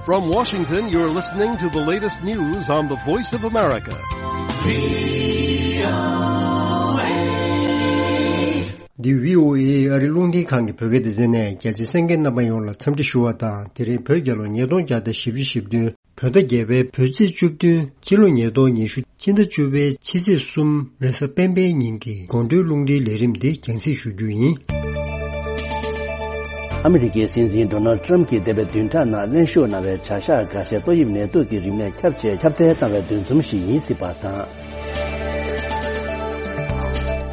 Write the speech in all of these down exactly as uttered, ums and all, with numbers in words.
From Washington, you're listening to the latest news on the Voice of America. འདི་བྷི་ཨོ་ཨེ་ཨ་རི་རླུང་འཕྲིན་ཁང་གི་བོད་སྐད་སྡེ་ཚན་ནས། རྒྱ་ཆེ་གསན་མཁན་རྣམ་པ་ཡོངས་ལ་འཚམས་འདྲི་ཞུ་བ་དང་། དེ་རིང་བོད་རྒྱལ་ལོ་ཉིས་སྟོང་བརྒྱ་དང་བཞི་བཅུ་ཞེ་བདུན། བོད་ཟླ་བརྒྱད་པའི་བོད་ཚེས་བཅུ་བདུན། སྤྱི་ལོ་ཉིས་སྟོང་ཉི་ཤུ། སྤྱི་ཟླ་བཅུ་པའི་ཕྱི་ཚེས་གསུམ། རེས་གཟའ་སྤེན་པའི་ཉིན་གྱི་དགོང་དྲོའི་རླུང་འཕྲིན་ལས་རིམ་འདི་རྒྱང་སྲིང་ཞུ་རྒྱུ་ཡིན། ཨ་མི་རི་ཀའི་སྲིད་འཛིན་ཌོ་ནལ་ཊམ་གྱིས་འདས་པའི་བདུན་ཕྲག་ནང་ལྷན་ཞུགས་གནང་བའི་བྱ་གཞག་འགའ་ཤས་ཏོག་དབྱིབས་ནད་དུག་གི་རིམས་ནད་ཁྱབ་ཆེ་ཁྱབ་གདལ་བཏང་བའི་འདུ་འཛོམས་ཤིག་ཡིན་སྲིད་པ་དང་།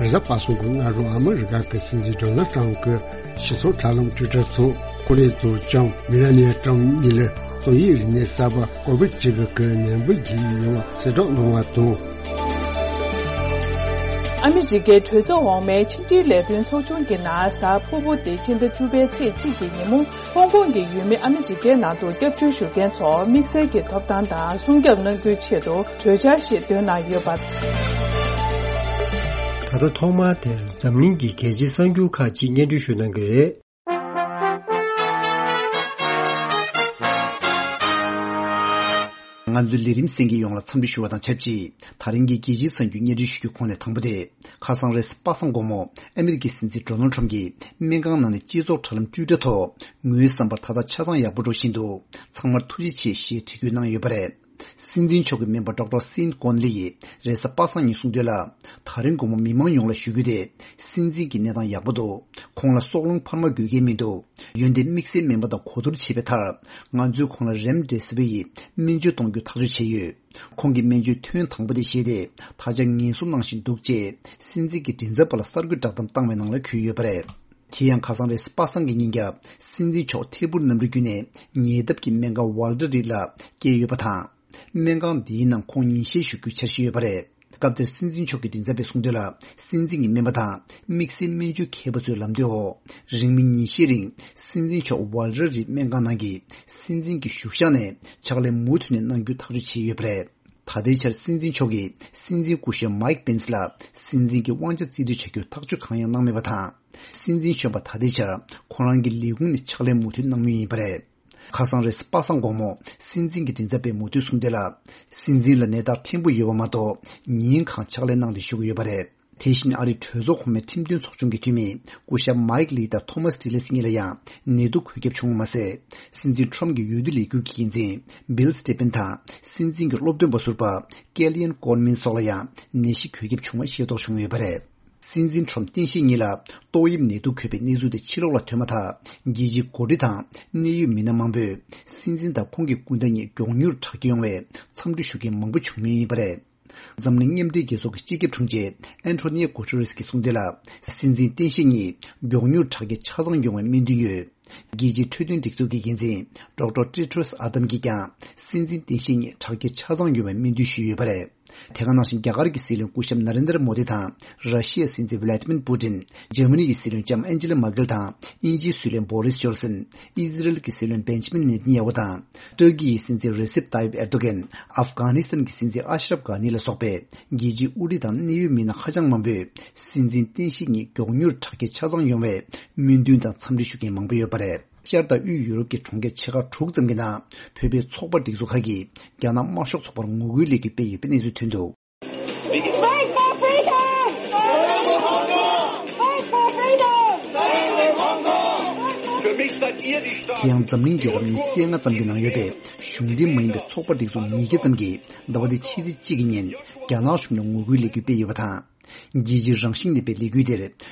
རེས་གཟའ་པ་སངས་ཀྱི་སྔ་དྲོ་ཨ་མི་རི་ཀ་གི་སྲིད་འཛིན་ཌོ་ནལ་ཊམ་གྱི་སྤྱི་ཚོགས་དྲ་ལམ་ཊུའི་ཊར་ཐོག་ཀོ་རི་ཡའི་ཚོགས་ཆུང་མེ་ལ་ནི་ཡ་ཊམ་གཉིས་ལ་ཏོག་དབྱིབས་རིམས་ནད་གསར་པ་ཀོ་ཝིཌ་བརྒྱད་ཀྱི་ནད་འབུ་འགོས་ཡོད་པ་གསལ་བསྒྲགས་གནང་བ་དང་། ཨ་མི་རི་ཀའི་གྲོས་ཚོགས་འོག་མའི་ཕྱི་འབྲེལ་ལས་དོན་ཚོགས་ཆུང་གི་ནང་གཟའ་ཕུར་བུ་སྟེ་སྤྱི་ཟླ་བཅུ་པའི་ཚེས་གཅིག་གི་ཉིན་མོ། ཧོང་ཀོང་གི་ཡུལ་མི་ཨ་མི་རི་ཀའི་ནང་དུ་སྐྱབས་བཅོལ་ཞུ་མཁན་ཚོར་དམིགས་བསལ་གྱི་ཐོབ་ཐང་དང་སྲུང་སྐྱོབ་གནང་རྒྱུའི་ཆེད་དུ་གྲོས་འཆར་ཞིག་བཏོན་གནང་ཡོད་པ། ད་ལྟ་ཐོག་མར་དེར་འཛམ་གླིང་གི་རྒྱལ་སྤྱིའི་གསར་འགྱུར་ཁག་ཅིག་སྙན་སྒྲོན་ཞུ་གནང་གི་རེད། ང་ཚོའི་ལས་རིམ་གསན་མཁན་ཡོངས་ལ་འཚམས་འདྲི་ཞུ་བ་དང་ཆབས་ཅིག་ད་རིང་གི་རྒྱལ་སྤྱིའི་གསར་འགྱུར་སྙན་སྒྲོན་ཞུ་རྒྱུའི་ཁོངས་ནས་དང་པོ་དེ། ཁ་སང་རེས་གཟའ་པ་སངས་དགོང་མོ། ཨ་མི་རི་ཀའི་སྲིད་འཛིན་ཌོ་ནལ་ཊམ་གྱིས་སྨན་ཁང་ནང་ནས་སྤྱི་ཚོགས་དྲ་ལམ་ཊུའི་ཊར་ཐོག་ངོའི་བསམ་པར་ད་ལྟ་ཆ་ཚང་ཡག་པོ་འགྲོ་བཞིན་འདུག་ཚང་མར་ཐུགས་རྗེ་ཆེ་ཞེས་འབྲི་འགོད་གནང་ཡོད་པ་རེད། སྲིད་འཛིན་མཆོག་གི་སྨན་པ་ཌོག་ཊར་སིན་ཀོན་ལི་ཡིས་རེས་གཟའ་པ་སངས་ཉིན་གསུངས་དོན་ལ། ད་རིང་དགོང་མོ་མི་མང་ཡོངས་ལ་ཞུ་རྒྱུ་དེ། སྲིད་འཛིན་གྱི་གནས་སྟངས་ཡག་པོ་འདུག་ཁོང་ལ་སྲོག་རླུང་འཕར་མ་འགོས་མཁན་མི་འདུག་ཡོན་ཏན་དམིགས་བསལ་སྨན་པ་དང་གོ་བསྡུར་བྱས་པའི་མཐར། ང་ཚོས་ཁོང་ལ་རེམ་ཌེ་སི་ཝིར་ཡི་སྨན་བཅོས་གཏོང་རྒྱུ་ཐག་གཅོད་བྱས་ཡོད། ཁོང་གི་སྨན་བཅོས་ཐུན་དང་པོ་དེ་བཞེས་ཏེ། ད་ཆ་ངལ་གསོ་གནང་བཞིན་འདུག་ཅེས་སྲིད་འཛིན་གྱི་མགྲིན་ཚབ་པ་ལ་གསར་འགོད་བསྒྲགས་གཏམ་བཏང་བའི་ནང་ལ་འཁོད་ཡོད་པ་རེད། དེ་ཡང་ཁ་སང་རེས་གཟའ་པ་སངས་ཀྱི་ཉིན་རྒྱབ་སྲིད་འཛིན་མཆོག་ཐད་འཕུར་གནམ་གྲུ་བརྒྱུད་ནས་ཉེ་འདབས་ཀྱི་སྨན་ཁང་ཝལ་ཊར་རིད་ལ་བསྐྱལ་ཡོད་པ་དང་། སྨན་ཁང་འདིའི་ནང་ཁོང་ཉིན་བཞེས་ཞུ་རྒྱུའི་འཆར་གཞི་ཡོད་པ་རེད། སྐབས་དེར་སྲིད་འཛིན་མཆོག་གི་མགྲིན་ཚབ་པས་གསུངས་དོན་ལ། སྲིད་འཛིན་གྱི་སྨན་པ་དང་དམིགས་བསལ་སྨན་བཅོས་མཁས་པ་ཚོའི་ལམ་སྟོན་འོག་རིང་མིན་ཉིན་ཤས་རིང་སྲིད་འཛིན་མཆོག་ཝལ་ཊར་རིད་སྨན་ཁང་ནང་གི་སྲིད་འཛིན་གྱི་བཞུགས་ཤག་ནས་ཕྱག་ལས་མུ་མཐུད་ནས་གནང་རྒྱུ་ཐག་གཅོད་བྱས་ཡོད་པ་རེད། ད་ལྟའི་ཆར་སྲིད་འཛིན་མཆོག་གིས་སྲིད་འཛིན་སྐུ་ཞབས་མའིག་པེན་སི་ལ་སྲིད་འཛིན་གྱི་དབང་ཆ་རྩིས་སྤྲོད་བྱ་རྒྱུར་ཐག་གཅོད་གང་ཡང་གནང་མེད་པ་དང་། སྲིད་འཛིན་གཞོན་པ་ད་ལྟའི་ཆར་ཁོ་རང་གི་ལས་ཁུངས་ནས་ཕྱག་ལས་མུ་མཐུད་གནང་མུས་ཡིན་པ་རེད། ཁ་སང་རེས་གཟའ་པ་སངས་དགོང་མོ་སྲིད་འཛིན་གྱི་མགྲིན་ཚབ་པས་མུ་མཐུད་གསུངས་དོན་ལ། སྲིད་འཛིན་ལ་ནད་རྟགས་ཕྲན་བུ་ཡོད་པ་མ་གཏོགས་ཉིན་གང་ཕྱག་ལས་གནང་སྟེ་བཞུགས་ཀྱི་ཡོད་པ་རེད། དེ་བཞིན་ཨ་རིའི་གྲོས་ཚོགས་གོང་མའི་ཁྲིམས་དོན་ཚོགས་ཆུང་གི་འཐུས་མི་སྐུ་ཞབས་མའིག་ལི་དང་ཐོ་མཱས་ཌི་ལེ་སི་གཉིས་ལ་ཡང་ནད་དུག་འགོས་ཁྱབ་བྱུང་བ་མ་ཟད། སྲིད་འཛིན་ཁྲོམ་གྱི་འོས་བསྡུ་ལས་འགུལ་གྱི་འགན་འཛིན་བིལ་སི་ཊི་ཕེན་དང་སྲིད་འཛིན་གྱི་སློབ་སྟོན་པ་ཟུར་པ་ཀེ་ལི་ཡན་ཀོར་མིན་སོགས་ལ་ཡང་ནད་གཞི་འགོས་ཁྱབ་བྱུང་བ་ཤེས་རྟོགས་བྱུང་ཡོད་པ་རེད། སྲིད་འཛིན་ཁྲོམ་སྟངས་དཔྱལ་གཉིས་ལ་ཏོག་དབྱིབས་ནད་དུག་འགོས་པའི་གནས་ཚུལ་དེ་ཕྱི་ལོགས་ལ་ཐོན་མ་ཐག་རྒྱལ་སྤྱིའི་འགོ་ཁྲིད་དང་གནད་ཡོད་མི་སྣ་མང་པོས་སྲིད་འཛིན་དང་ཁོང་གི་སྐུ་ཟླ་གཉིས་མགྱོགས་མྱུར་དྲག་སྐྱེད་ཡོང་བའི་འཚམས་འདྲི་ཞུ་མཁན་མང་པོ་བྱུང་མུས་ཡིན་པ་རེད། འཛམ་གླིང་མཉམ་འབྲེལ་རྒྱལ་ཚོགས་ཀྱི་སྤྱི་ཁྱབ་དྲུང་ཆེ་ཨན་ཐོ་ནི་ཡ་གུ་ཏེ་རེས་ཀྱིས་གསུངས་དོན་ལ། སྲིད་འཛིན་སྟངས་དཔྱལ་གཉིས་མགྱོགས་མྱུར་དྲག་སྐྱེད་ཆ་ཚང་ཡོང་བའི་སྨོན་འདུན་ཡོད། རྒྱལ་སྤྱིའི་འཕྲོད་བསྟེན་སྒྲིག་འཛུགས་ཀྱི་འགན་འཛིན་ཌོག་ཊར་ཊེ་ཌྲོས་ཨ་དམ་གྱིས་ཀྱང་སྲིད་འཛིན་སྟངས་དཔྱལ་གཉིས་དྲག་སྐྱེད་ཆ་ཚང་ཡོང་བའི་སྨོན་འདུན་ཞུས་ཡོད་པ་རེད། དེ་ག་ནང་བཞིན་རྒྱ་གར་གྱི་སྲིད་བློན་སྐུ་ཞབས་ན་རེན་དྲ་མོ་དི་དང་། ར་ཤི་ཡའི་སྲིད་འཛིན་ཝི་ལ་ཏི་མིར་པུ་ཏིན། འཇར་མ་ནི་ཡི་སྲིད་བློན་ལྕམ་ཨན་ཇི་ལ་མར་ཀེལ་དང་། དབྱིན་ཇིའི་སྲིད་བློན་བོ་རིས་ཇོན་སན། ཨི་ཟི་རལ་གྱི་སྲིད་བློན་བེན་ཇི་མིན་ནེ་ཐན་ཡ་ཧུ་དང་། ཏུར་ཀི་ཡི་སྲིད་འཛིན་རེ་སེབ་ཏཱ་ཡིབ་ཨེར་དོ་གན། ཨབ་གྷ་ནི་སི་ཐན་གྱི་སྲིད་འཛིན་ཨ་ཤ་རབ་གྷ་ནི་ལ་སོགས་པའི་རྒྱལ་སྤྱིའི་དབུ་ཁྲིད་དང་གནད་ཡོད་མི་སྣ་ཧ་ཅང་མང་པོས་སྲིད་འཛིན་སྟངས་དཔྱལ་གཉིས་མགྱོགས་མྱུར་དྲག་སྐྱེད་ཆ་ཚང་ཡོང་བའི་སྨོན་འདུན་དང་འཚམས་འདྲི་ཞུ་མཁན་མང་པོ་ཡོད་པ་རེད། ཤར་དང་དབུས་ཡུ་རོབ་ཀྱི་གྲོང་ཁྱེར་ཆེ་ཁག་དྲུག་ཙམ་གྱི་ནང་བོད་པའི་ཚོགས་པ་སྒྲིག་འཛུགས་ཁག་གིས་རྒྱ་ནག་དམར་ཤོག་ཚོགས་པར་ངོ་རྒོལ་ལས་འགུལ་སྤེལ་ཡོད་པའི་གནས་ཚུལ་ཐོན་འདུག Fight for freedom! Fight for freedom! Für mich seid ihr die དེ་ཡང་འཛམ་གླིང་རྒྱལ་ཁབ་ཉི་ཤུ་རྩ་ལྔ་ཙམ་གྱི་ནང་ཡོད་པའི་གཞུང་འབྲེལ་མ་ཡིན་པའི་ཚོགས་པ་སྒྲིག་འཛུགས་ཉིས་བརྒྱ་ཙམ་གྱིས་ཟླ་བ་འདིའི་ཕྱི་ཚེས་གཅིག་གི་ཉིན་རྒྱ་ནག་གཞུང་ལ་ངོ་རྒོལ་ལས་འགུལ་སྤེལ་ཡོད་པ་དང་། རྒྱལ་སྤྱིའི་རང་བཞིན་ལྡན་པའི་ལས་འགུལ་དེར་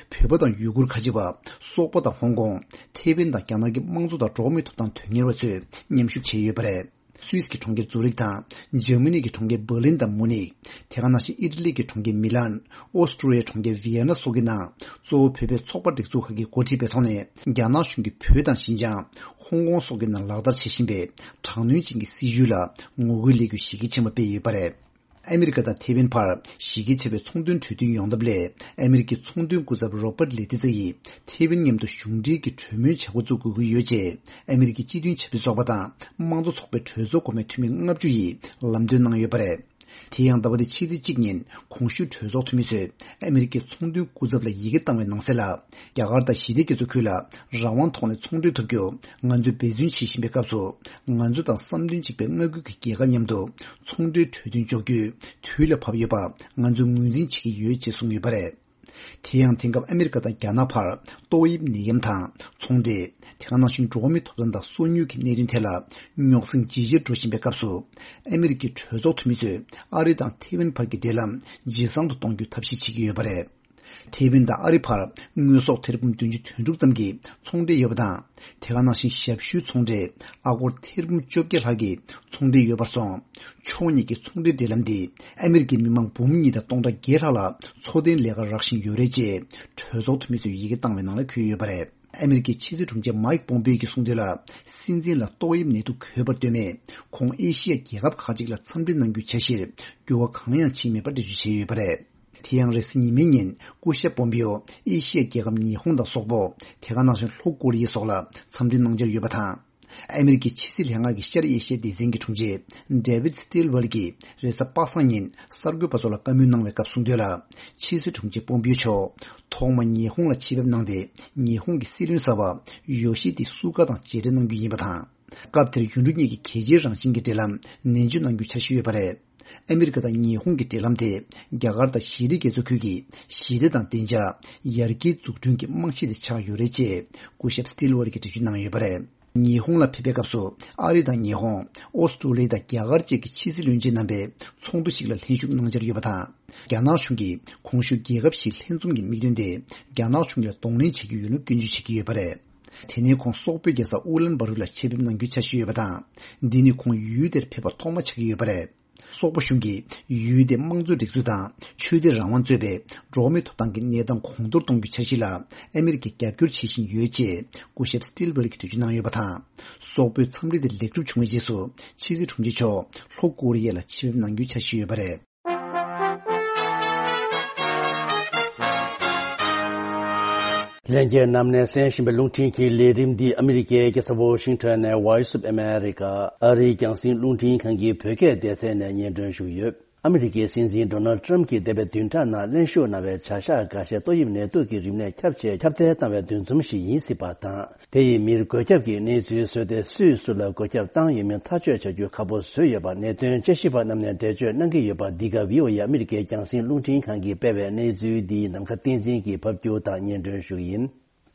བོད་པ་དང་ཡུ་གུར་ཁ་ཆེ་བ། སོག་པོ་དང་ཧོང་ཀོང་། ཐེ་ཝན་དང་རྒྱ་ནག་གི་དམངས་གཙོ་དང་འགྲོ་བ་མིའི་ཐོབ་ཐང་དོན་གཉེར་བ་ཚོས་མཉམ་ཞུགས་བྱས་ཡོད་པ་རེད། སུད་སི་གི་གྲོང་ཁྱེར་ཛུ་རིག་དང་། འཇར་མ་ནི་གི་གྲོང་ཁྱེར་འབར་ལིན་དང་མུ་ནིག་དེ་ག་ནང་བཞིན་ཨི་ཊ་ལི་གི་གྲོང་ཁྱེར་མི་ལན། ཨོ་སི་ཀྲུ་ལི་ཡའི་གྲོང་ཁྱེར་ཝི་ཡེ་ན་སོགས་ཀྱི་ནང་གཙོ་བོ་བོད་པའི་ཚོགས་པ་སྒྲིག་འཛུགས་ཁག་གིས་འགོ་ཁྲིད་པའི་ཐོག་ནས་རྒྱ་ནག་གཞུང་གིས་བོད་དང་ཞིན་ཅང་། ཧོང་ཀོང་སོགས་ཀྱི་ནང་ལག་བསྟར་བྱེད་བཞིན་པའི་དྲག་གནོན་ཅན་གྱི་སྲིད་བྱུས་ལ་ངོ་རྒོལ་ལས་འགུལ་གཞི་རྒྱ་ཆེན་པོ་སྤེལ་ཡོད་པ་རེད། ཨ་མི་རི་ཀ་དང་ཐེ་ཝན་བར་གཞི་རྒྱ་ཆེ་བའི་ཚོང་དོན་གྲོས་མཐུན་ཡོང་ཐབས་སླད། ཨ་མི་རི་ཀའི་ཚོང་དོན་སྐུ་ཚབ་རོ་པར་ལེ་ཏི་ཙེ་ཡིས་ཐེ་ཝན་མཉམ་དུ་གཞུང་འབྲེལ་གྱི་གྲོས་མོལ་བྱ་འགོ་བཙུགས་དགོས་ཀྱི་ཡོད་ཅེས་ཨ་མི་རི་ཀའི་སྤྱི་མཐུན་ཆབ་སྲིད་ཚོགས་པ་དང་དམངས་གཙོ་ཚོགས་པའི་གྲོས་ཚོགས་གོང་མའི་འཐུས་མི་ལྔ་བཅུ་ཡིས་ལམ་སྟོན་གནང་ཡོད་པ་རེད། དེ་ཡང་ཟླ་བ་འདིའི་ཕྱི་ཚེས་གཅིག་ཉིན་གོང་ཞུས་གྲོས་ཚོགས་འཐུས་མི་ཚོས་ཨ་མི་རི་ཀའི་ཚོང་དོན་སྐུ་ཚབ་ལ་ཡི་གེ་བཏང་བའི་ནང་གསལ་ལ། རྒྱ་གར་དང་ཞི་བདེ་རྒྱ་མཚོ་ཁུལ་ལ་རང་དབང་ཐོག་ནས་ཚོང་འབྲེལ་ཐུབ་རྒྱུ་ང་ཚོས་འབད་བརྩོན་བྱེད་བཞིན་པའི་སྐབས་སུ། ང་ཚོ་དང་བསམ་དོན་གཅིག་པའི་མངའ་ཁུལ་གྱི་རྒྱལ་ཁབ་མཉམ་དུ་ཚོང་འབྲེལ་གྲོས་མཐུན་འཇོག་རྒྱུའི་དུས་ལ་བབ་ཡོད་པ་ང་ཚོས་ངོས་འཛིན་བྱེད་ཀྱི་ཡོད་ཅེས་གསུངས་ཡོད་པ་རེད། དེ་ཡང་དེང་སྐབས་ཨ་མི་རི་ཀ་དང་རྒྱ་ནག་བར་ཏོག་དབྱིབས་ནད་ཡམས་དང་ཚོང་འབྲེལ། དེ་ག་ནང་བཞིན་འགྲོ་བ་མིའི་ཐོབ་ཐང་དང་སོ་ཉུལ་གྱི་གནད་དོན་ཐད་ལ་རྙོག་ཟིང་ཇེ་ཆེར་འགྲོ་བཞིན་པའི་སྐབས་སུ། ཨ་མི་རི་ཀའི་གྲོས་ཚོགས་འཐུས་མི་ཚོས་ཨ་རི་དང་ཐེ་ཝན་བར་གྱི་འབྲེལ་ལམ་ཇེ་བཟང་དུ་གཏོང་རྒྱུའི་ཐབས་ཤེས་བྱེད་ཀྱི་ཡོད་པ་རེད། ཐེ་ཝན་དང་ཨ་རི་བར་དངོས་ཟོག་ཐེར་འབུམ་བདུན་ཅུ་དོན་དྲུག་ཙམ་གྱི་ཚོང་འབྲེལ་ཡོད་པ་དང་། དེ་ག་ནང་བཞིན་ཞབས་ཞུའི་ཚོང་འབྲེལ་ཨ་སྒོར་ཐེར་འབུམ་བཅོ་བརྒྱད་ལྷག་གི་ཚོང་འབྲེལ་ཡོད་པར་སོང་། ཕྱོགས་གཉིས་ཀྱི་ཚོང་འབྲེལ་འབྲེལ་ལམ་འདིས་ཨ་མི་རི་ཀའི་མི་མང་འབུམ་གཉིས་དང་སྟོང་ཕྲག་བརྒྱད་ལྷག་ལ་འཚོ་རྟེན་ལས་ཀ་རག་བཞིན་ཡོད་རེད་ཅེས་གྲོས་ཚོགས་འཐུས་མི་ཚོས་ཡི་གེ་བཏང་བའི་ནང་ལ་འཁོད་ཡོད་པ་རེད། ཨ་མི་རི་ཀའི་ཕྱི་སྲིད་དྲུང་ཆེ་མའིག་པོམ་པེ་ཡོ་གིས་གསུངས་དོན་ལ། སྲིད་འཛིན་ལ་ཏོག་དབྱིབས་ནད་དུག་འགོས་པར་ལྟོས་མེད་ཁོང་ཨེ་ཤི་ཡ་རྒྱལ་ཁབ་ཁག་ཅིག་ལ་འཚམས་འདྲི་གནང་རྒྱུའི་འཆར་གཞིར་འགྱུར་བ་གང་ཡང་ཕྱིན་མེད་པ་འགྲེལ་བརྗོད་བྱས་ཡོད་པ་རེད། དེ་ཡང་རེས་གཟའ་ཉི་མའི་ཉིན་སྐུ་ཞབས་པོམ་པེ་ཡོ་ཨེ་ཤི་ཡ་རྒྱལ་ཁབ་ཉི་ཧོང་དང་སོག་པོ། དེ་ག་ནང་བཞིན་ལྷོ་ཀོ་རི་ཡ་སོགས་ལ་འཚམས་འདྲི་གནང་འཆར་ཡོད་པ་དང་། ཨ་མི་རི་ཀའི་ཕྱི་སྲིད་ལྷན་ཁང་གི་ཤར་ཨེ་ཤི་ཡའི་སྡེ་ཚན་གྱི་དྲུང་ཆེ་ཌེ་ཝིད་སི་ཊིལ་ཝར་གྱིས་རེས་གཟའ་པ་སངས་ཉིན་གསར་འགོད་པ་ཚོ་ལ་བཀའ་མོལ་གནང་བའི་སྐབས་གསུངས་དོན་ལ། ཕྱི་སྲིད་དྲུང་ཆེ་པོམ་པེ་ཡོ་མཆོག་ཐོག་མར་ཉི་ཧོང་ལ་ཆེད་ཕེབས་གནང་སྟེ། ཉི་ཧོང་གི་སྲིད་བློན་གསར་པ་ཡོ་ཤི་དེ་སུ་ག་དང་མཇལ་འཕྲད་གནང་རྒྱུ་ཡིན་པ་དང་། སྐབས་དེར་ཡུལ་གྲུ་གཉིས་ཀྱི་གལ་ཆེའི་རང་བཞིན་གྱི་འབྲེལ་ལམ་ནན་བརྗོད་གནང་རྒྱུའི་འཆར་གཞི་ཡོད་པ་རེད། ཨ་མི་རི་ཀ་དང་ཉི་ཧོང་གི་འབྲེལ་ལམ་དེ་རྒྱ་གར་དང་ཞི་བདེ་རྒྱ་མཚོ་ཁུལ་གྱི་ཞི་བདེ་དང་བདེ་འཇགས། ཡར་རྒྱས་འཛུགས་སྐྲུན་གྱི་རྨང་གཞི་དེ་ཆགས་ཡོད་རེད་ཅེས་སྐུ་ཞབས་སི་ཊིལ་ཝར་གྱིས་འགྲེལ་བརྗོད་གནང་ཡོད་པ་རེད། ཉི་ཧོང་ལ་ཕེབས་པའི་སྐབས་སུ་ཨ་རི་དང་ཉི་ཧོང་། ཨོ་སི་ཀྲོ་ལི་ཡ་དང་རྒྱ་གར་བཅས་ཀྱི་ཕྱི་སྲིད་བློན་ཆེན་རྣམ་པའི་ཚོགས་འདུ་ཞིག་ལ་ལྷན་ཞུགས་གནང་འཆར་ཡོད་པ་དང་། རྒྱ་ནག་གཞུང་གིས་གོང་ཞུས་རྒྱལ་ཁབ་བཞིའི་ལྷན་འཛོམས་ཀྱི་དམིགས་དོན་དེ་རྒྱ་ནག་གཞུང་ལ་གདོང་ལེན་བྱེད་ཀྱི་ཡོད་ལུགས་སྐྱོན་བརྗོད་བྱེད་ཀྱི་ཡོད་པ་རེད། དེ་ནས་ཁོང་སོག་པོའི་རྒྱལ་ས་ཨུ་ལན་བ་རུ་ལ་ཆེད་ཕེབས་གནང་རྒྱུའི་འཆར་གཞི་ཡོད་པ་དང་། འདི་ནི་ཁོང་ཡུལ་དེར་ཕེབས་པ་ཐོག་མ་ཆགས་ཀྱི་ཡོད་པ་རེད། སོག་པོ་གཞུང་གིས་ཡུལ་དེའི་དམངས་གཙོའི་སྒྲིག་འཛུགས་དང་ཆོས་དད་རང་དབང་གཙོས་པའི་འགྲོ་བ་མིའི་ཐོབ་ཐང་གི་གནས་སྟངས་གོང་མཐོར་གཏོང་རྒྱུའི་འཆར་གཞི་ལ་ཨ་མི་རི་ཀས་རྒྱབ་སྐྱོར་བྱེད་བཞིན་ཡོད་ཅེས་སྐུ་ཞབས་སི་ཊིལ་ཝར་གྱིས་འགྲེལ་བརྗོད་གནང་ཡོད་པ་དང་། སོག་པོའི་འཚམས་འདྲི་དེ་ལེགས་གྲུབ་བྱུང་བའི་རྗེས་སུ་ཕྱི་སྲིད་དྲུང་ཆེ་མཆོག་ལྷོ་ཀོ་རི་ཡ་ལ་ཆེད་ཕེབས་གནང་རྒྱུའི་འཆར་གཞི་ཡོད་པ་རེད། ལྷན་རྒྱས་རྣམས་ནས་གསན་བཞིན་པའི་རླུང་འཕྲིན་གྱི་ལས་རིམ་འདི་ཨ་མི་རི་ཀའི་རྒྱལ་ས་ཝོ་ཤིང་ཊོན་ནས་Voice of America ཨ་རིའི་རྒྱང་སྲིང་རླུང་འཕྲིན་ཁང་གི་བོད་སྐད་སྡེ་ཚན་ནས་སྙན་སྒྲོན་ཞུས་ཡོད། ཨ་མི་རི་ཀའི་སྲིད་འཛིན་ཌོ་ནལ་ཊམ་གྱིས་འདས་པའི་བདུན་ཕྲག་ནང་གླེང་ཞུགས་གནང་བའི་བྱ་གཞག་འགའ་ཤས་ཏོག་དབྱིབས་ནད་དུག་གི་རིམས་ནད་ཁྱབ་ཆེ་ཁྱབ་གདལ་བཏང་བའི་འདུ་འཛོམས་ཤིག་ཡིན་སྲིད་པ་དང་། དེ་ཡི་མིར་འགོས་ཁྱབ་ཀྱི་གནས་ཚུལ་བཟོས་ཏེ་སུས་སུ་ལ་འགོས་ཁྱབ་བཏང་ཡོད་མིན་ཐག་གཅོད་བྱ་རྒྱུ་ཁག་པོ་བཟོས་ཡོད་པ་གནད་དོན་དཔྱད་ཞིབ་པ་རྣམས་ནས་འགྲེལ་བརྗོད་གནང་གི་ཡོད་པ། འདི་ག་བྷི་ཨོ་ཨེ་ཨ་མི་རི་ཀའི་རྒྱང་སྲིང་རླུང་འཕྲིན་ཁང་གིས་སྤེལ་བའི་གནས་ཚུལ་འདི་ནམ་མཁའ་བསྟན་འཛིན་གྱིས་ཕབ་སྒྱུར་དང་སྙན་སྒྲོན་ཞུ་གི་ཡིན།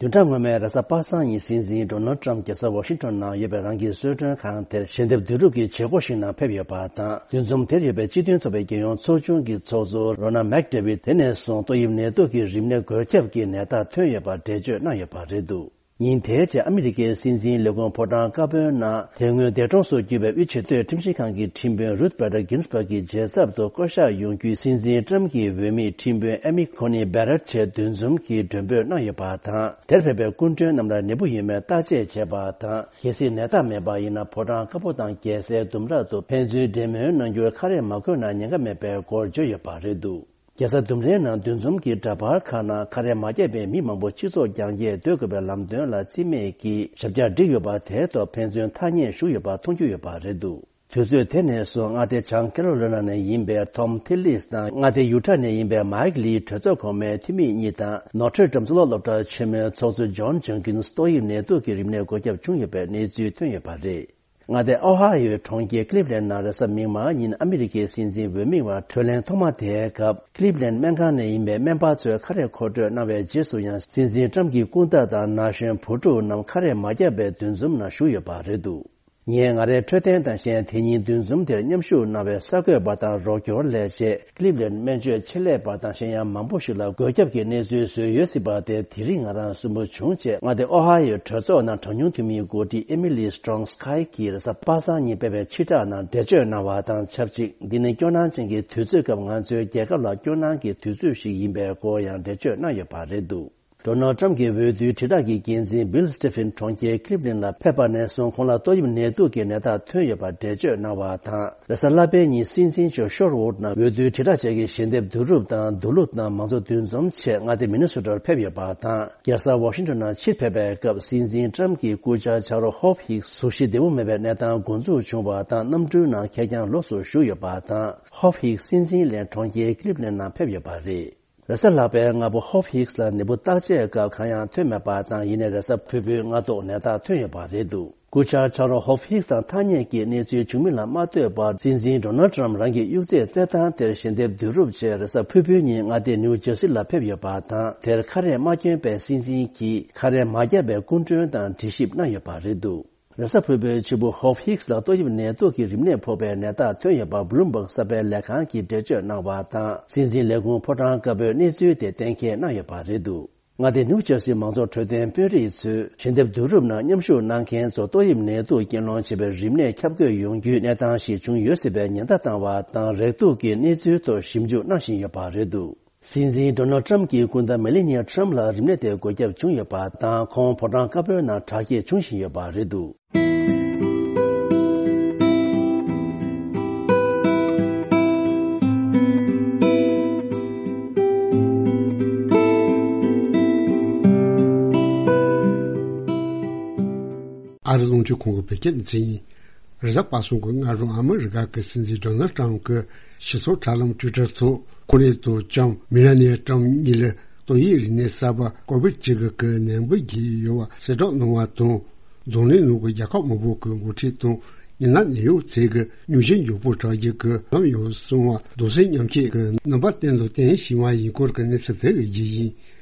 བདུན་ཕྲག་སྔོན་མའི་རེས་གཟའ་པ་སངས་ཉིན་སྲིད་འཛིན་ཌོ་ནལ་ཊམ་རྒྱལ་ས་ཝ་ཤིང་ཊོན་ནང་ཡོད་པའི་རང་གི་གསོལ་མགྲོན་ཁང་དེར་ཞལ་འདེབས་བསྡུ་རུབ་ཀྱི་བྱེད་སྒོ་ཞིག་ནང་ཕེབས་ཡོད་པ་དང་། འདུ་འཛོམས་དེར་ཡོད་པའི་སྤྱི་མཐུན་ཚོགས་པའི་རྒྱལ་ཡོངས་ཚོགས་ཆུང་གི་ཚོགས་གཙོ་རོ་ན་མེག་ཌེ་བིད་དེ་ནས་བཟུང་ཏོག་དབྱིབས་ནད་དུག་གི་རིམས་ནད་འགོས་ཁྱབ་ཀྱི་ནད་རྟགས་ཐོན་ཡོད་པ་འགྲེལ་བརྗོད་གནང་ཡོད་པ་རེད་འདུག་ཉིན་དེའི་རྗེས་ཨ་མི་རི་ཀའི་སྲིད་འཛིན་ལས་ཁུངས་ཕོ་བྲང་བཀའ་དཔོན་ནང་དེ་སྔོན་འདས་གྲོངས་སུ་གྱུར་པའི་དབུས་ཆེས་མཐོའི་ཁྲིམས་ཞིབ་ཁང་གི་ཁྲིམས་དཔོན་རུད་བྷ་ཏར་གིན་སྦར་གྱི་རྗེས་ཚབ་ཏུ་བསྐོ་གཞག་ཡོང་རྒྱུའི་སྲིད་འཛིན་ཊམ་གྱི་འོས་མི་ཁྲིམས་དཔོན་ཨེ་མི་ཁོ་ནི་བྷེ་རད་བཅས་འདུ་འཛོམས་ཀྱིས་མགྲོན་འབོད་གནང་ཡོད་པ་དང་། དེར་ཕེབས་པའི་སྐུ་མགྲོན་རྣམས་ལ་ནད་འབུ་ཡོད་མེད་བརྟག་དཔྱད་བྱས་པ་དང་། གལ་སྲིད་ནད་རྟགས་མེད་པ་ཡིན་ན་ཕོ་བྲང་དཀར་པོ་དང་རྒྱལ་སའི་ལྡུམ་ར་དུ་ཕན་ཚུན་འབྲེལ་མོལ་གནང་རྒྱུར་ཁ་རས་མ་བགོས་ན་ཉེན་ཁ་མེད་པའི་སྐོར་བརྗོད་ཡོད་པ་རེད་འདུག་རྒྱལ་ས་ལྡུམ་རའི་ནང་འདུ་འཛོམས་ཀྱི་འདྲ་པར་ཁག་ནང་ཁ་རས་མ་བརྒྱབ་པའི་མི་མང་པོ་སྤྱི་ཚོགས་རྒྱང་བཀྱེད་སྡོད་དགོས་པའི་ལམ་སྟོན་ལ་རྩིས་མེད་ཀྱིས་ཞབས་བཀྱག་བསྒྲིགས་ཡོད་པ་དེའི་ཐོག་ཕན་ཚུན་ཐག་ཉེ་ཞུགས་ཡོད་པ་མཐོང་རྒྱུ་ཡོད་པ་རེད་འདུག་དུས་ཚོད་དེ་ནས་བཟུང་མངའ་སྡེ་བྱང་ཀེ་རོ་ལི་ན་ནས་ཡིན་པའི་ཐོམ་ཐི་ལིས་དང་མངའ་སྡེ་ཡུ་ཊ་ནས་ཡིན་པའི་མཱིག་ལི་གྲོས་ཚོགས་གོང་མའི་འཐུས་མི་གཉིས་དང་ནོ་ཊར་ཌམ་གཙུག་ལག་སློབ་གྲྭ་ཆེན་མོའི་ཚོགས་གཙོ་ཇོན་ཇོན་ཀིན་སི་ཏོག་དབྱིབས་ནད་དུག་གི་རིམས་ནད་འགོས་ཁྱབ་བྱུང་ཡོད་པའི་གནས་ཚུལ་ཐོན་ཡོད་པ་རེད། མངའ་སྡེ་ཨོ་ཧ་ཡོའི་གྲོང་ཁྱེར་ཀླིབ་ལན་ནང་རེས་གཟའ་མིག་དམར་ཉིན་ཨ་མི་རི་ཀའི་སྲིད་འཛིན་འོས་མི་བར་གྲོས་གླེང་ཐོག་མ་དེའི་སྐབས་ཀླིབ་ལན་སྨན་ཁང་ནས་ཡིན་པའི་སྨན་པ་ཚོས་ཁ་རས་མཁོ་སྤྲོད་གནང་བའི་རྗེས་སུ་ཡང་སྲིད་འཛིན་ཊམ་གྱི་སྐུ་ཟླ་དང་ན་གཞོན་བུ་ཕྲུག་རྣམས་ཁ་རས་མ་བརྒྱབ་པའི་འདུ་འཛོམས་ནང་ཞུགས་ཡོད་པ་རེད་འདུག་ངས་ང་རའི་འཕྲོད་བསྟེན་དང་གཞན་དེ་ཉིན་འདུ་འཛོམས་དེར་མཉམ་ཞུགས་གནང་བའི་གསར་འགོད་པ་དང་རོགས་སྐྱོར་ལས་བྱེད། ཀླིབ་ལན་སྨན་བཅོས་ཆེད་ལས་པ་དང་གཞན་ཡང་མང་པོ་ཞིག་ལ་འགོས་ཁྱབ་ཀྱི་གནས་ཚུལ་བཟོས་ཡོད་སྲིད་པ་དེ་དེ་རིང་ང་རང་སུན་པོ་བྱུང་ཅེས་མངའ་སྡེ་ཨོ་ཧ་ཡོའི་གྲོས་ཚོགས་ནང་གྲངས་ཉུང་འཐུས་མིའི་འགོ་ཁྲིད་ཨེ་མི་ལི་སི་ཊོང་སི་ཁའི་གིས་རེས་གཟའ་པ་སངས་ཉིན་སྤེལ་བའི་ཕྱིར་བསྒྲགས་ནང་འགྲེལ་བརྗོད་གནང་བ་དང་ཆབས་ཅིག་འདི་ནི་སྐྱོ་སྣང་ཅན་གྱི་དུས་ཚོད་སྐབས་ང་ཚོའི་རྒྱལ་ཁབ་ལ་སྐྱོ་སྣང་གི་དུས་ཚོད་ཞིག་ཡིན་པའི་སྐོར་ཡང་འགྲེལ་བརྗོད་གནང་ཡོད་པ་རེད་འདུག་ཌོ་ནལ་ཊམ་གྱི་འོས་བསྡུའི་དྲིལ་བསྒྲགས་ཀྱི་འགན་འཛིན་བྷིལ་སི་ཊི་ཕིན་གྲོང་ཁྱེར་ཀི་ལིབ་ལན་ལ་ཕེབས་པ་ནས་བཟུང་ཁོང་ལ་ཏོག་དབྱིབས་ནད་དུག་གི་ནད་རྟགས་ཐོན་ཡོད་པ་འགྲེལ་བརྗོད་གནང་བ་དང་། རེས་གཟའ་ལྷག་པའི་ཉིན་སྲིད་འཛིན་མཆོག་ཤོར་ཝུཌ་ནང་འོས་བསྡུའི་དྲིལ་བསྒྲགས་བཅས་ཀྱི་ཞལ་འདེབས་བསྡུ་རུབ་དང་མདོ་ལུགས་དང་མང་གཙོ་འདུ་འཛོམས་ཆེད་མངའ་སྡེ་མི་ནི་སོ་ཊར་ཕེབས་ཡོད་པ་དང་། རྒྱལ་ས་ཝ་ཤིང་ཊོན་ནང་ཕྱིར་ཕེབས་པའི་སྐབས་སྲིད་འཛིན་ཊམ་གྱི་སྐུ་བཅར་ཆ་རོགས་ཧོབ་ཧིག་གཟུགས་གཞི་བདེ་པོ་མེད་པའི་གནས་སྟངས་འགོ་འཛུགས་བྱུང་བ་དང་། གནམ་གྲུའི་ནང་ཁེར་རྐྱང་ལོགས་སུ་བཞུགས་ཡོད་པ་དང་། ཧོབ་ཧིག་སྲིད་འཛིན་ལས་གྲོང་ཁྱེར་ཀི་ལིབ་ལན་ནང་ཕེབས་ཡོད་པ་རེད། རེས་གཟའ་ལྷག་པའི་སྔ་པོ་ཧོབ་ཧིག་ལ་ནད་འབུ་བརྟག་དཔྱད་སྐབས་གང་ཡང་ཐོན་མེད་པ་དང་། ཡིན་ནའི་རེས་གཟའ་ཕུར་བུའི་སྔ་ཐོག་ནད་རྟགས་ཐོན་ཡོད་པ་རེད་འདུག་སྐུ་བཅར་ཆ་རོགས་ཧོབ་ཧིག་དང་ཐག་ཉེ་གི་གནས་ཚུལ་བྱུང་མིན་ལ་མ་ལྟོས་པར། སྲིད་འཛིན་ཌོ་ནལ་ཊམ་རང་གི་གཡུག་རྩལ་རྩེད་ཐང་དེར་ཞལ་འདེབས་བསྡུ་རུབ་ཆེད་རེས་གཟའ་ཕུར་བུའི་ཉིན་མངའ་སྡེ་ནིའུ་ཇར་སི་ལ་ཕེབས་ཡོད་པ་དང་། དེར་ཁ་རས་མ་གྱོན་པའི་སྲིད་འཛིན་གྱིས་ཁ་རས་མ་བརྒྱབ་པའི་སྐུ་མགྲོན་དང་འགྲེལ་ཞིབ་གནང་ཡོད་པ་རེད་འདུག་རེས་གཟའ་ཕུར་བུའི་ཕྱི་པོ་ཧོབ་ཧིག་ལ་ཏོག་དབྱིབས་ནད་དུག་གི་རིམས་ནད་ཕོག་པའི་ནད་རྟགས་ཐོན་ཡོད་པ་བྷུ་ལུམ་བྷག་གསར་པའི་ལས་ཁང་གིས་འགྲེལ་བརྗོད་གནང་བ་དང་། སྲིད་འཛིན་ལས་ཁུངས་ཕོ་བྲང་དཀར་པོས་གནས་ཚུལ་དེ་གཏན་འཁེལ་གནང་ཡོད་པ་རེད་འདུག་མངའ་སྡེ་ནིའུ་ཇར་སི་མང་གཙོ་འཕྲོད་བསྟེན་དཔོན་རིགས་ཚོས་ཞལ་འདེབས་བསྡུ་རུབ་ནང་མཉམ་ཞུགས་གནང་མཁན་ཚོ་ཏོག་དབྱིབས་ནད་དུག་རྐྱེན་སློང་བྱས་པའི་རིམས་ནད་ཁྱབ་བཀོད་ཡོང་རྒྱུའི་གནས་སྟངས་ཤིག་བྱུང་ཡོད་སྲིད་པའི་ཉེན་བརྡ་བཏང་བ་དང་། རེག་དུག་གི་གནས་ཚུལ་ཐོག་ཞིབ་འཇུག་གནང་བཞིན་ཡོད་པ་རེད་འདུག་སྲིད་འཛིན་ཌོ་ནལ་ཊམ་གྱི་སྐུ་ཟླ་མེ་ལེ་ནི་ཡ་ཊམ་ལ་རིམས་ནད་དེ་འགོས་ཁྱབ་བྱུང་ཡོད་པ་དང་། ཁོང་ཕོ་བྲང་དཀར་པོའི་ནང་དྲག་སྐྱེད་བྱུང་བཞིན་ཡོད་པ་རེད་འདུག་ཨ་རི་རླུང་འཕྲིན་ཁང་གི་བོད་སྐད་སྡེ་ཚན་ཡིན། རེས་གཟའ་པ་སངས་ཀྱི་སྔ་དྲོ་ཨ་མི་རི་ཀ་གི་སྲིད་འཛིན་ཌོ་ནལ་ཊམ་གྱིས་སྤྱི་ཚོགས་དྲ་ལམ་ཊུའི་ཊར་ཐོག་ཁོང་རང་དང་ལྕམ་མེ་ལ་ནི་ཡ་ཊམ་གཉིས་ལ་ཏོག་དབྱིབས་རིམས་ནད་གསར་པ་ཀོ་བིཌ་བཅུ་དགུ་གི་ནད་འབུ་འགོས་ཡོད་པ་གསལ་བསྒྲགས་གནང་བ་དང་། རྫོང་གླིང་ནང་གི་རྒྱལ་ཁབ་མང་པོ་གི་འགོ་ཁྲིད་དང་མི་སྣ་ནད་གཡོག་ཚོས་ཀྱིས་སྙུང་གཞི་མགྱོགས་པོ་དྲག་རྒྱུ་གི་ལམ་ཡོང་སོང་བ་གདུང་སེམས་མཉམ་སྐྱེད་ཀྱི་རྣམ་པ་བསྟན་དང་བསྟན་བཞིན་པ་ཡིན་སྐོར་གྱི་གནས་ཚུལ་དེ་གི་རྒྱུ་ཡིན།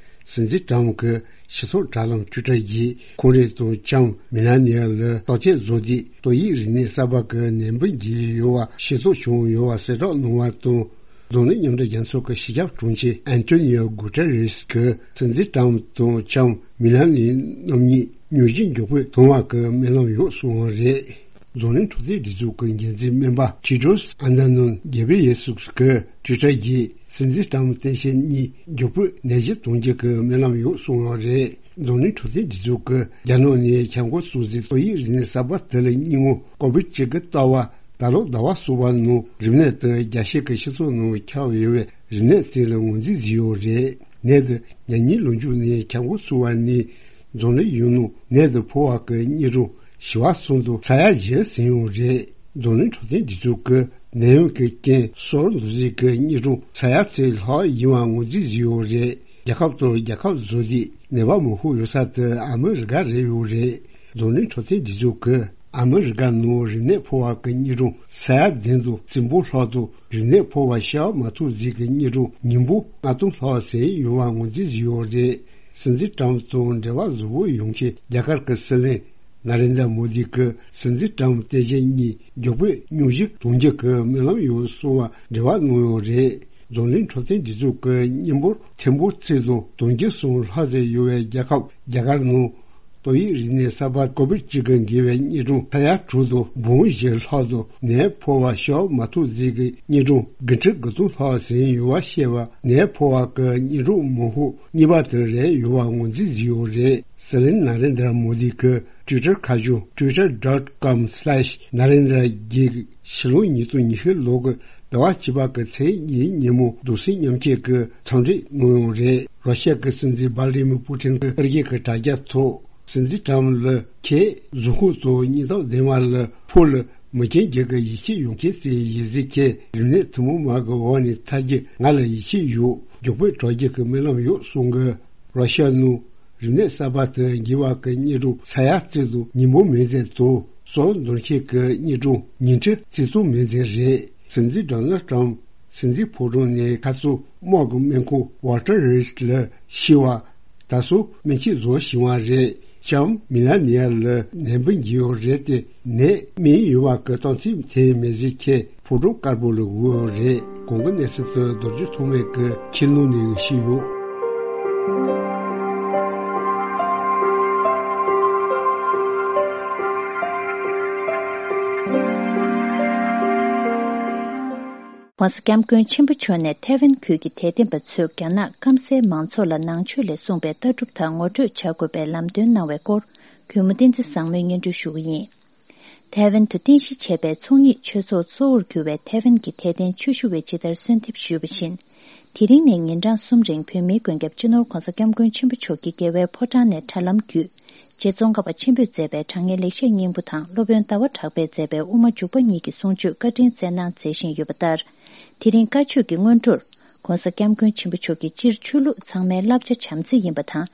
སྲིད་འཛིན་ཊམ་གྱིས་སྤྱི་ཚོགས་དྲ་ལམ་ཊུའི་ཊར་གྱིས་ཁོང་རང་དང་ལྕམ་མེ་ལ་ནི་ཡ་ལ་བརྟག་དཔྱད་བཟོ་དུས་ཏོག་དབྱིབས་རིམས་ནད་གསར་པ་གི་ནད་འབུ་འགོས་ཡོད་པ་ཤེས་རྟོགས་བྱུང་ཡོད་པ་གསལ་བསྒྲགས་གནང་བ་དང་། རྫོང་གླིང་མཉམ་འབྲེལ་རྒྱལ་ཚོགས་ཀྱི་སྤྱི་ཁྱབ་དྲུང་ཆེ་ཨན་ཏོ་ནི་ཡོ་གུ་ཏེ་རེས་ཀྱིས་སྲིད་འཛིན་ཊམ་དང་ལྕམ་མེ་ལ་ནི་རྣམ་གཉིས་སྙུང་གཞི་མགྱོགས་པོས་ཐོན་པ་གི་སྨོན་ལམ་ཡོད་གསུངས་པ་རེད། རྫོང་གླིང་འཕྲོད་བསྟེན་སྒྲིག་འཛུགས་ཀྱི་འགན་འཛིན་སྨན་པ་ཊེ་ཌྲོས་ཨ་དྷ་ནོན་གེ་བྷི་རི་ཡེ་སུས་ཀྱིས་ཊུའི་ཊར་གྱིས་སྲིད་འཛིན་ཊམ་སྟངས་དཔྱལ་གཉིས་མགྱོགས་པོས་ནད་གཞི་གཏོང་རྒྱུ་གི་སྨོན་ལམ་ཡོད་གསུངས་པ་རེད། རྫོང་གླིང་འཕྲོད་བསྟེན་སྒྲིག་འཛུགས་ཀྱིས་རྒྱ་ནག་ནས་ཁྱབ་འགོ་བཙུགས་ཟིན་ཏོག་དབྱིབས་རིམས་ནད་གསར་པ་དེ་ལ་སྙིང་པོ་ཀོ་བིཌ་བཅུ་དགུ་ལྟ་བུ་ད་ལོ་ཟླ་བ་གསུམ་པ་ནང་རིམས་ནད་དེ་རྒྱལ་སྤྱི་གི་སྤྱི་ཚོགས་ནང་ཁྱབ་ཡོད་པའི་རིམས་ནད་ཅིག་ལ་ངོས་འཛིན་བཟོས་ཡོད་རེད། ནད་དེ་ཉེ་ལོ་མཇུག་ནས་ཁྱབ་འགོ་ཚུགས་པ་ནས་རྫོང་གླིང་ཡུལ་ནང་ནད་དེ་ཕོག་པ་གི་དངོས་གྲངས་བཞི་བ་སོན་དུ་ས་ཡ་བཞི་ཟིན་ཡོད་རེད། རྫོང་གླིང་འཕྲོད་བསྟེན་སྒྲིག་འཛུགས་ཀྱིས་ནད་ཡམས་ཀྱི་རྐྱེན་སོར་འདུ་འཛི་གི་དངོས་གྲངས་ས་ཡ་གཅིག་ལྷག་ཡིན་པ་ངོས་འཛིན་བཟོས་ཡོད་རེད། རྒྱལ་ཁབ་དང་རྒྱལ་ཁབ་བཟོ་དུས་ནད་པ་མང་ཤོས་ཡོད་ས་དེ་ཨ་མི་རི་ཀ་རེད་ཡོད་རེད། རྫོང་གླིང་འཕྲོད་བསྟེན་སྒྲིག་འཛུགས་ཀྱིས་ཨ་མི་རི་ཀ་ནང་རིམས་ནད་ཕོག་པ་གི་དངོས་གྲངས་ས་ཡ་བདུན་དང་བཅུ་པོ་ལྷག་དང་རིམས་ནད་ཕོག་པ་ཤི་མ་ཐུབ་ཟིན་གྱི་དངོས་གྲངས་ཉིས་པོ་ལྔ་སྟོང་ལྷག་ཟིན་ཡོད་པ་ངོས་འཛིན་བཟོས་ཡོད་རེད། སྲིད་འཛིན་ཊམ་དང་འབྲེལ་བ་བཟང་པོ་ཡོང་ཆེད་རྒྱ་གར་གྱི་སྲིད་བློན་ན་རེན་དྲ་མོ་དི་གིས་སྲིད་འཛིན་ཊམ་སྟངས་དཔྱལ་གཉིས་མགྱོགས་པོས་སྙུང་གཞི་གཏོང་རྒྱུ་གི་སྨོན་ལམ་ཡོད་གསུངས་པ་འབྲེལ་བ་གནང་ཡོད་རེད། རྫོང་གླིང་འཕྲོད་བསྟེན་སྒྲིག་འཛུགས་ཀྱི་མི་འབོར་ཐེར་འབུམ་གཅིག་དང་བདུན་བརྒྱ་སོང་ལྷག་ཙམ་ཡོད་པའི་རྒྱལ་ཁབ་རྒྱ་གར་ནང་ཏོག་དབྱིབས་རིམས་ནད་གསར་པ་ཀོ་བིཌ་བཅུ་དགུ་འགོས་པའི་དངོས་གྲངས་ས་ཡ་དྲུག་དང་འབུམ་བཞི་ལྷག་དང་ནད་ཕོག་པ་ཤི་མ་ཐུབ་ཟིན་གྱི་དངོས་གྲངས་དགུ་ཁྲི་དགུ་སྟོང་ལྷག་ཟིན་ཡོད་པ་བཤད་པ་ནད་ཕོག་པ་གི་དངོས་གྲངས་མང་ཤོས་གཉིས་པ་དེ་རེད་ཡོད་པ་ངོས་འཛིན་བཟོས་ཡོད་རེད། སྲིད་བློན་ན་རེན་དྲ་མོ་དི་གི་ཊུའི་ཊར་ཁ་བྱང་ཊུའི་ཊར་ཌོཊ་ཀོམ་སི་ལེཤ་ན་རེན་དྲ་གིས་ཕྱི་ལོ་ཉིས་སྟོང་ཉི་ཤུ་ལོ་གི་ཟླ་བ་བཅུ་པ་གི་ཚེས་གཉིས་ཉིན་མོ་གདུང་སེམས་མཉམ་སྐྱེད་ཀྱི་འཚམས་འདྲི་གནང་ཡོད་རེད། རོ་ཤ་གི་སྲིད་འཛིན་ཝ་ལ་ཌི་མིར་པུ་ཊིན་གྱིས་ཨ་རི་གི་དྲ་རྒྱ་ཐོག་སྲིད་འཛིན་ཊམ་ལ་ཁྱེད་གཟུགས་ཁོག་ཏུ་སྙིང་སྟོབས་ལྡན་པ་ལ་ཕོ་ལ་མི་རྒན་རྒྱུད་ཀྱི་ཡིད་ཆེས་ཡོང་མཁན་ཅིག་ཡིན་ཟེར། ཁྱེད་རིམས་ནད་ཐུན་མོང་མ་གི་འོག་ནས་ཐར་རྒྱུ་ང་ལ་ཡིད་ཆེས་ཡོད། མགྱོགས་པོས་དྲག་རྒྱུ་གི་སྨོན་ལམ་ཡོད་གསུངས་གི། རོ་ཤ་ནང་རིམས་ནད་གསར་པ་དེ་འགོས་པ་གི་དངོས་གྲངས་ས་ཡ་གཅིག་དང་ཉིས་སྟོང་མི་ཚད་དང་སོར་འདོན་མཁན་གྱི་དངོས་གྲངས་ཉིས་ཁྲི་གཅིག་སྟོང་མི་ཚད་རེད། སྲིད་འཛིན་ཌོ་ནལ་ཊམ་སྲིད་འཛིན་ཕོ་བྲང་ནས་ཁ་སང་དམག་གི་སྨན་ཁང་ཝོལ་ཊར་རིས་ལ་ཤི་བ་ད་སོ་སྨན་བཅོས་བཟོ་བཞིན་པ་རེད། ལྕམ་མེ་ལ་ནི་ཡ་ལ་ནད་འབུ་འགོས་ཡོད་རེད་དེ་ནད་སྨན་ཡོད་པ་གི་རྟགས་མཚན་ཐོན་མེད་ཟེར། ཁྱེད་ཕོ་བྲང་དཀར་པོ་ལ་འོས་རེད། གོང་གི་གནས་ཚུལ་དེ་རྡོ་རྗེ་ཐོགས་མེད་ཀྱིས་ཁྱེད་ནང་ནས་ཞུས་ཡོད། ༸གོང་ས་༸སྐྱབས་མགོན་ཆེན་པོ་མཆོག་ནས་ཐའེ་ཝན་ཁུལ་གྱི་དད་ལྡན་པ་ཚོས་རྒྱ་ནག་སྐམ་སའི་མང་ཚོགས་ལ་ནང་ཆོས་ལས་གསུངས་པའི་ལྟ་གྲུབ་དག་ངོ་སྤྲོད་བྱ་དགོས་པའི་ལམ་སྟོན་གནང་བའི་སྐོར། གུས་མོ་བསྟན་འཛིན་བཟང་མོས་སྙན་སྒྲོན་ཞུ་གི་ཡིན། ཐའེ་ཝན་དུ་རྟེན་གཞི་བྱས་པའི་ཚོགས་གཉིས་ཆོས་ཚོགས་གཙོ་བོར་གྱུར་བའི་ཐའེ་ཝན་གྱི་དད་ལྡན་ཆོས་ཞུ་བས་ཇི་ལྟར་གསོལ་འདེབས་ཞུས་པ་བཞིན། དེ་རིང་ནས་ཉིན་གྲངས་གསུམ་རིང་བོད་མིའི་མགོན་སྐྱབས་སྤྱི་ནོར་༸གོང་ས་༸སྐྱབས་མགོན་ཆེན་པོ་མཆོག་གིས་རྒྱལ་བའི་ཕོ་བྲང་ནས་དྲ་ལམ་བརྒྱུད། རྗེ་ཙོང་ཁ་པ་ཆེན་པོས་མཛད་པའི་དྲང་ངེས་ལེགས་བཤད་སྙིང་པོ་དང་སློབ་དཔོན་ཟླ་བ་གྲགས་པས་མཛད་པའི་དབུ་མ་འཇུག་པ་གཉིས་ཀྱི་གསུང་ཆོས་བཀའ་དྲིན་སྩལ་གནང་མཛད་བཞིན་ཡོད་པ་ལྟར། དེ་རིང་བཀའ་ཆོས་ཀྱི་སྔོན་འགྲོར། ༸གོང་ས་༸སྐྱབས་མགོན་ཆེན་པོ་མཆོག་གིས་སྤྱིར་ཆོས་ལུགས་ཚང་མའི་བསླབ་བྱ་བྱམས་བརྩེ་ཡིན་པ་དང་།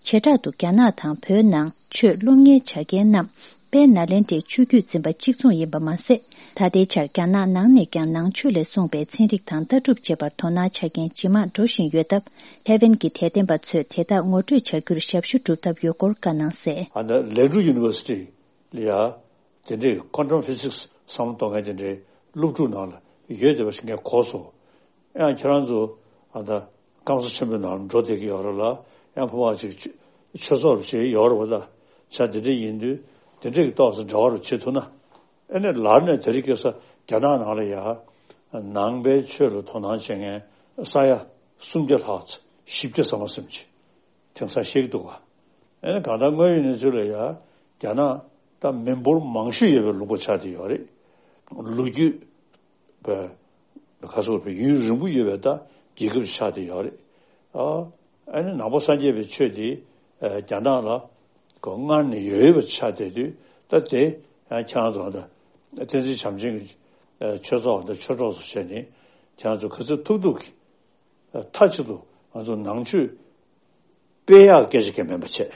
བྱེ་བྲག་ཏུ་རྒྱ་ནག་དང་བོད་ནང་ཆོས་སློབ་གཉེར་བྱ་མཁན་རྣམས་དཔལ་ནཱ་ལེནྡྲའི་ཆོས་བརྒྱུད་འཛིན་པ་གཅིག་མཚུངས་ཡིན་པ་མ་ཟད། ད་ལྟའི་ཆར་རྒྱ་ནག་ནང་ནས་ཀྱང་ནང་ཆོས་ལས་གསུངས་པའི་ཚན་རིག་དང་ལྟ་གྲུབ་བཅས་པར་དོ་སྣང་བྱ་མཁན་ཇེ་མང་འགྲོ་བཞིན་ཡོད་སྟབས། ཐའེ་ཝན་གྱི་དད་ལྡན་པ་ཚོས་དེ་དག་ངོ་སྤྲོད་བྱ་རྒྱུར་ཞབས་ཞུ་སྒྲུབ་ཐབས་ཡོད་སྐོར་བཀའ་གནང་གསལ། ཨ་ནི་ལེག་ཌུ་ཡུ་ནི་ཝར་སི་ཊི་ལ་ཡ། དེ་འདྲའི་ཀོན་ཊམ་ཕི་སིག་སི་བསམ་བློ་གཏོང་མཁན་དེ་འདྲའི་སློབ་ཕྲུག་ནང་ལ་ཡོད་བསྡད་པ་ཞིག་ངས་གོ་སོང་། ཡང་ཁྱེད་རང་ཚོ་ཨ་ད་སྐམ་ས་ཆེན་པོའི་ནང་ལ་འགྲོ་བསྡད་ཀྱི་ཡོད་རེད་ལ། ཡང་ཕ་མ་ཅིག་ཆོས་ཆོས་ཚོགས་ཅིག་ཡོད་རེད་པ། ད་ཆ་དེ་འདྲ་ཡིན་དུས་དེ་འདྲའི་གི་ཏོག་ཙམ་འབྲེལ་བ་རུ་བྱེད་ཐུབ་ན། ཨེ་ནས་ལར་ནས་དེ་རིང་ཁ་སང་རྒྱ་ནག་ནང་ལ་ཡ་ནང་པའི་ཆོས་ལ་དོ་སྣང་བྱེད་མཁན་ས་ཡ་སུམ་བརྒྱ་ལྷག་ཙམ་བཞི་བརྒྱ་ཙམ་མ་ཟིན་ཅིག་དེང་སང་ཤེས་ཀྱི་འདུག་ག་ཨེ་ནས་གང་ལྟར་དངོས་ཡོད་གནས་ཚུལ་ལ་ཡ་རྒྱ་ནག་ད་མི་འབོར་མང་ཤོས་ཡོད་པའི་ལུང་པ་ཆགས་བསྡད་ཡོད་རེད། ལོ་རྒྱུས་པའི་ག་སོགས་པའི་ཡུན་རིང་པོ་ཡོད་པའི་ད་རྒྱལ་ཁབ་ཆགས་བསྡད་ཡོད་རེད། ཨ་ཨེ་ནས་ནང་པ་སངས་རྒྱས་པའི་ཆོས་དེ་རྒྱ་ནག་ལ་གོ་སྔར་ནས་ཡོད་ཡོད་པ་ཆགས་བསྡད་དུས་ད་དེ་ཡང་ཁྱེད་རང་ཚོ་ད་བསྟན་འཛིན་བྱམས་ཆེན་གྱི་ཆོས་ཚོགས་དང་ཆོས་གྲོགས་ཚོ་བྱས་ནས་ཁྱེད་རང་ཚོ་ག་ཚོད་ཐུབ་ཐུབ་ཀྱིས། མཐའ་གཅིག་ཏུ་ང་ཚོ་ནང་ཆོས་སྤེལ་ཡག་སྐད་ཆ་གང་མིན་པ་བྱས།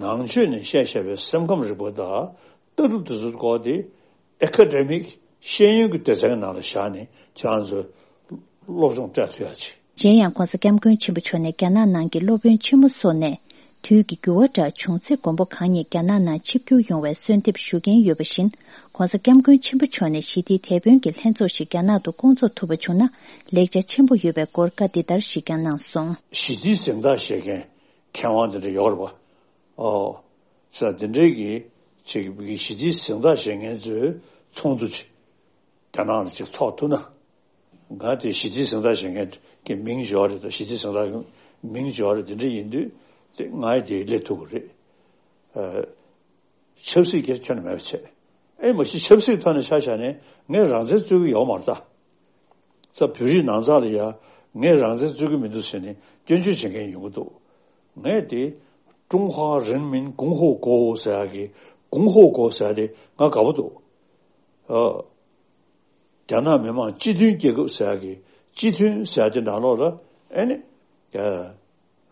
ནང་ཆོས་ནས་བཤད་བཤད་པའི་སེམས་ཁམས་རིག་པ་དང་ལྟ་གྲུབ་དེ་ཚོའི་སྐོར་དེ་ཨེ་ཀ་ཌེ་མིག་ཤེས་ཡོན་གྱི་སྡེ་ཚན་གྱི་ནང་ལ་བཞག་ནས་ཁྱེད་རང་ཚོས་སློབ་སྦྱོང་སྤྲད་ཐུབ་ཡག་ཅིག། གཞན་ཡང་༸གོང་ས་༸སྐྱབས་མགོན་ཆེན་པོ་མཆོག་ནས་རྒྱ་ནག་ནང་གི་སློབ་དཔོན་ཆེན་མོ་སོགས་ནས། དུས་ཀྱི་འགྱུར་བ་འདྲ་བྱུང་ཚེ་མགོན་པོ་གང་ཉིད་རྒྱ་ནག་ནང་ཆིབས་བསྒྱུར་ཡོང་བའི་གསོལ་འདེབས་ཞུ་མཁན་ཡོད་པ་བཞིན། ༸གོང་ས་༸སྐྱབས་མགོན་ཆེན་པོ་མཆོག་ནས་ཞི་བདེའི་དེད་དཔོན་གྱི་ལྷན་ཚོགས་ཤིག་རྒྱ་ནག་ཏུ་བསྐོང་ཚོགས་ཐུབ་པ་བྱུང་ན་ལེགས་ཆ་ཆེན་པོ་ཡོད་པའི་སྐོར་བཀའ་འདི་ལྟར་ཞིག་ཀྱང་གནང་སོང་། ཞི་བདེའི་གཟེངས་རྟགས་བཞེས་མཁན་མཁས་དབང་དེ་འདྲ་ཡོད་རེད་པ། ཨོ། ས་དེ་འདྲའི་གི་ཅིག་གི་ཞི་བདེའི་གཟེངས་རྟགས་བཞེས་མཁན་ཚོའི་ཚོགས་འདུ་ཅིག་རྒྱ་ནག་ལ་ཅིག་ཚོགས་ཐུབ་ན། ང་དེ་ཞི་བདེའི་གཟེངས་རྟགས་བཞེས་མཁན་གྱི་མིང་བརྗོད་རེད་དང་། ཞི་བདེའི་གཟེངས་རྟགས་ཀྱི་མིང་བརྗོད་རེད། དེ་འདྲ་ཡིན་དུས་དེ་ང་ཡི་དེ་སླེབས་ཐུབ་ཀྱི་རེད། ཨ། ཆབ་སྲིད་ཀྱི་ཁྱོན་ནས་མེད་པ་བྱས། ཨེ་མ་གཞི་ཆབ་སྲིད་ཐོག་ནས་ཆ་བཞག་ནས་ངས་རང་བཙན་རྩོད་ཀྱི་ཡོད་མ་རེད་ད། ས་བོད་རིགས་ནང་ཚགས་ལ་ཡ་ངས་རང་བཙན་རྩོད་ཀྱི་མི་འདུག་ཟེར་ནས་སྐྱོན་བརྗོད་བྱེད་མཁན་ཡོང་གི་འདུག་ངས་དེ་ཀྲུང་ཧྭ་རིན་མིན་གོང་ཧོ་གོ་ཟེར་ཡག་གི་གོང་ཧོ་གོ་ཟེར་ཡག་དེ་ང་དགའ་པོ་འདུག་ཨ། རྒྱ་ནག་མི་དམངས་སྤྱི་མཐུན་རྒྱལ་ཁབ་ཟེར་ཡག་གི་སྤྱི་མཐུན་ཟེར་ཡག་དེ་ནང་ལོགས་ལ་ཨེ་ནི། ཨ།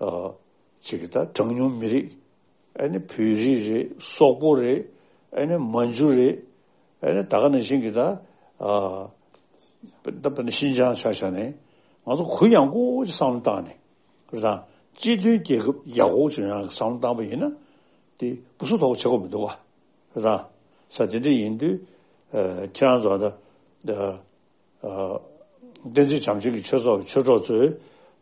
ཨ། ཅིག་གི་ད་གྲངས་ཉུང་མི་རིགས། ཨེ་ནི་བོད་རིགས་རེད། སོག་པོ་རེད། ཨེ་ནི་མན་ཇུ་རེད། ཨེ་ནི་ད་ག་ནང་བཞིན་གི་ད། ཨ། ད་དཔེར་ན་ཤིན་ཅང་ཆ་བཞག་ནས་ང་ཚོ་གུ་ཡངས་པོ་ཅིག་བསམ་བློ་བཏང་ནས་རེད་ད། སྤྱི་མཐུན་རྒྱལ་ཁབ་ཡག་པོ་ཅིག་ཡོང་ཡག་གི་བསམ་བློ་བཏང་པ་ཡིན་ན་དེ་སྐུ་གཟུགས་ཐོག་བྱེད་དགོས་མི་འདུག་བ། རེད་ད། ས་དེ་འདྲ་ཡིན་དུས། ཨ། ཁྱེད་རང་ཚོ་ད། ཨ། ཨ། བསྟན་འཛིན་བྱམས་ཆེན་གྱི་ཆོས་ཚོགས་ཀྱི་ཆོས་གྲོགས་ཚོས་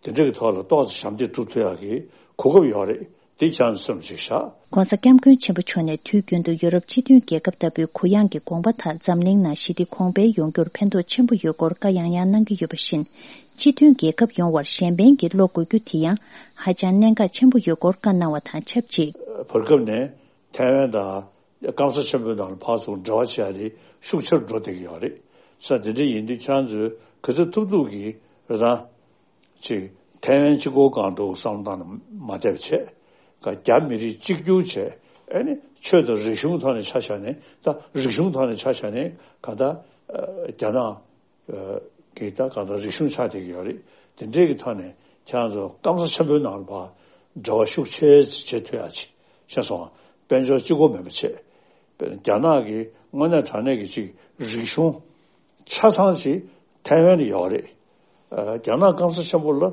དེ་འདྲ་གི་ཐོག་ལ་ཏོག་ཙམ་ཞབས་འདེགས་སྒྲུབ་ཐུབ་ཡག་གི་གོ་སྐབས་ཡོད་རེད། དེ་ཁྱེད་རང་ཚོ་སེམས་ལ་ཅིག་བཞག ༸གོང་ས་༸སྐྱབས་མགོན་ཆེན་པོ་མཆོག་ནས་དུས་རྒྱུན་དུ་ཡོ་རོབ་སྤྱི་མཐུན་རྒྱལ་ཁབ་ལྟ་བུའི་གུ་ཡངས་ཀྱི་དགོངས་པ་དག་འཛམ་གླིང་ནང་ཞི་བདེ་གོང་འཕེལ་ཡོང་རྒྱུར་ཕན་ཐོགས་ཆེན་པོ་ཡོད་སྐོར་བཀའ་ཡང་ཡང་གནང་གི་ཡོད་པ་བཞིན། སྤྱི་མཐུན་རྒྱལ་ཁབ་ཡོང་བར་གཞན་ཕན་གྱི་བློ་དགོས་རྒྱུ་དེ་ཡང་ཧ་ཅང་གནད་འགག་ཆེན་པོ་ཡོད་སྐོར་བཀའ་གནང་བ་དང་ཆབས་ཅིག་བར་སྐབས་ནས་ཐའེ་ཝན་དང་སྐམ་ས་ཆེན་པོའི་ནང་ལ་ཕར་ཚུར་འབྲེལ་བ་བྱེད་ཡ་དེ་ཤུགས་ཆེར་འགྲོ་བསྡད་ཀྱི་ཡོད་རེད། ས་དེ་འདྲ་ཡིན་དུས་ཁྱེད་རང་ཚོས་ག་ཚོད་ཐུབ་ཐུབ་ཀྱིས་རེད་ད། ཅིག་ཐའེ་ཝན་གཅིག་པོ་སྒང་དུ་བསམ་བློ་བཏང་ནས་མ་བསྡད་པ་བྱས། ག་རྒྱ་མི་རིགས་གཅིག་གྱུར་བྱས། ཨེ་ནི་ཆོས་དང་རིག་གཞུང་ཐོག་ནས་ཆ་བཞག་ནས། ད་རིག་གཞུང་ཐོག་ནས་ཆ་བཞག་ནས་ག་ད་རྒྱ་ནག་གི་ད་གང་ལྟར་རིག་གཞུང་ཆགས་བསྡད་ཀྱི་ཡོད་རེད། དེ་འདྲའི་གི་ཐོག་ནས་ཁྱེད་རང་ཚོ་སྐམ་ས་ཆེན་པོའི་ནང་ལ་ཕར་འབྲེལ་བ་ཤུགས་ཆེ་བྱེད་ཐུབ་ཡག་ཅིག་ཤེས་སོང་ང་། དཔལ་འབྱོར་གཅིག་པོ་མིན་པ་བྱས། རྒྱ་ནག་གི་དངོས་གནས་དྲང་གནས་ཀྱི་ཅིག་རིག་གཞུང་ཆ་ཚང་ཅིག་ཐའེ་ཝན་ལ་ཡོད་རེད། ཨ། རྒྱ་ནག་སྐམ་ས་ཆེན་པོ་ལ་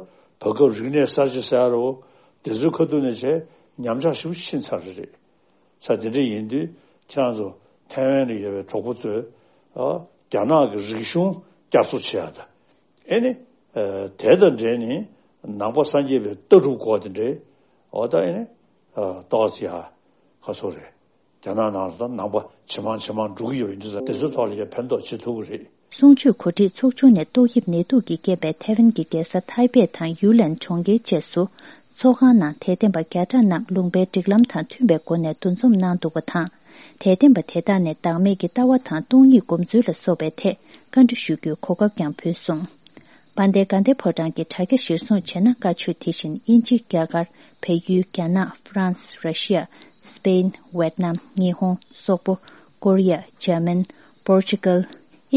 བར་སྐབས་རིག་གནས་གསར་བརྗེ་ཟེར་ཡ་རོ། དེ་ཚོའི་ཁ་ཐུག་ནས་བྱས་ཉམས་ཆག་ཞེ་པོ་ཕྱིན་ཚར་རེད། ས་དེ་འདྲ་ཡིན་དུས་ཁྱེད་རང་ཚོ་ཐའེ་ཝན་ལ་ཡོད་པའི་གྲོགས་པོ་ཚོས། ཨ། རྒྱ་ནག་གི་རིག་གཞུང་བསྐྱར་གསོ་བྱེད་ཡ་དང་། ཨེ་ནི། ཨ། དེ་དང་འབྲེལ་ནས་ནང་པ་སངས་རྒྱས་པའི་ལྟ་གྲུབ་སྐོར་དེ་འདྲའི། འོ་ད་ཨེ་ནི། ཨ། ཏོག་ཙམ་ཡ། ག་ཚོད་རེད། རྒྱ་ནག་ནང་ལ་ད་ནང་པ་ཇེ་མང་ཇེ་མང་འགྲོ་གི་ཡོད་པ་ཡིན་དུས་ཙང་། དེ་ཚོའི་ཐོག་ལ་ཡ་ཕན་ཐོགས་བྱེད་ཐུབ་ཀྱི་རེད། གསུང་ཆོས་གོ་སྒྲིག་ཚོགས་ཆུང་ནས་ཏོག་དབྱིབས་ནད་དུག་གི་རྐྱེན་པས་ཐའེ་ཝན་གྱི་རྒྱལ་ས་ཐའེ་པེ་དང་ཡུ་ལན་གྲོང་ཁྱེར་བཅས་སུ། ཚོགས་ཁང་ནང་དད་ལྡན་པ་བརྒྱ་ཕྲག་རྣམས་ལུང་པའི་སྒྲིག་ལམ་དང་མཐུན་པའི་སྒོ་ནས་འདུ་འཛོམས་གནང་འདུག་པ་དང་། དད་ལྡན་པ་དེ་དག་ནས་བདག་མེད་ཀྱི་ལྟ་བ་དང་སྟོང་ཉིད་སྒོམ་ཚུལ་ལ་སོགས་པའི་ཐད་བཀའ་འདྲི་ཞུ་རྒྱུའི་གོ་སྐབས་ཀྱང་ཕུལ་སོང་། དཔལ་ལྡན་དགའ་ལྡན་ཕོ་བྲང་གི་དྲ་རྒྱ་གཞིར་བཟུང་བྱས་ན། བཀའ་ཆོས་དེ་བཞིན་དབྱིན་ཇི། རྒྱ་གར། བལ་ཡུལ། རྒྱ་ནག། ཧྥ་རན་སི། ར་ཤི་ཡ། སི་པེན། ཝེད་ནམ། ཉི་ཧོང་། སོག་པོ། ཀོ་རི་ཡ། འཇར་མན། པོར་ཅུ་གལ།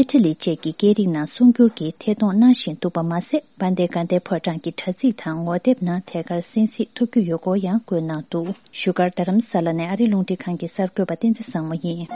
ཨི་ཊ་ལི་བཅས་ཀྱི་སྐད་རིགས་ནང་གསུང་སྒྱུར་གྱིས་ཐད་གཏོང་གནང་བཞིན་འདུག་པ་མ་ཟད། དཔལ་ལྡན་དགའ་ལྡན་ཕོ་བྲང་གི་དྲ་ཚིགས་དང་ངོ་དེབ་ནང་ཐད་ཀར་གསན་གཟིགས་ཐུབ་རྒྱུ་ཡོད་སྐོར་ཡང་བཀོད་གནང་འདུག་བཞུགས་སྒར་རྡ་རམ་ས་ལ་ནས་ཨ་རི་རླུང་འཕྲིན་ཁང་གི་གསར་འགོད་པ་བསྟན་འཛིན་བཟང་མོ་ཡིན།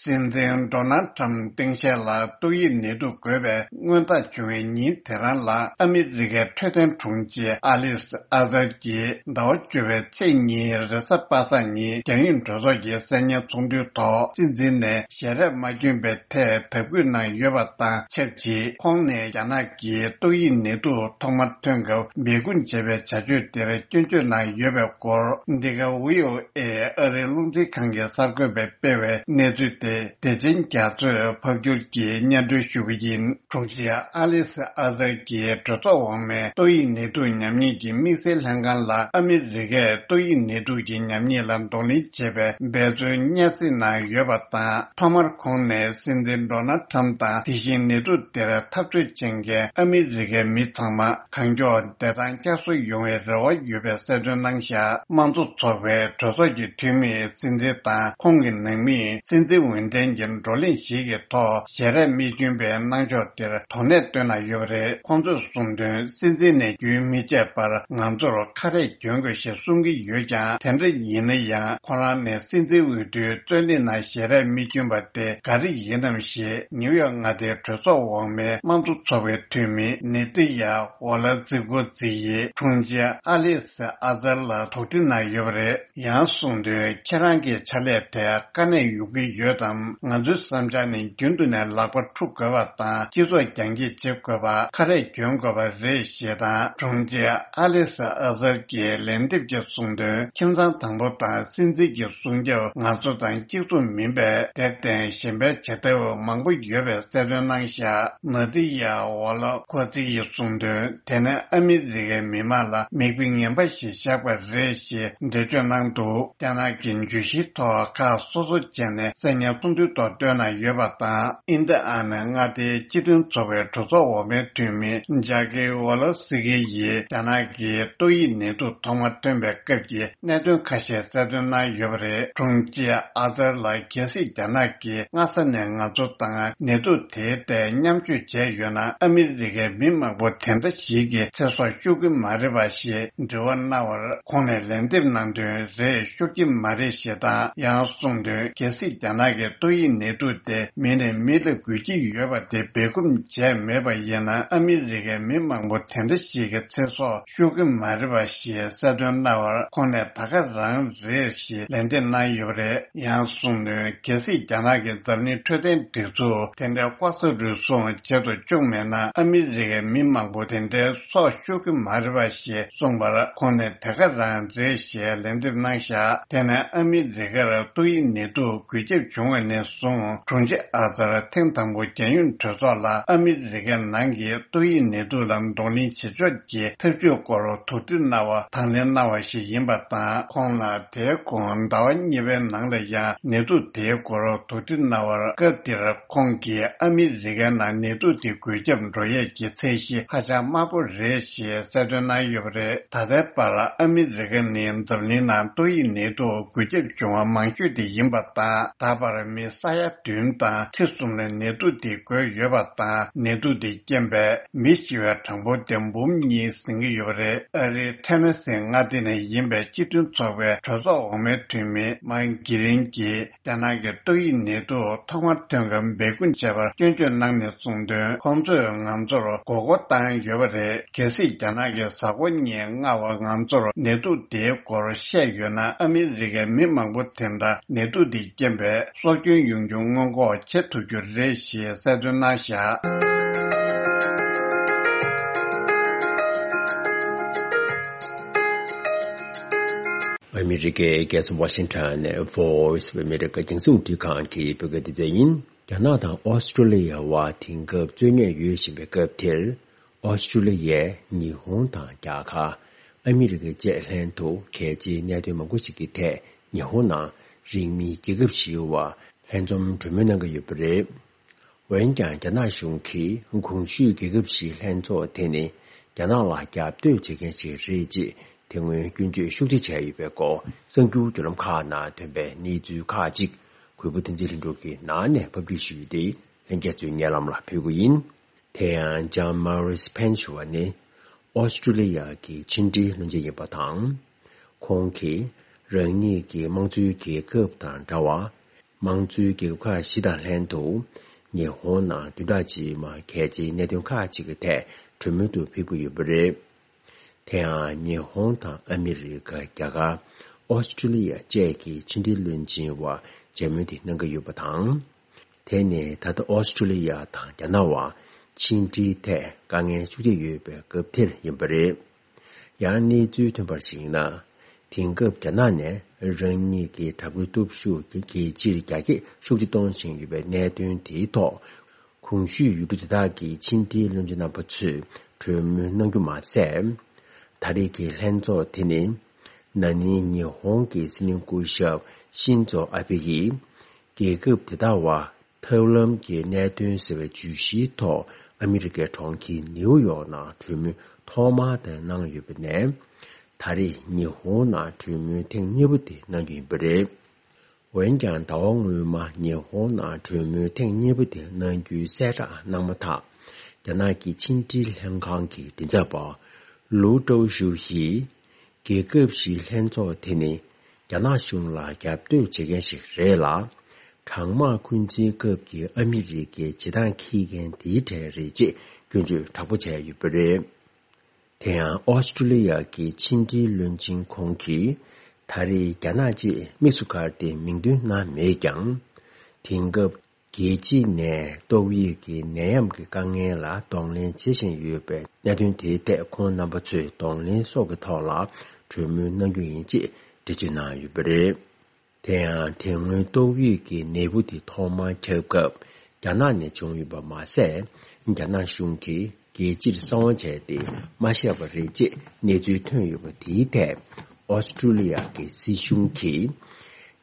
སྲིད་འཛིན་ཌོ་ནལ་ཁྲམ་སྟངས་དཔྱལ་ལ་ཏོག་དབྱིབས་ནད་དུག་འགོས་པའི་སྔོན་རྟགས་བྱུང་བའི་ཉིན་དེ་རང་ལ། ཨ་མི་རི་ཀའི་འཕྲོད་བསྟེན་དྲུང་ཆེ་ཨ་ལིས་ཨ་ཟར་གྱིས་ཟླ་བ་བཅུ་པའི་ཚེས་གཉིས་རེས་གཟའ་པ་སངས་ཉིན་རྒྱལ་ཡོངས་གྲོས་ཚོགས་ཀྱི་གསར་རྙིང་ཚོགས་འདུའི་ཐོག་སྲིད་འཛིན་ནས་ཞལ་རས་མ་བསྐྱོན་པའི་ཐད་དག་སྐུལ་གནང་ཡོད་པ་དང་ཆབས་ཅིག་ཁོང་ནས་རྒྱ་ནག་གིས་ཏོག་དབྱིབས་ནད་དུག་ཐོག་མར་ཐོན་སྐབས་སྦས་སྐུང་བྱས་པའི་བྱ་སྤྱོད་དེར་སྐྱོན་བརྗོད་གནང་ཡོད་པའི་སྐོར། འདི་ག་ཝི་ཨོ་ཨེ་ཨ་རིའི་རླུང་འཕྲིན་ཁང་གི་གསར་འགོད་པས་སྤེལ་བའི་གནས་ཚུལ་དེ་བདེ་ཆེན་རྒྱ་མཚོས་ཕབ་སྒྱུར་གྱིས་སྙན་སྒྲོན་ཞུ་གི་ཡིན། དྲུང་ཆེ་ཨ་ལིས་ཨ་ཟར་གྱིས་གྲོས་ཚོགས་འོག་མའི་ཏོག་དབྱིབས་ནད་དུག་ཉམས་ཉེས་ཀྱི་དམིགས་བསལ་ལྷན་ཁང་ལ་ཨ་མི་རི་ཀས་ཏོག་དབྱིབས་ནད་དུག་གི་ཉམས་ཉེས་ལ་གདོང་ལེན་བྱེད་པའི་འབད་བརྩོན་སྙན་སེང་གནང་ཡོད་པ་དང་། ཐོག་མར་ཁོང་ནས་སྲིད་འཛིན་ཌོ་ནལ་ཁྲམ་དང་དེ་བཞིན་ནད་དུག་དེར་འཐབ་རྩོད་བྱེད་མཁན་ཨ་མི་རི་ཀའི་མི་ཚང་མ་གང་མགྱོགས་བདེ་ཐང་བསྐྱར་གསོ་ཡོང་བའི་རེ་བ་ཡོད་པའི་གསལ་སྟོན་གནང་བཞག་དམངས་གཙོ་ཚོགས་པའི་གྲོས་ཚོགས་ཀྱི་འཐུས་མིས་སྲིད་འཛིན་དང་ཁོང་གི་ནང་མིས་སྲིད་འཛིན་འོས་འཕེན་གྱི་བགྲོ་གླེང་ཞིག་གི་ཐོག་ཞལ་རས་མི་བསྐྱོན་པའི་གནང་ཕྱོགས་དེར་དོ་ནན་བཏོན་གནང་ཡོད་པ་རེད། ཁོང་ཚོས་གསུངས་དོན། སྲིད་འཛིན་ནས་རྒྱུན་མི་ཆད་པར་ང་ཚོར་ཁ་རས་གྱོན་དགོས་ཞེས་གསུང་གི་ཡོད་ཀྱང་། དེ་འདྲ་ཡིན་ན་ཡང་ཁོ་རང་ནས་སྲིད་འཛིན་འོས་བསྡུའི་རྩོད་གླེང་ནང་ཞལ་རས་མི་བསྐྱོན་པ་དེ་ག་རེ་ཡིན་ནམ་ཞེས་ནིའུ་ཡོག་མངའ་སྡེའི་གྲོས་ཚོགས་འོག་མའི་དམངས་གཙོ་ཚོགས་པའི་འཐུས་མི་ནེ་ཏི་ཡ་ཝ་ལ་ཛི་གོ་ཛི་ཡིས་དྲུང་ཆེ་ཨ་ལིས་ཨ་ཛར་ལ་དོགས་འདྲི་གནང་ཡོད་པ་རེད། ཡང་གསུངས་དོན། ཁྱེད་རང་གི་ཕྱག་ལས་དེ་དཀའ་གནད་ཡོང་གི་ཡོད་དམ། ང་ཚོའི་བསམ་འཆར་ནི་རྒྱུན་དུ་ནས་ལག་པ་འཁྲུ་དགོས་པ་དང་། སྤྱི་ཚོགས་རྒྱང་སྐྱེད་བྱེད་དགོས་པ། ཁ་རས་གྱོན་དགོས་པ་རེད་ཞེས་དང་། དྲུང་ཆེ་ཨ་ལིས་ཨ་ཟར་གྱིས་ལན་འདེབས་ཀྱིས་གསུངས་དོན། ཁྱིམ་ཚང་དང་པོ་དང་སྲིད་འཛིན་གྱི་སྲུང་སྐྱོབ་ང་ཚོ་དང་གཅིག་མཚུངས་མིན་པས། དེར་བརྟེན་གཞན་པའི་བྱེད་ཐབས་མང་པོ་ཡོད་པའི་གསལ་སྟོན་གནང་བཞག་ནེ་ཏི་ཡ་ཝ་ལ་གོ་ཙི་ཡིས་གསུངས་དོན། དེ་ནི་ཨ་མི་རི་ཀའི་མི་མང་ལ་མིག་དཔེ་ངན་པ་ཞིག་བཞག་པ་རེད་ཞེས་འགྲེལ་བརྗོད་གནང་འདུག་རྒྱ་ནག་གི་བརྗོད་གཞིའི་ཐོག་ཁག་སོ་སོ་བྱས་ནས་གསར་རྙིང་ཚོགས་འདུའི་ཐོག་བཏོན་གནང་ཡོད་པ་དང་། ཨིན་ཏི་ཨ་ནི་མངའ་སྡེའི་སྤྱི་མཐུན་ཚོགས་པའི་གྲོས་ཚོགས་འོག་མའི་འཐུས་མི་ཇཱ་ཀི་ཝོ་ལོ་སི་ཀི་ཡིས་རྒྱ་ནག་གིས་ཏོག་དབྱིབས་ནད་དུག་ཐོག་མ་ཐོན་པའི་སྐབས་ཀྱི་གནད་དོན་ཁ་ཤས་གསལ་སྟོན་གནང་ཡོད་པ་རེད། དྲུང་ཆེ་ཨ་ཛར་ལ། གལ་སྲིད་རྒྱ་ནག་གིས་སྔ་ས་ནས་ང་ཚོ་དང་ནད་དུག་དེའི་ཐད་མཉམ་སྤྱོད་བྱས་ཡོད་ན། ཨ་མི་རི་ཀའི་མི་མང་པོ་དེ་འདྲ་ཞིག་གི་ཚེ་སྲོག་ཤོར་གྱི་མ་རེད་པ་ཞེས་དྲི་བ་གནང་བར། ཁོང་ནས་ལན་འདེབས་གནང་དོན། རེད། ཤོར་གྱི་མ་རེད་ཞེས་དང་། ཡང་གསུངས་དོན། གལ་སྲིད་རྒྱ་ནག་གིས་ཏོག་དབྱིབས་ནད་དུག་དེ་མི་ནས་མི་ལ་འགོས་ཀྱི་ཡོད་པ་དེ་སྦས་སྐུང་བྱས་མེད་པ་ཡིན་ན། ཨ་མི་རི་ཀའི་མི་མང་པོ་དེ་འདྲ་ཞིག་གི་ཚེ་སྲོག་ཤོར་གྱི་མ་རེད་པ་ཞེས་གསལ་སྟོན་གནང་བར། ཁོང་ནས་ད་ག་རང་རེད་ཞེས་ལན་འདེབས་གནང་ཡོད་པ་རེད། ཡང་གསུངས་དོན། གལ་སྲིད་རྒྱ་ནག་གིས་འཛམ་གླིང་འཕྲོད་བསྟེན་སྒྲིག་འཛུགས་དེ་འདྲའི་ལྐོག་ཟ་རུལ་སུངས་བྱེད་དུ་བཅུག་མེད་ན། ཨ་མི་རི་ཀའི་མི་མང་པོ་དེ་འདྲའི་སྲོག་ཤོར་གྱི་མ་རེད་པ་ཞེས་གསུངས་པར། ཁོང་ནས་དེ་ག་རང་རེད་ཞེས་ལན་འདེབས་གནང་བཞག་དེ་ནས་ཨ་མི་རི་ཀར་ཏོག་དབྱིབས་ནད་དུག་འགོས་ཁྱབ་བྱུང་བ་ནས་བཟུང་། དྲུང་ཆེ་ཨ་ཛར་ཐེངས་དང་པོ་རྒྱལ་ཡོངས་གྲོས་ཚོགས་ལ་ཨ་མི་རི་ཀའི་ནང་གི་ཏོག་དབྱིབས་ནད་དུག་ལ་གདོང་ལེན་བྱེད་ཕྱོགས་ཀྱི་ཐབས་ཇུས་སྐོར་དོགས་འདྲི་གནང་བ་དང་ལེན་གནང་བ་ཞིག་ཡིན་པ་དང་། ཁོང་ལ་དེའི་གོང་ཟླ་བ་གཉིས་པའི་ནང་ལ་ཡང་ནད་དུག་དེའི་སྐོར་དོགས་འདྲི་གནང་བར། སྐབས་དེར་ཁོང་གིས་ཨ་མི་རི་ཀའི་ནང་ནད་དུག་དེ་འགོས་ཁྱབ་འགྲོ་ཡས་ཀྱི་ཚད་གཞི་ཧ་ཅང་དམའ་པོ་རེད་ཞེས་གསལ་སྟོན་གནང་ཡོད་པ་རེད། ད་ལྟའི་བར་ཨ་མི་རི་ཀ་ནི་འཛམ་གླིང་ནང་ཏོག་དབྱིབས་ནད་དུག་འགོས་ཁྱབ་བྱུང་བ་མང་ཤོས་དེ་ཡིན་པ་དང་། ད་བར་མི་ས་ཡ་བདུན་དང་ཁྲི་གསུམ་ལ་ནད་དུག་དེ་འགོས་ཡོད་པ་དང་། ནད་དུག་དེ་རྐྱེན་པས་མི་ཤི་བའི་གྲངས་འབོར་དེ་འབུམ་གཉིས་ཟིན་གྱི་ཡོད་པ་རེད། ཨ་རིའི་ཐེ་ན་སི་མངའ་སྡེ་ནས་ཡིན་པའི་སྤྱི་མཐུན་ཚོགས་པའི་གྲོས་ཚོགས་འོག་མའི་འཐུས་མི་མཱིག་གྷི་རིན་གྱིས། རྒྱ་ནག་གི་ཏོག་དབྱིབས་ནད་དུག་ཐོག་མར་ཐོན་སྐབས་སྦས་སྐུང་བྱས་པར་སྐྱོན་བརྗོད་གནང་ནས་གསུངས་དོན། ཁོང་ཚོས་ང་ཚོར་མགོ་སྐོར་བཏང་ཡོད་པ་རེད། གལ་སྲིད་རྒྱ་ནག་གི་གཟའ་འཁོར་གཉིས་སྔ་བར་ང་ཚོར་ནད་དུག་དེའི་སྐོར་བཤད་ཡོད་ན། ཨ་མི་རི་ཀའི་མི་མང་པོ་དེ་འདྲ་ནད་དུག་དེ་རྐྱེན་པས་སྲོག་སྐྱོན་ཡོང་རྒྱུ་སྔོན་འགོག་བྱེད་ཐུབ་རྒྱུ་རེད་ཞེས་གསལ་སྟོན་གནང་བཞག་ཨ་མི་རི་ཀའི་རྒྱལ་ས་ཝ་ཤིང་ཊོན་ནས་Voice of America་རྒྱང་སྲིང་རླུང་འཕྲིན་ཁང་གི་བོད་སྐད་སྡེ་ཚན་ཡིན། རྒྱ་ནག་དང་ཨོ་སི་ཀྲོ་ལི་ཡ་བར་དེང་སྐབས་རྩོད་རྙོག་ཡོད་བཞིན་པའི་སྐབས་དེར། ཨོ་སི་ཀྲོ་ལི་ཡས་ཉི་ཧོང་དང་རྒྱ་གར། ཨ་མི་རི་ཀ་བཅས་ལྷན་དུ་གལ་ཆེའི་གནད་དོན་མང་པོ་ཞིག་གི་ཐད་ཉི་ཧོང་ནང་རིང་མིན་རྒྱལ་ཁབ་བཞིའི་བར་ལྷན་འཛོམས་གྲོས་མོལ་གནང་གི་ཡོད་པ་རེད། འོན་ཀྱང་རྒྱ་ནག་གཞུང་གིས་གོང་ཞུས་རྒྱལ་ཁབ་བཞིའི་ལྷན་ཚོགས་དེ་ནི་རྒྱ་ནག་ལ་རྒྱབ་གཏོད་བྱེད་མཁན་ཞིག་རེད་ཅེས་དེ་སྔོན་སྐྱོན་བརྗོད་ཤུགས་ཆེ་བྱས་ཡོད་པའི་སྐོར་གསར་འགྱུར་བརྒྱུད་ལམ་ཁག་ནང་ཐོན་པའི་གནས་ཚུལ་ཁག་ཅིག་གུས་པ་བསྟན་འཛིན་ལྷུན་གྲུབ་ཀྱིས་ནང་ནས་ཕབ་སྒྲིག་ཞུས་ཏེ་ལྷན་རྒྱས་ཚོའི་སྙན་ལམ་ལ་ཕུལ་གྱི་ཡིན། དེ་ཡང་ལྕམ་མ་རིས་ཕན་ཞུ་བ་ནི་ཨོ་སི་ཀྲོ་ལི་ཡ་གི་ཕྱི་འབྲེལ་བློན་ཆེན་ཡིན་པ་དང་། ཁོང་གིས་རང་ཉིད་ཀྱི་དམངས་གཙོའི་རྒྱལ་ཁབ་དང་འདྲ་བར། དམངས་གཙོའི་རྒྱལ་ཁབ་ཁག་བཞི་དང་ལྷན་དུ་ཉི་ཧོང་ནང་བདུན་ཕྲག་རྗེས་མར་གལ་ཆེའི་གནད་དོན་ཁག་ཅིག་གི་ཐད་གྲོས་མོལ་དུ་ཕེབས་ཀྱི་ཡོད་པ་རེད། དེ་ཡང་ཉི་ཧོང་དང་ཨ་མི་རི་ཀ། རྒྱ་གར། ཨོ་སི་ཀྲོ་ལི་ཡ་བཅས་ཀྱི་ཕྱི་འབྲེལ་བློན་ཆེན་བར་མཇལ་མོལ་དེ་གནང་གི་ཡོད་པ་དང་། དེ་ནི་ད་ལྟ་ཨོ་སི་ཀྲོ་ལི་ཡ་དང་རྒྱ་ནག་བར་ཕྱི་འབྲེལ་ཐད་དཀའ་ངལ་ཤུགས་ཆེ་ཡོད་པའི་སྐབས་དེར་ཡིན་པ་རེད། ཡང་གནས་ཚུལ་ཐོན་པར་གཞིགས་ན། དེང་སྐབས་རྒྱ་ནག་ནས་རང་ཉིད་ཀྱི་དྲག་པོའི་སྟོབས་ཤུགས་ཀྱི་རྒྱལ་སྤྱིར་རྒྱ་སྐྱེད་ཤུགས་ཆེ་གཏོང་བཞིན་ཡོད་པའི་གནད་དོན་དེའི་ཐོག་གོང་ཞུས་ཡུལ་གྲུ་དེ་དག་གི་ཕྱི་འབྲེལ་བློན་ཆེན་རྣམ་པ་ཚོས་གྲོས་མོལ་གནང་རྒྱུ་མ་ཟད། ད་རེས་ཀྱི་ལྷན་ཚོགས་དེ་ནི་ན་ནིང་ཉི་ཧོང་གི་སྲིད་བློན་སྐུ་ཞབས་ཤིན་ཛོ་ཨ་བྷེ་ཡིས་རྒྱལ་ཁབ་དེ་དག་བར་ཐབས་ལམ་གྱི་གནད་དོན་ཟེར་བའི་བརྗོད་གཞིའི་ཐོག་ཨ་མི་རི་ཀའི་གྲོང་ཁྱེར་ནེའུ་ཡོག་ནང་གྲོས་མོལ་ཐོག་མར་དེ་གནང་ཡོད་པ་ནས། ད་རེས་ཉི་ཧོང་ནང་གྲོས་མོལ་ཐེངས་གཉིས་པ་དེ་གནང་རྒྱུ་ཡིན་པ་རེད། འོན་ཀྱང་ཟླ་བ་སྔོན་མ་ཉི་ཧོང་ནང་གྲོས་མོལ་ཐེངས་གཉིས་པ་དེ་གནང་རྒྱུའི་གསལ་བསྒྲགས་གནང་མ་ཐག་རྒྱ་ནག་གི་ཕྱི་འབྲེལ་ལྷན་ཁང་གི་མགྲིན་ཚབ་པ་ལུའུ་ཀྲོའུ་ཞུའུ་ཡིས། རྒྱལ་ཁབ་བཞིའི་ལྷན་ཚོགས་དེ་ནི་རྒྱ་ནག་གཞུང་ལ་རྒྱབ་གཏོད་བྱེད་མཁན་ཞིག་རེད་ལ། གྲང་དམག་འཁོན་འཛིན་སྐབས་ཀྱི་ཨ་མི་རི་ཀའི་བྱེད་སྟངས་འཁྱེར་མཁན་དེའི་གྲས་རེད་ཅེས་སྐྱོན་བརྗོད་དྲག་པོ་བྱས་ཡོད་པ་རེད། དེ་ཡང་ཨོ་སི་ཀྲོ་ལི་ཡ་གི་ཕྱི་འབྲེལ་བློན་ཆེན་ཁོང་གིས་ད་རེས་རྒྱ་ནག་ཅེས་དམིགས་སུ་བཀར་ཏེ་མིང་འདོན་གནང་མེད་ཀྱང་། དེང་སྐབས། རྒྱལ་སྤྱི་ནས་ཏོག་དབྱིབས་ཀྱི་ནད་ཡམས་ཀྱི་དཀའ་ངལ་ལ་གདོང་ལེན་བྱེད་བཞིན་ཡོད་པའི་གནད་དོན་དེའི་ཐད་ཁོང་རྣམ་པ་ཚོས་གདོང་ལེན་སོགས་ཀྱི་ཐོག་ལ་གྲོས་མོལ་གནང་རྒྱུ་ཡིན་ཅེས་འགྲེལ་བརྗོད་གནང་ཡོད་པ་རེད། དེ་ཡང་དེ་སྔོན་ཏོག་དབྱིབས་ཀྱི་ནད་འབུ་དེ་ཐོག་མར་ཁྱབ་སྐབས་རྒྱ་ནག་ནས་བྱུང་ཡོད་པ་མ་ཟད། རྒྱ་ནག་གཞུང་གིས་རྒྱལ་སྤྱིར་གསང་བ་བྱས་ཏེ་མ་བཤད་པ་རེད་ཅེས་གནས་ཚུལ་ཐོན་ཡོད་པ་དེའི་ཐད་ཨོ་སི་ཀྲུ་ལི་ཡ་གི་སྲིད་གཞུང་གིས།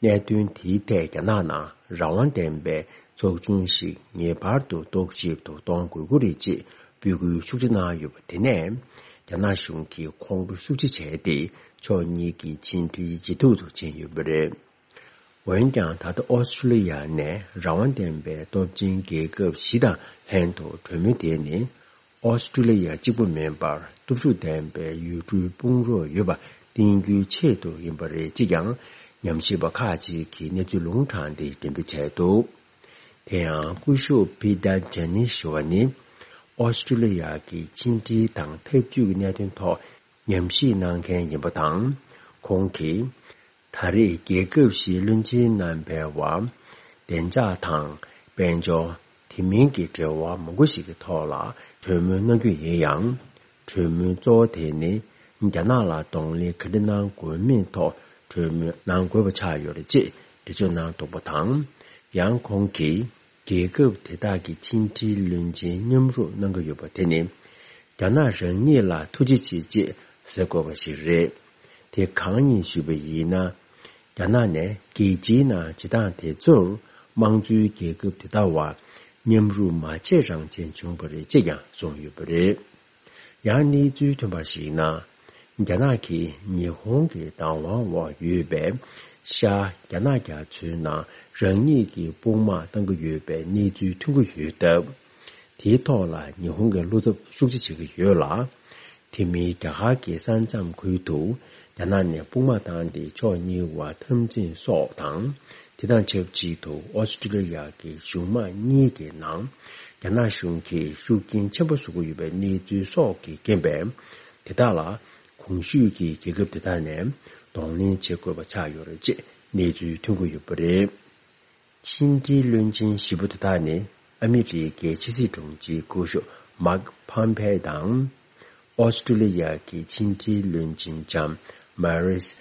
གནད་དོན་དེའི་ཐད་རྒྱ་ནག་ནང་རང་དབང་ལྡན་པའི་ཚོགས་ཆུང་ཞིག་ངེས་པར་དུ་རྟོག་ཞིབ་ཏུ་གཏོང་དགོས་ཀྱི་རེད་ཅེས་འབོད་སྐུལ་ཤུགས་ཆེ་གནང་ཡོད་པ་དེ་ནས་རྒྱ་ནག་གཞུང་གིས་ཁོང་ཁྲོ་ཤུགས་ཆེ་བྱས་ཏེ་ཕྱོགས་གཉིས་ཀྱི་ཕྱི་འབྲེལ་ཇེ་སྡུག་ཏུ་ཕྱིན་ཡོད་པ་རེད། འོན་ཀྱང་ད་ལྟ་ཨོ་སི་ཀྲུ་ལི་ཡ་ནས་རང་དབང་ལྡན་པའི་སྟོབས་ཆེན་རྒྱལ་ཁབ་བཞི་དང་ལྷན་དུ་གྲོས་མོལ་དེ་ནི། ཨོ་སི་ཀྲུ་ལི་ཡ་གཅིག་པུ་མིན་པར་སྟོབས་ཤུགས་ལྡན་པའི་ཡུལ་གྲུའི་དཔུང་རོགས་ཡོད་པ་བསྟན་རྒྱུའི་ཆེད་དུ་ཡིན་པ་རེད་ཅེས་ཀྱང་ཉམས་ཞིབ་པ་ཁག་ཅིག་གིས་གནས་ཚུལ་ལུང་དྲངས་ཏེ་འགྲེམས་སྤེལ་བྱས་འདུག་དེ་ཡང་སྐུ་ཞབས་པི་ཏར་ཇ་ནི་ཞུ་བ་ནི་ཨོ་སི་ཀྲུ་ལི་ཡ་གི་ཕྱི་འབྲེལ་དང་འཐབ་ཇུས་ཀྱི་གནད་དོན་ཐོག་ཉམས་ཞིབ་གནང་མཁན་ཡིན་པ་དང་། ཁོང་གིས། ད་རེས་རྒྱལ་ཁབ་བཞིའི་བློན་ཆེན་རྣམ་པའི་བར་བདེ་འཇགས་དང་དཔལ་འབྱོར། དེ་མིན་གྱི་འབྲེལ་བ་མང་པོ་ཞིག་གི་ཐོག་ལ་གྲོས་མོལ་གནང་རྒྱུ་ཡིན་ཡང་། གྲོས་མོལ་གཙོ་བོ་དེ་ནི་རྒྱ་ནག་ལ་གདོང་ལེན་ག་འདྲ་གནང་དགོས་མིན་ཐོག་གྲོས་མོལ་གནང་དགོས་པ་ཆགས་ཡོད་རེད་ཅེས་འགྲེལ་བརྗོད་གནང་འདུག་པ་དང་། ཡང་ཁོང་གིས། རྒྱལ་ཁབ་དེ་དག་གི་ཕྱི་འབྲེལ་བློན་ཆེན་མཉམ་རུབ་གནང་གི་ཡོད་པ་དེ་ནི། རྒྱ་ནག་རང་ཉིད་ལ་ཐུགས་རྗེ་ཆེ་ཅེས་ཟེར་དགོས་པ་ཞིག་རེད། དེ་གང་ཡིན་ཞུས་པ་ཡིན་ན། རྒྱ་ནག་ནས་རྒྱལ་སྤྱིའི་ནང་བྱེད་སྟངས་དེ་ཚོར་དམངས་གཙོའི་རྒྱལ་ཁབ་དེ་དག་བར་མཉམ་རུབ་མ་བྱས་རང་བྱས་བྱུང་བ་རེད་ཅེས་ཀྱང་གསུངས་ཡོད་པ་རེད། ཡང་གནས་ཚུལ་ཐོན་པར་གཞིགས་ན། རྒྱ་ནག་གིས་ཉི་ཧོང་གི་བདག་དབང་འོག་ཡོད་པའི་ཤར་རྒྱ་ནག་རྒྱ་མཚོའི་ནང་རང་ཉིད་ཀྱི་དཔུང་དམག་གཏང་གི་ཡོད་པའི་གནས་ཚུལ་ཐོན་གྱི་ཡོད་སྟབས། དེའི་ཐོག་ལ་ཉི་ཧོང་གིས་བློ་འཚབ་ཤུགས་ཆེ་བྱེད་ཀྱི་ཡོད་ལ། དེ་མིན་རྒྱ་གར་གྱི་ས་མཚམས་ཁུལ་དུ་རྒྱ་ནག་ནས་དཔུང་དམག་བཏང་སྟེ་ཕྱོགས་གཉིས་བར་འཐབ་འཛིང་སོགས་དང་། དེ་དང་ཆབས་ཅིག་ཏུ་ཨོ་སི་ཀྲུ་ལི་ཡ་གི་གཞུང་དམངས་གཉིས་ཀྱི་ནང་རྒྱ་ནག་གཞུང་གིས་ཤུགས་རྐྱེན་ཆེན་པོ་བཟོ་གི་ཡོད་པའི་གནས་ཚུལ་སོགས་ཀྱི་རྐྱེན་པས། དེ་དག་ལ་གོང་ཞུས་ཀྱི་རྒྱལ་ཁབ་དེ་དག་ནས་གདོང་ལེན་བྱེད་དགོས་པ་ཆགས་ཡོད་རེད་ཅེས་གནས་ཚུལ་ཐོན་གྱི་ཡོད་པ་རེད། ཕྱི་འབྲེལ་བློན་ཆེན་བཞི་པོ་དེ་དག་ནི་ཨ་མི་རི་ཀའི་ཕྱི་སྲིད་དྲུང་ཆེ་སྐུ་ཞབས་མཱག་ཕམ་ཕེ་དང་། ཨོ་སི་ཀྲུ་ལི་ཡ་གི་ཕྱི་འབྲེལ་བློན་ཆེན་ལྕམ་མ་རིས་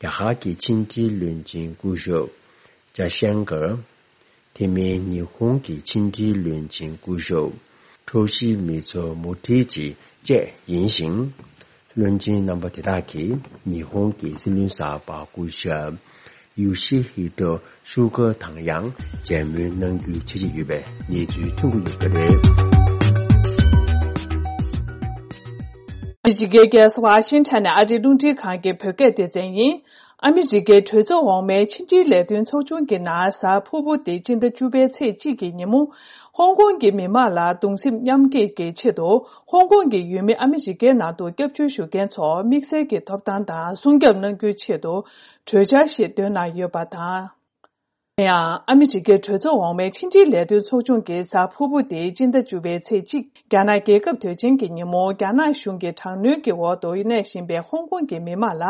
རྒྱ་གར་གྱི་ཕྱི་འབྲེལ་བློན་ཆེན་སྐུ་ཞབས་ཇཱ་ཤང་ཀར། དེ་མིན་ཉི་ཧོང་གི་ཕྱི་འབྲེལ་བློན་ཆེན་སྐུ་ཞབས་ཁྲོ་ཤི་མི་ཚོ་མུ་ཐི་ཅི་བཅས་ཡིན་ཞིང་། བློན་ཆེན་རྣམ་པ་དེ་དག་གིས་ཉི་ཧོང་གི་སྲིད་བློན་གསར་པ་སྐུ་ཞབས་ཡོ་ཤི་ཧི་ཏོ་སུ་ག་དང་ཡང་མཇལ་མོལ་གནང་རྒྱུའི་འཆར་གཞི་ཡོད་པའི་གནས་ཚུལ་ཐོན་གྱི་ཡོད་པ་རེད། ཨ་མི་རི་ཀའི་རྒྱལ་ས་ཝ་ཤིང་ཊོན་ནས་ཨ་རིའི་རླུང་འཕྲིན་ཁང་གི་བོད་སྐད་སྡེ་ཚན་ཡིན། ཨ་མི་རི་ཀའི་གྲོས་ཚོགས་འོག་མའི་ཕྱི་འབྲེལ་ལས་དོན་ཚོགས་ཆུང་གི་ནང་གཟའ་ཕུར་བུ་སྟེ་སྤྱི་ཟླ་བཅུ་པའི་ཚེས་གཅིག་གི་ཉིན་མོ། ཧོང་ཀོང་གི་མི་མང་ལ་གདུང་སེམས་མཉམ་སྐྱེད་ཀྱི་ཆེད་དུ། ཧོང་ཀོང་གི་ཡུལ་མི་ཨ་མི་རི་ཀའི་ནང་དུ་སྐྱབས་བཅོལ་ཞུ་མཁན་ཚོར་དམིགས་བསལ་གྱི་ཐོབ་ཐང་དང་སྲུང་སྐྱོབ་གནང་རྒྱུའི་ཆེད་དུ། གྲོས་འཆར་ཞིག་བཏོན་གནང་ཡོད་པ་དང་། ཡང་ཨ་མི་རི་ཀའི་གྲོས་ཚོགས་འོག་མའི་ཕྱི་འབྲེལ་ལས་དོན་ཚོགས་ཆུང་གི་གཟའ་ཕུར་བུ་སྟེ་སྤྱི་ཟླ་བཅུ་པའི་ཚེས་གཅིག་རྒྱ་ནག་རྒྱལ་ཁབ་དོན་ཆེན་གྱི་ཉིན་མོ། རྒྱ་ནག་གཞུང་གི་དྲག་གནོན་གྱི་འོག་ཏུ་གནས་བཞིན་པའི་ཧོང་ཀོང་གི་མི་མང་ལ་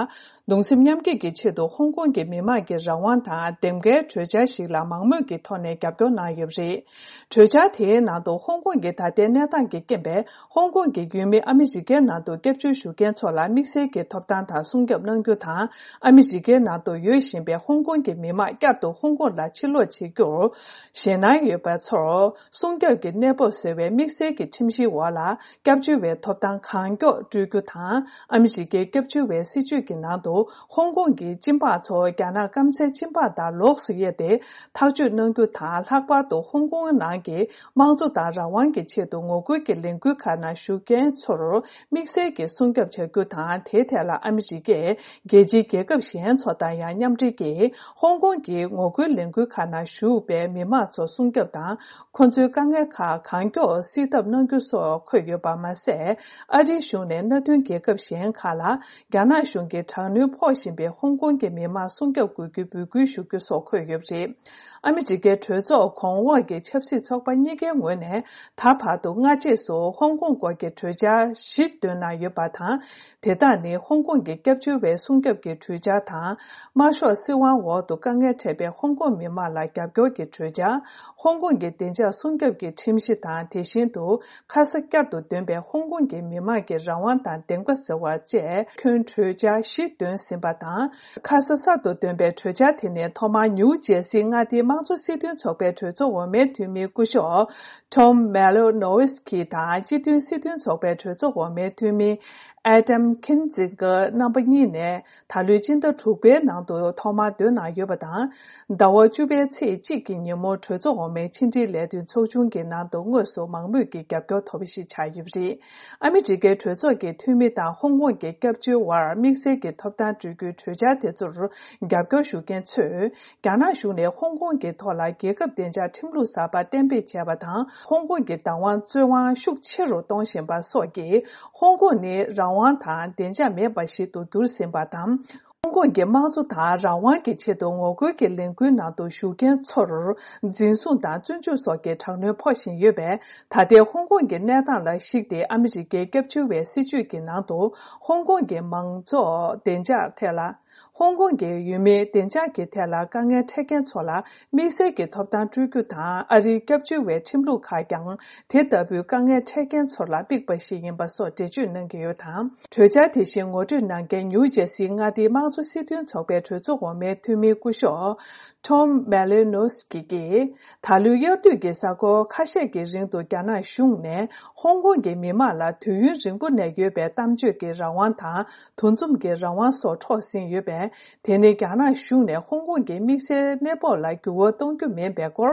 གདུང་སེམས་མཉམ་སྐྱེད་ཀྱི་ཆེད་དུ་ཧོང་ཀོང་གི་མི་མང་གི་རང་དབང་དང་འདེམས་ཀའི་གྲོས་འཆར་ཞིག་ལ་མང་མོས་ཀྱི་ཐོག་ནས་རྒྱབ་སྐྱོར་གནང་ཡོད་པ་རེད། གྲོས་འཆར་དེའི་ནང་དུ་ཧོང་ཀོང་གི་ད་ལྟའི་གནས་སྟངས་ཀྱི་རྐྱེན་པས། ཧོང་ཀོང་གི་ཡུལ་མི་ཨ་མི་རི་ཀའི་ནང་དུ་སྐྱབས་བཅོལ་ཞུ་མཁན་ཚོ་ལ་དམིགས་བསལ་གྱི་ཐོབ་ཐང་དང་སྲུང་སྐྱོབ་གནང་རྒྱུ་དང་། ཨ་མི་རི་ཀའི་ནང་དུ་ཡོད་བཞིན་པའི་ཧོང་ཀོང་གི་མི་མང་བསྐྱར་དུ་ཧོང་ཀོང་ལ་ཕྱིར་ལོག་བྱེད་རྒྱུར། ཞེད་སྣང་ཡོད་པ་ཚོར་སྲུང་སྐྱོབ་ཀྱི་གནས་བབ་ཟེར་བའི་དམིགས་བསལ་གྱི་ཁྲིམས་གཞིའི་འོག་ལ། སྐྱབས་བཅོལ་བའི་ཐོབ་ཐང་གང་མགྱོགས་སྤྲོད་རྒྱུ་དང་། ཨ་མི་རི་ཀའི་སྐྱབས་བཅོལ་བའི་སྲིད་བྱུས་ཀྱི་ནང་དུ། ཧོང་ཀོང་གི་སྤྱི་འབངས་ཚོ་རྒྱ་ནག་སྐམ་སའི་སྤྱི་འབངས་དང་ལོགས་སུ་དབྱེ་སྟེ། ཐག་གཅོད་གནང་རྒྱུ་དང་། ལྷག་པར་དུ་ཧོང་ཀོང་ནང་གི་དམངས་གཙོ་དང་རང་དབང་གི་ཆེད་དུ་ངོ་རྒོལ་གྱི་ལས་འགུལ་ཁག་ནང་ཞུགས་མཁན་ཚོར་དམིགས་བསལ་གྱི་སྲུང་སྐྱོབ་བྱ་རྒྱུ་དང་། དེའི་ཐད་ལ་ཨ་མི་རི་ཀས་རྒྱལ་སྤྱིའི་རྒྱལ་ཁབ་གཞན་ཚོ་དང་ཡང་མཉམ་འབྲེལ་གྱིས། ཧོང་ཀོང་གི་ངོ་རྒོལ་ལས་འགུལ་ཁག་ནང་ཞུགས་པའི་མི་མང་ཚོ་སྲུང་སྐྱོབ་དང་། ཁོ་ཚོའི་དཀའ་ངལ་ཁག་གང་མགྱོགས་སེལ་ཐབས་གནང་རྒྱུ་སོགས་འཁོད་ཡོད་པ་མ་ཟད། ཨ་རིའི་གཞུང་ནས་མནའ་མཐུན་རྒྱལ་ཁབ་གཞན་ཁག་ལ། རྒྱ་ནག་གཞུང་གིས་དྲག་གནོན་ཕོག་བཞིན་པའི་ཧོང་ཀོང་གི་མི་མང་སྲུང་སྐྱོབ་དགོས་རྒྱུའི་འབོད་སྐུལ་ཞུ་རྒྱུ་སོགས་འཁོད་ཡོད་པ་རེད། ཨ་མི་རི་ཀའི་གྲོས་ཚོགས་གོང་འོག་གི་ཆབ་སྲིད་ཚོགས་པ་གཉིས་ཀའི་ངོས་ནས། ད་བར་དུ་སྔ་རྗེས་སུ་ཧོང་ཀོང་སྐོར་གྱི་གྲོས་འཆར་བཞི་བཏོན་གནང་ཡོད་པ་དང་། དེ་དག་ནི་ཧོང་ཀོང་གི་སྐྱབས་བཅོལ་བའི་སྲུང་སྐྱོབ་ཀྱི་གྲོས་འཆར་དང་། དམར་ཤོག་སྲིད་དབང་འོག་ཏུ་དཀའ་ངལ་འཕྲད་པའི་ཧོང་ཀོང་མི་མང་ལ་རྒྱབ་སྐྱོར་གྱི་གྲོས་འཆར། ཧོང་ཀོང་གི་བདེ་འཇགས་སྲུང་སྐྱོབ་ཀྱི་ཁྲིམས་གཞི་དང་། དེ་བཞིན་དུ། ཁ་ས་བསྐྱར་དུ་འདོན་པའི་ཧོང་ཀོང་གི་མི་མང་གི་རང་དབང་དང་བདེན་པ་ཟེར་བ་བཅས་ཁྱོན་གྲོས་འཆར་བཞི་བཏོན་ཟིན་པ་དང་། ཁ་ས་གསར་དུ་འདོན་པའི་གྲོས་འཆར་དེ་ནི་ཐོག་མར་ནིའུ་ཇེ་སིའི་མངའ་སྡེའི་དམངས་གཙོ་སྲིད་དོན་ཚོགས་པའི་གྲོས་ཚོགས་འོག་མའི་འཐུས་མི་སྐུ་ཞབས་Tom Malinowski དང་། སྤྱི་མཐུན་སྲིད་དོན་ཚོགས་པའི་གྲོས་ཚོགས་འོག་མའི་འཐུས་མི་Adam Kinzinger རྣམ་པ་གཉིས་ནས་ད་ལོའི་སྤྱི་ཟླ་དྲུག་པའི་ནང་དུ་ཐོག་མར་འདོན་གནང་ཡོད་པ་དང་། ཟླ་བ་བཅུ་པའི་ཚེས་གཅིག་གི་ཉིན་མོ་གྲོས་ཚོགས་འོག་མའི་ཕྱི་འབྲེལ་ལས་དོན་ཚོགས་ཆུང་གི་ནང་དུ་དངོས་སུ་མང་མོས་ཀྱི་རྒྱབ་སྐྱོར་ཐོབ་པ་ཞིག་ཆགས་ཡོད་པ་རེད། ཨ་མི་རི་ཀའི་གྲོས་ཚོགས་ཀྱི་འཐུས་མི་དང་ཧོང་ཀོང་གི་སྐྱབས་བཅོལ་བར་དམིགས་བསལ་གྱི་ཐོབ་ཐང་སྤྲོད་རྒྱུའི་གྲོས་འཆར་དེ་ཚོར་རྒྱབ་སྐྱོར་ཞུ་མཁན་ཚོས། རྒྱ་ནག་གཞུང་ནས་ཧོང་ཀོང་གི་ཐོག་ལ་རྒྱལ་ཁབ་བདེ་འཇགས་ཁྲིམས་ལུགས་གསར་པ་གཏན་འབེབས་བྱས་པ་དང་། ཧོང་ཀོང་གི་བདག་དབང་རྩོད་དབང་ཤུགས་ཆེ་རུ་གཏོང་བཞིན་པ་སོགས་ཀྱིས། ཧོང་ཀོང་ནི་རང་དབང་དང་བདེ་འཇགས་མེད་པ་ཞིག་ཏུ་གྱུར་ཟིན་པ་དང་། ཧོང་ཀོང་གི་དམངས་གཙོ་དང་རང་དབང་གི་ཆེད་དུ་ངོ་རྒོལ་གྱི་ལས་འགུལ་ནང་དུ་ཞུགས་མཁན་ཚོར་འཛིན་བཟུང་དང་བཙོན་འཇུག་སོགས་ཀྱི་དྲག་གནོན་ཕོག་བཞིན་ཡོད་པས། ད་ལྟའི་ཧོང་ཀོང་གི་གནས་སྟངས་ལ་གཞིགས་ཏེ། ཨ་མི་རི་ཀའི་སྐྱབས་བཅོལ་བའི་སྲིད་བྱུས་ཀྱི་ནང་དུ་ཧོང་ཀོང་གི་མང་གཙོ་བདེ་འཇགས་ཐད་ལ། ཧོང་ཀོང་གི་ཡུལ་མིའི་བདེ་འཇགས་ཀྱི་ཐད་ལ་དཀའ་ངལ་འཕྲད་མཁན་ཚོ་ལ་དམིགས་བསལ་གྱི་ཐོབ་ཐང་སྤྲོད་རྒྱུ་དང་། ཨ་རིའི་སྐྱབས་བཅོལ་བའི་ཁྲིམས་ལུགས་ཁག་ཀྱང་དེ་ལྟ་བུའི་དཀའ་ངལ་འཕྲད་མཁན་ཚོ་ལ་དམིགས་པ་ཞིག་ཡིན་པ་སོགས་འགྲེལ་བརྗོད་གནང་གི་ཡོད་དང་། གྲོས་འཆར་དེ་བཞིན་ངོ་སྤྲོད་གནང་མཁན་ནིའུ་ཇེ་སིའི་མངའ་སྡེའི་དམངས་གཙོ་སྲིད་དོན་ཚོགས་པའི་གྲོས་ཚོགས་འོག་མའི་འཐུས་མི་སྐུ་ཞབས་Tom Malinowski གིས། ད་ལོའི་དབྱར་དུས་ཀྱི་གཟའ་འཁོར་ཁ་ཤས་ཀྱི་རིང་དུ་རྒྱ་ནག་གཞུང་ནས་ཧོང་ཀོང་གི་མི་མང་ལ་དུས་ཡུན་རིང་པོ་ནས་ཡོད་པའི་གཏམ་བརྗོད་ཀྱི་རང་དབང་དང་། འདུ་འཛོམས་ཀྱི་རང་དབང་སོགས་འཕྲོག་ཟིན་ཡོད་པས། དེ་ནི་རྒྱ་ནག་གཞུང་ནས་ཧོང་ཀོང་གི་དམིགས་བསལ་གནས་བབ་ལ་འགྱུར་བ་གཏོང་རྒྱུ་མིན་པའི་སྐོར་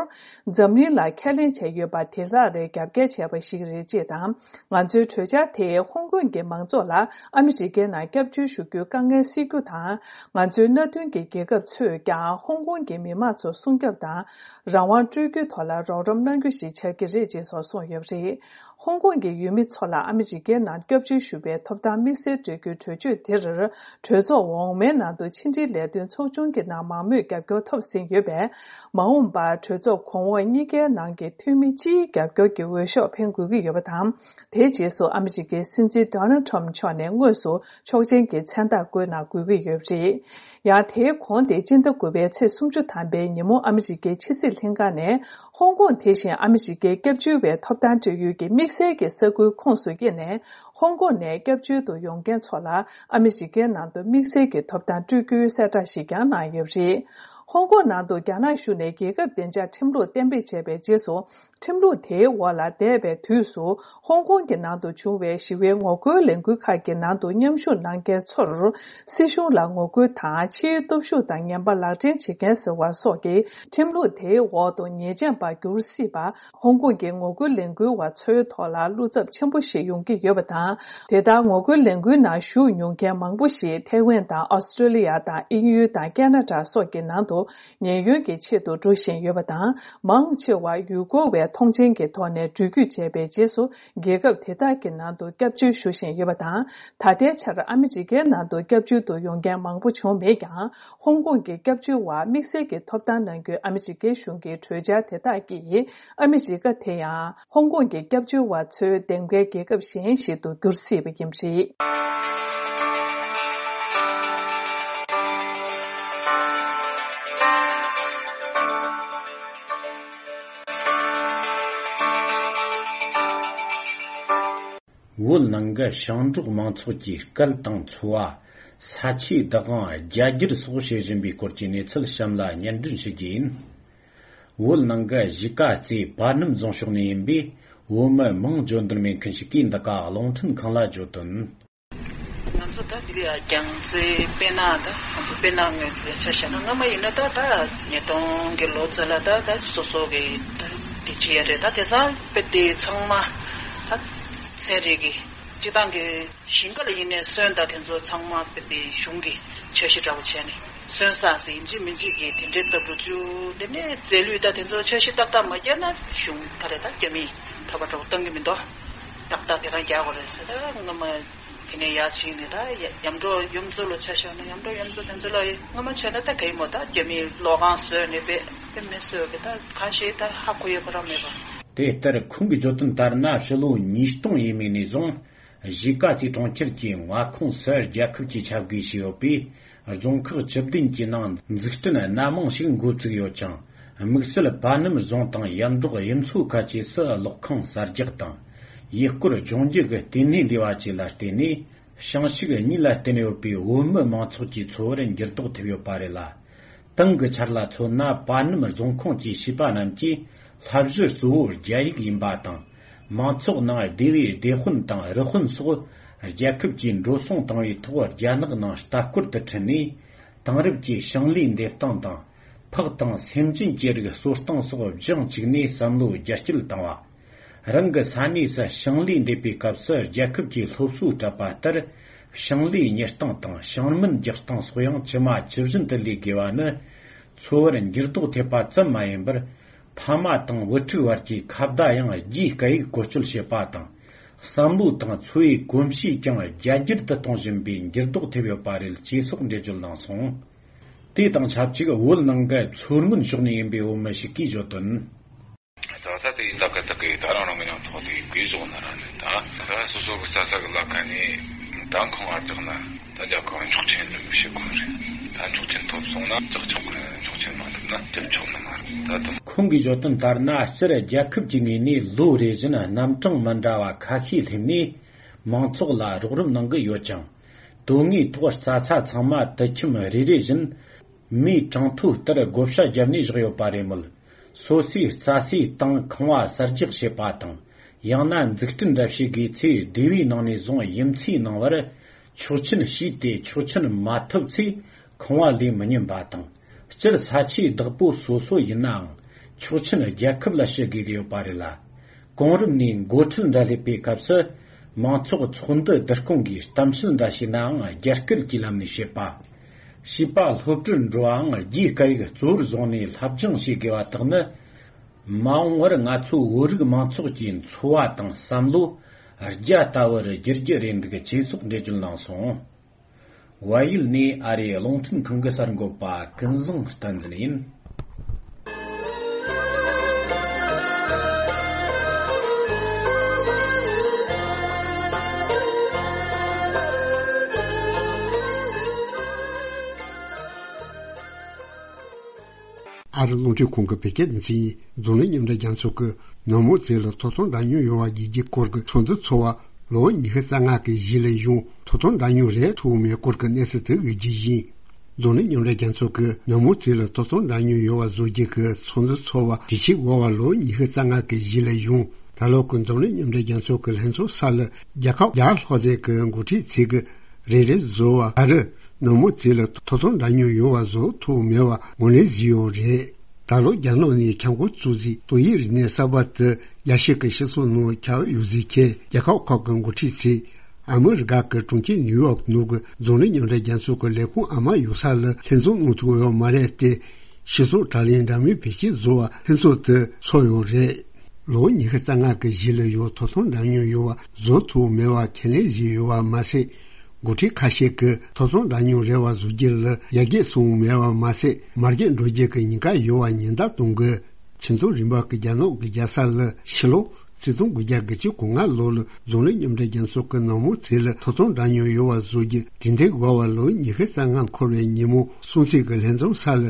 འཛམ་གླིང་ལ་ཁས་ལེན་བྱས་ཡོད་པ་དེ་ལག་ལེན་རྒྱབ་འགལ་བྱས་པ་ཞིག་རེད་ཅེས་དང་། ང་ཚོའི་གྲོས་འཆར་དེས་ཧོང་ཀོང་གི་མང་ཚོགས་ལ་ཨ་མི་རི་ཀའི་ནང་སྐྱབས་བཅོལ་ཞུ་རྒྱུའི་དཀའ་ངལ་སེལ་རྒྱུ་དང་། ང་ཚོའི་མནའ་མཐུན་གྱི་རྒྱལ་ཁབ་ཚོས་ཀྱང་ཧོང་ཀོང་གི་མི་མང་ཚོ་སྲུང་སྐྱོབ་དང་། རང་དབང་སྤྲོད་རྒྱུའི་ཐོག་ལ་རོགས་རམ་གནང་རྒྱུ་ཞིག་ཆགས་ཀྱི་རེད་ཅེས་སོགས་གསུངས་ཡོད་པ་རེད། ཧོང་ཀོང་གི་ཡུལ་མི་ཚོ་ལ་ཨ་མི་རི་ཀའི་ནང་སྐྱབས་བཅོལ་ཞུ་བའི་ཐོབ་ཐང་དམིགས་བསལ་སྤྲོད་རྒྱུའི་གྲོས་ཆོད་དེར། གྲོས་ཚོགས་འོག་མའི་ནང་དུ་ཕྱི་འབྲེལ་ལས་དོན་ཚོགས་ཆུང་གི་ནང་མང་མོས་རྒྱབ་སྐྱོར་ཐོབ་ཟིན་ཡོད་པས། མ་འོངས་པར་གྲོས་ཚོགས་གོང་འོག་གཉིས་ཀའི་ནང་གི་འཐུས་མི་སྤྱིའི་རྒྱབ་སྐྱོར་གྱི་འོས་ཤོག་འཕེན་དགོས་ཀྱི་ཡོད་པ་དང་། དེའི་རྗེས་སུ་ཨ་མི་རི་ཀའི་སྲིད་འཛིན་Donald Trump མཆོག་ནས་དངོས་སུ་ཆོག་མཆན་གྱི་མཚན་རྟགས་བཀོད་གནང་དགོས་ཀྱི་ཡོད་པ་རེད། ཡང་དེའི་གོང་དེ་སྤྱི་ཟླ་དགུ་པའི་ཚེས་སུམ་ཅུ་ཐམ་པའི་ཉིན་མོ་ཨ་མི་རི་ཀའི་ཕྱི་སྲིད་ལྷན་ཁང་ནས་ཧོང་ཀོང་དེ་བཞིན་ཨ་མི་རི་ཀའི་སྐྱབས་བཅོལ་བའི་ཐོབ་ཐང་སྤྲོད་ཡུལ་གྱི་དམིགས་བསལ་གྱི་ས་ཁུལ་ཁོངས་སུ་དབྱེ་ནས། ཧོང་ཀོང་ནས་སྐྱབས་བཅོལ་དུ་ཡོང་མཁན་ཚོ་ལ་ཨ་མི་རི་ཀའི་ནང་དུ་དམིགས་བསལ་གྱི་ཐོབ་ཐང་སྤྲོད་རྒྱུའི་གསལ་བསྒྲགས་ཤིག་ཀྱང་གནང་ཡོད་པ་རེད། ཧོང་ཀོང་ནང་དུ་རྒྱ་ནག་གཞུང་ནས་རྒྱལ་ཁབ་བདེ་འཇགས་ཁྲིམས་ལུགས་གཏན་འབེབས་བྱས་པའི་རྗེས་སུ། ཁྲིམས་ལུགས་དེའི་འོག་ལ་འདས་པའི་དུས་སུ་ཧོང་ཀོང་གི་ནང་དུ་བྱུང་བའི་ཞི་བའི་ངོ་རྒོལ་ལས་འགུལ་ཁག་གི་ནང་དུ་མཉམ་ཞུགས་གནང་མཁན་ཚོར་སྲིད་གཞུང་ལ་ངོ་རྒོལ་དང་ཕྱིའི་སྟོབས་ཤུགས་དང་ངན་པ་ལག་འབྲེལ་བྱེད་མཁན་ཟེར་བ་སོགས་ཀྱི་ཁྲིམས་ལུགས་དེའི་འོག་ཏུ་ཉེས་ཅན་པར་འགྱུར་སྲིད་པ། ཧོང་ཀོང་གི་ངོ་རྒོལ་ལས་འགུལ་བ་ཚོའི་ཐོག་ལ་བློ་འཚབ་ཆེན་པོ་ཞིག་ཡོང་གི་ཡོད་པ་དང་། དེ་ལྟར་ངོ་རྒོལ་ལས་འགུལ་ནང་ཞུགས་མྱོང་མཁན་མང་པོ་ཞིག་ཐེ་ཝན་དང་ཨོ་སི་ཀྲོ་ལི་ཡ་དང་དབྱིན་ཡུལ་དང་ཁེ་ན་ཌ་སོགས་ཀྱི་ནང་དུ་ཉེན་གཡོལ་གྱི་ཆེད་དུ་འགྲོ་བཞིན་ཡོད་པ་དང་། མང་ཆེ་བ་ཡུལ་སྐོར་བའི་མཐོང་མཆན་གྱི་ཐོག་ནས་འགྲུལ་སྐྱོད་བྱས་པའི་རྗེས་སུ། རྒྱལ་ཁབ་དེ་དག་གི་ནང་དུ་སྐྱབས་བཅོལ་ཞུ་བཞིན་ཡོད་པ་དང་། ད་ལྟའི་ཆར་ཨ་མི་རི་ཀའི་ནང་དུ་སྐྱབས་བཅོལ་དུ་ཡོང་མཁན་མང་པོ་བྱུང་མེད་ཀྱང་། ཧོང་ཀོང་གི་སྐྱབས་བཅོལ་བར་དམིགས་བསལ་གྱི་ཐོབ་ཐང་གནང་རྒྱུའི་ཨ་མི་རི་ཀའི་གཞུང་གི་གྲོས་འཆར་དེ་དག་གིས། ཨ་མི་རི་ཀ་དེ་ཡང་ཧོང་ཀོང་གི་སྐྱབས་བཅོལ་བ་ཚོའི་འདེམས་ཀའི་རྒྱལ་ཁབ་གཞན་ཞིག་ཏུ་འགྱུར་སྲིད་པ་ཡིན་པ་རེད། བོད་ནང་གི་ཞིང་འབྲོག་མང་ཚོགས་ཀྱི་སྐད་དང་འཚོ་བ། ས་ཆའི་བདག་དབང་རྒྱ་སྒྱུར་སོགས་བྱེད་བཞིན་པའི་སྐོར་གྱི་གནས་ཚུལ་གཤམ་ལ་སྙན་སྒྲོན་ཞུ་རྒྱུ་ཡིན། བོད་ནང་གི་གཞིས་ཀ་རྩེ་པ་སྣམ་རྫོང་ཕྱོགས་ནས་ཡིན་པའི་བོད་མི་མིང་བརྗོད་འདོད་མེད་མཁན་ཞིག་གིས་འདི་ག་རླུང་འཕྲིན་ཁང་ལ་བརྗོད་དོན། ང་ཚོ་ད་འདི་ག་རྒྱལ་རྩེ་དཔེར་ན་ད་ང་ཚོ་དཔེར་ན་ངོས་ཀྱི་ཆ་བཞག་ན། སྔ་མ་ཡིན་ན་ད་ད་ཉིས་སྟོང་གི་ལོ་ཙམ་ལ་ད་ད་སོ་སོ་གི་ད་དེ་བྱེད་ཡ་རེད། ད་དེང་སང་དཔེ་དེ་ཚང་མ་ད་ཚན་རིག་གི་སྤྱི་བཏང་གི་ཞིང་ཁ་ལ་ཡིན་ནའི་སོན་ད་དེ་ཚོ་ཚང་མ་དཔེ་དེ་གཞུང་གི་འཆར་གཞི་འདྲ་པོ་བྱས་ནས་སོན་ས་ཟེར་ཡིན་གཅིག་མིན་གཅིག་གི་དེ་འདྲའི་ལྟ་བུ་བཅུ་དེ་ནས་རྫས་ལུད་ད་དེ་ཚོ་འཆར་གཞི་ཏག་ཏག་མ་བརྒྱབ་ན་གཞུང་ག་རེ་ད་རྒྱ་མིས་ཐོབ་པ་འདྲ་པོ་གཏོང་གི་མི་འདུག་ཏག་ཏག་དེ་རང་རྒྱག་དགོས་རེད་ཟེར། ད་སྔ་མ་དེ་ནས་ཡར་ཕྱིན་ནས་ད་ཡ་ཡམ་འགྲོ་ཡུམ་ཚོ་ལ་ཆ་བཞག་ན་ཡམ་འགྲོ་ཡུམ་ཚོ་དེ་ཚོ་ལ་སྔ་མ་བྱས་ན་ད་ག་ཡིན་མོད། ད་རྒྱ་མིས་གློག་ཁང་བཟོས་ནས་དཔེ་དཔེ་མི་བཟོས་གི་ད་གང་ཞིག་ད་ཧ་གོ་ཡོད་པ་རང་མེད་པ། དེ་ལྟར་ཁོང་གིས་བརྗོད་དོན་ལྟར་ན། ཕྱི་ལོ་ཉིས་སྟོང་ཡས་མས་ནས་བཟུང་གཞིས་ཀ་རྩེ་གྲོང་ཁྱེར་གྱི་མངའ་ཁོངས་སུ་རྒྱལ་ཁབ་ཀྱི་ཆབ་དགོས་ཞེས་ཡོད་པའི་རྫོང་ཁག་བཅུ་བདུན་གྱི་ནང་འཛུགས་སྐྲུན་སྣ་མང་ཞིག་འགོ་བཙུགས་ཡོད་ཅིང་། དམིགས་བསལ་པ་སྣམ་རྫོང་དང་ཡར་འབྲོག་གཡུ་མཚོ་ཁ་ཆེ་སུ་གློག་ཁང་གསར་རྒྱག་དང་། ཡུལ་སྐོར་ལྗོངས་རྒྱུ་གི་ལྟེ་གནས་འདུས་པ་བཅས་ལ་བརྟེན་ནས། ཞིང་ཕྱུགས་གཉིས་ལ་བརྟེན་ཡོད་པའི་བོད་མི་མང་ཚོགས་ཀྱི་འཚོ་བར་འགྱུར་ལྡོག་ཐེབས་ཡོད་པ་རེད་ལ། ཏང་གི་འཆར་ལ་མཚོན་ན། པ་སྣམ་རྫོང་ཁོངས་ཀྱི་བྱིས་པ་རྣམས་ཀྱི་བསླབ་གཞི་གཙོ་བོ་རྒྱ་ཡིག་ཡིན་པ་དང་། མང་ཚོགས་ནང་སྡེ་བའི་སྡེ་དཔོན་དང་རུ་དཔོན་སོགས་རྒྱལ་ཁབ་ཀྱི་འགྲོ་སོང་བཏང་བའི་ཐོག་རྒྱ་ནག་ནང་ལྟ་སྐོར་དུ་ཁྲིད་ནས། དེང་རབས་ཀྱི་ཞིང་ལས་འདེབས་སྟངས་དང་། ཕག་དང་སེམས་ཅན་གྱི་རིགས་གསོ་སྟངས་སོགས་སྦྱང་བཅུག་ནས་བསམ་བློ་རྒྱ་སྐྱེད་བཏང་བ། རང་གི་ས་གནས་སུ་ཞིང་ལས་འདེབས་པའི་སྐབས་སུ་རྒྱལ་ཁབ་ཀྱི་སློབ་གསོ་སྤྲད་པ་ལྟར། ཞིང་ལས་གཉེར་སྟངས་དང་ཞིང་སྨན་རྒྱག་སྟངས་སོགས་ཡང་ཇི་མ་ཇི་བཞིན་དུ་ལས་དགོས་པ་ནི། འཚོ་བར་འགྱུར་ལྡོག་ཐེབས་པ་ཙམ་མ་ཡིན་པར། ཕ་མ་དང་བུ་ཕྲུག་བར་གྱི་ཁ་བརྡ་ཡང་རྒྱའི་སྐད་ཡིག་བཀོལ་སྤྱོད་བྱེད་པ་དང་། བསམ་བློ་དང་འཚོ་བའི་གོམས་གཤིས་ཀྱང་རྒྱ་སྒྱུར་དུ་གཏོང་བཞིན་པའི་འགྱུར་ལྡོག་ཐེབས་ཡོད་པ་རེད། ཅེས་སོགས་འགྲེལ་བརྗོད་གནང་སོང་། དེ་དང་ཆབས་ཅིག་བོད་ནང་གི་མཚོ་སྔོན་ཕྱོགས་ནས་ཡིན་པའི་བོད་མི་ཞིག་གིས་བརྗོད་དོན། རྩྭ་ས་དེ་ཡིན་ད་ག་ད་གི་ད་རང་རང་གི་ནང་ཐོག་དེ་གི་བཟོ་ན་ར་ནི་ད་ད་སོ་སོ་གི་རྩྭ་ས་གི་ལ་ཁ་ནས་ད་ཁང་བར་བརྒྱག་ན་ད་རྒྱ་ཁང་ཆོག་མཆན་འདི་མི་བྱེད་ཁོ་རེད། ད་ཆོག་མཆན་ཐོབ་སོང་ན་ལྕགས་ཆོག་གི་ཆོག་མཆན་མ་ཐོབ་ན་དེབ་ཆོག་ནི་མ་རེད། ད་དུང་། ཁོང་གིས་བརྗོད་དོན་ལྟར་ན། སྤྱིར་རྒྱལ་ཁབ་ཀྱི་ངོས་ནས་ལོ་རེ་བཞིན་རྣམ་གྲངས་མི་འདྲ་བ་ཁ་ཤས་སླེབས་ནས་མང་ཚོགས་ལ་རོགས་རམ་གནང་གི་ཡོད་ཅིང་། དོན་དངོས་ཐོག་རྩྭ་ས་ཚང་མ་དུད་ཁྱིམ་རེ་རེ་བཞིན་མིའི་གྲངས་ཐོ་ལྟར་བགོ་བཤའ་བརྒྱབ་ནས་བཞག་ཡོད་པ་རེད་མོད། སོ་སོའི་རྩྭ་སའི་སྟེང་ཁང་བ་གསར་རྒྱག་བྱེད་པ་དང་། ཡང་ན་འཛུགས་སྐྲུན་འདྲ་བྱེད་དགོས་ཚེ་སྡེ་བའི་ནང་ནས་བཟུང་ཡུམ་ཚའི་ནང་བར་ཆོག་མཆན་ཞུས་ཏེ། ཆོག་མཆན་མ་ཐོབ་ཚེ་ཁང་བ་ལས་མི་ཉན་པ་དང་། སྤྱིར་ས་ཆའི་བདག་པོ་སོ་སོ་ཡིན་ནའང་ཆོག་མཆན་རྒྱལ་ཁབ་ལ་ཞུ་དགོས་ཀྱི་ཡོད་པ་རེད་ལ། གོང་རིམ་ནས་འགོ་ཁྲིད་འདྲ་སླེབས་པའི་སྐབས་སུ་མང་ཚོགས་ཚོགས་འདུ་བསྡུ་སྐོང་གིས་གཏམ་བཤད་འདྲ་བྱས་ནའང་རྒྱ་སྐད་ཀྱི་ལམ་ནས་བྱེད་པ། བྱིས་པ་སློབ་གྲྭར་འགྲོ་བའང་རྒྱའི་སྐད་ཡིག་གཙོ་བོར་བཟུང་ནས་སློབ་སྦྱོང་བྱེད་དགོས་པ་དག་ནི། མ་འོངས་པར་ང་ཚོའི་བོད་རིགས་མང་ཚོགས་ཀྱི་འཚོ་བ་དང་བསམ་བློ་རྒྱ་ལྟ་བུར་བསྒྱུར་རྒྱུ་རེད་འདུག་ཅེས་སོགས་འགྲེལ་བརྗོད་གནང་སོང་། བལ་ཡུལ་ནས་ཨ་རིའི་རླུང་འཕྲིན་ཁང་གི་གསར་འགོད་པ་ཀུན་བཟང་བསྟན་འཛིན་ཡིན། ཨ་རི་རླུང་འཕྲིན་ཁང་གི་བོད་སྐད་སྡེ་ཚན་ཡིན། འཛམ་གླིང་མཉམ་འབྲེལ་རྒྱལ་ཚོགས་ཀྱིས་ནག་མོ་རྫས་ལ་ཐོབ་ཐང་འདྲ་མཉམ་ཡོད་པ་བརྒྱུད་རྒྱུའི་སྐོར་གྱི་ཚོད་འཛིན་ཚོར་བ་ལོ་ངོ་ཉི་ཤུ་རྩ་ལྔ་གི་གཞི་ལ་ཡང་ཐོབ་ཐང་འདྲ་མཉམ་རེད་ཐོབ་མེད་སྐོར་གྱི་གནས་ཚུལ་དེ་དབུས་རྒྱུ་ཡིན། འཛམ་གླིང་མཉམ་འབྲེལ་རྒྱལ་ཚོགས་ཀྱིས་ནག་མོ་རྫས་ལ་ཐོབ་ཐང་འདྲ་མཉམ་ཡོད་པ་བཟོ་རྒྱུ་གི་ཚོད་འཛིན་ཚོར་བ་དྲི་ཞིབ་འོག་པ་ལོ་ངོ་ཉི་ཤུ་རྩ་ལྔ་གི་གཞི་ལ་ཡང་ད་ལོ་གི་འཛམ་གླིང་མཉམ་འབྲེལ་རྒྱལ་ཚོགས་ཀྱི་ལྷན་ཚོགས་ས་ལ་རྒྱལ་ཁབ་བརྒྱ་ལྷག་ཙམ་གྱི་འགོ་ཁྲིད་ཚོས་ཀྱི་རེ་རེ་བཟོ་བ་ཨ་རི་ནག་མོ་རྫས་ལ་ཐོབ་ཐང་འདྲ་མཉམ་ཡོད་པ་བཟོ་ཐུབ་མེད་པ་ངོས་ལེན་བཟོས་ཡོད་རེད། ད་ལོ་རྒྱ་ནག་ནས་ཁྱབ་ཁོངས་གཙོ་གཟིགས་ཏོག་དབྱིབས་རིམས་ནད་གསར་པ་དེ་རྒྱལ་སྤྱི་གི་སྤྱི་ཚོགས་ནང་ཁྱབ་ཡོད་ཟེར་མཁན་རྒྱལ་ཁབ་ཁག་གི་འགོ་ཁྲིད་ཚོས་ཨ་མི་རི་ཀ་གི་གྲོང་ཁྱེར་ནིའུ་ཡོག་ནང་གི་འཛམ་གླིང་མཉམ་འབྲེལ་རྒྱལ་ཚོགས་ཀྱི་ལས་ཁུངས་ཨ་མ་ཡོད་ས་ལ་ལྷན་འཛོམས་གནང་ཐུབ་ཡོད་མ་རེད་དེ། སྤྱི་ཚོགས་དྲ་ལམ་འདྲ་མིན་བེད་སྤྱོད་བཟོ་བ་ལྷན་ཚོགས་དེ་ཚོགས་ཡོད་རེད། ལོ་ངོ་ཉི་ཤུ་རྩ་ལྔ་གི་གཞི་ལ་ཡང་ཐོབ་ཐང་འདྲ་མཉམ་ཡོད་པ་བཟོ་ཐུབ་མེད་པ་ཁས་ལེན་བཞིན་ཡོད་པ་མ་ཟད། འགོ་ཁྲིད་ཁ་ཤས་ཀྱིས་ཐོབ་ཐང་འདྲ་མཉམ་རེ་བ་བཟོ་རྒྱུ་ལ་ཡར་རྒྱས་སོང་མེད་པ་མ་ཟད། མར་རྒྱས་འགྲོ་རྒྱུ་གི་ཉེན་ཁ་ཡོད་པ་ཉེན་བརྡ་གཏོང་དགོས། ཁྱིམ་ཚང་རིམ་པ་གི་རྒྱ་ནག་གི་རྒྱལ་ས་ལ་ཕྱི་ལོ་ཆིག་སྟོང་དགུ་བརྒྱ་གྱ་གོ་ལྔ་ལོ་ལ་འཛམ་གླིང་མཉམ་འབྲེལ་རྒྱལ་ཚོགས་ཀྱི་ནག་མོ་རྫས་ལ་ཐོབ་ཐང་འདྲ་མཉམ་ཡོད་པ་བཟོ་རྒྱུ་དེ་འདྲའི་འོག་པ་ལོ་ཉི་ཤུ་རྩ་ལྔ་འཁོར་བའི་ཉིན་མོ་སྲུང་བརྩི་གི་ལྷན་འཛོམས་ས་ལ་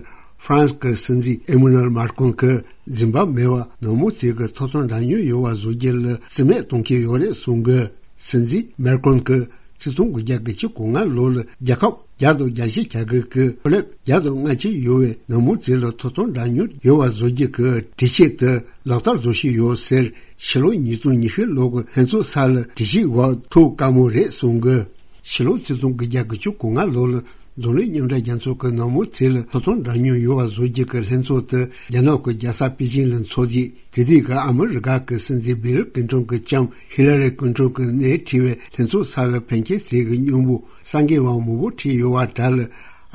ཧྥ་རན་སི་གི་སྲིད་འཛིན་ཨེ་མ་ནུ་ཨེལ་མཱ་ཀྲོན་གྱིས་འཛིན་པ་མེད་པར་ནག་མོ་རྫས་ཀྱི་ཐོབ་ཐང་འདྲ་མཉམ་ཡོད་པ་བཟོ་རྒྱུ་ལ་རྩིས་མེད་གཏོང་གི་ཡོད་རེད་གསུངས་དགོས། སྲིད་འཛིན་མཱ་ཀྲོན་གྱིས་ཆིག་སྟོང་དགུ་བརྒྱ་གྱ་གོ་ལྔ་ལོ་ལ་རྒྱལ་ཁབ་བརྒྱ་དང་གྱ་བཞི་གྱ་དགུ་གི་ཁོར་ཡུག་བརྒྱ་དང་ལྔ་བཅུ་ཡོད་པའི་ནག་མོ་རྫས་ལ་ཐོབ་ཐང་འདྲ་མཉམ་ཡོད་པ་བཟོ་རྒྱུ་གི་གྲོས་ཆོད་དེ་ལག་བསྟར་བཟོ་བཞིན་ཡོད་ཟེར། ཕྱི་ལོ་ཉིས་སྟོང་ཉི་ཤུ་ལོ་གི་ལྷན་ཚོགས་ས་ལ་གྲོས་ཆོད་འོག་ཐུག་དཀའ་མོ་རེད་གསུངས་དགོས། ཕྱི་ལོ་ཆིག་སྟོང་དགུ་བརྒྱ་གྱ་གོ་ལྔ་ལོ་ལ་འཛམ་གླིང་མཉམ་འབྲེལ་རྒྱལ་ཚོགས་ཀྱི་ནག་མོ་རྫས་ལ་ཐོབ་ཐང་འདྲ་མཉམ་ཡོད་པ་བཟོ་རྒྱུ་གི་ལྷན་ཚོགས་དེ་རྒྱ་ནག་གི་རྒྱལ་ས་པེ་ཅིང་ལ་འཚོགས་རྗེས། དེ་དུས་ཀྱི་ཨ་མི་རི་ཀ་གི་སྲིད་འཛིན་བྷིལ་ཀིན་ཏོན་གྱི་ལྕམ་ཧི་ལ་རི་ཀིན་ཏོན་གྱི་སྣེ་ཁྲིད་པའི་ལྷན་ཚོགས་ས་ལ་ཕན་ཆད་ཟས་ཀྱི་སྙིང་པོ་གསར་འགོད་པ་མང་པོ་ཁྲིད་ཡོད་པ་འདྲ་ལ།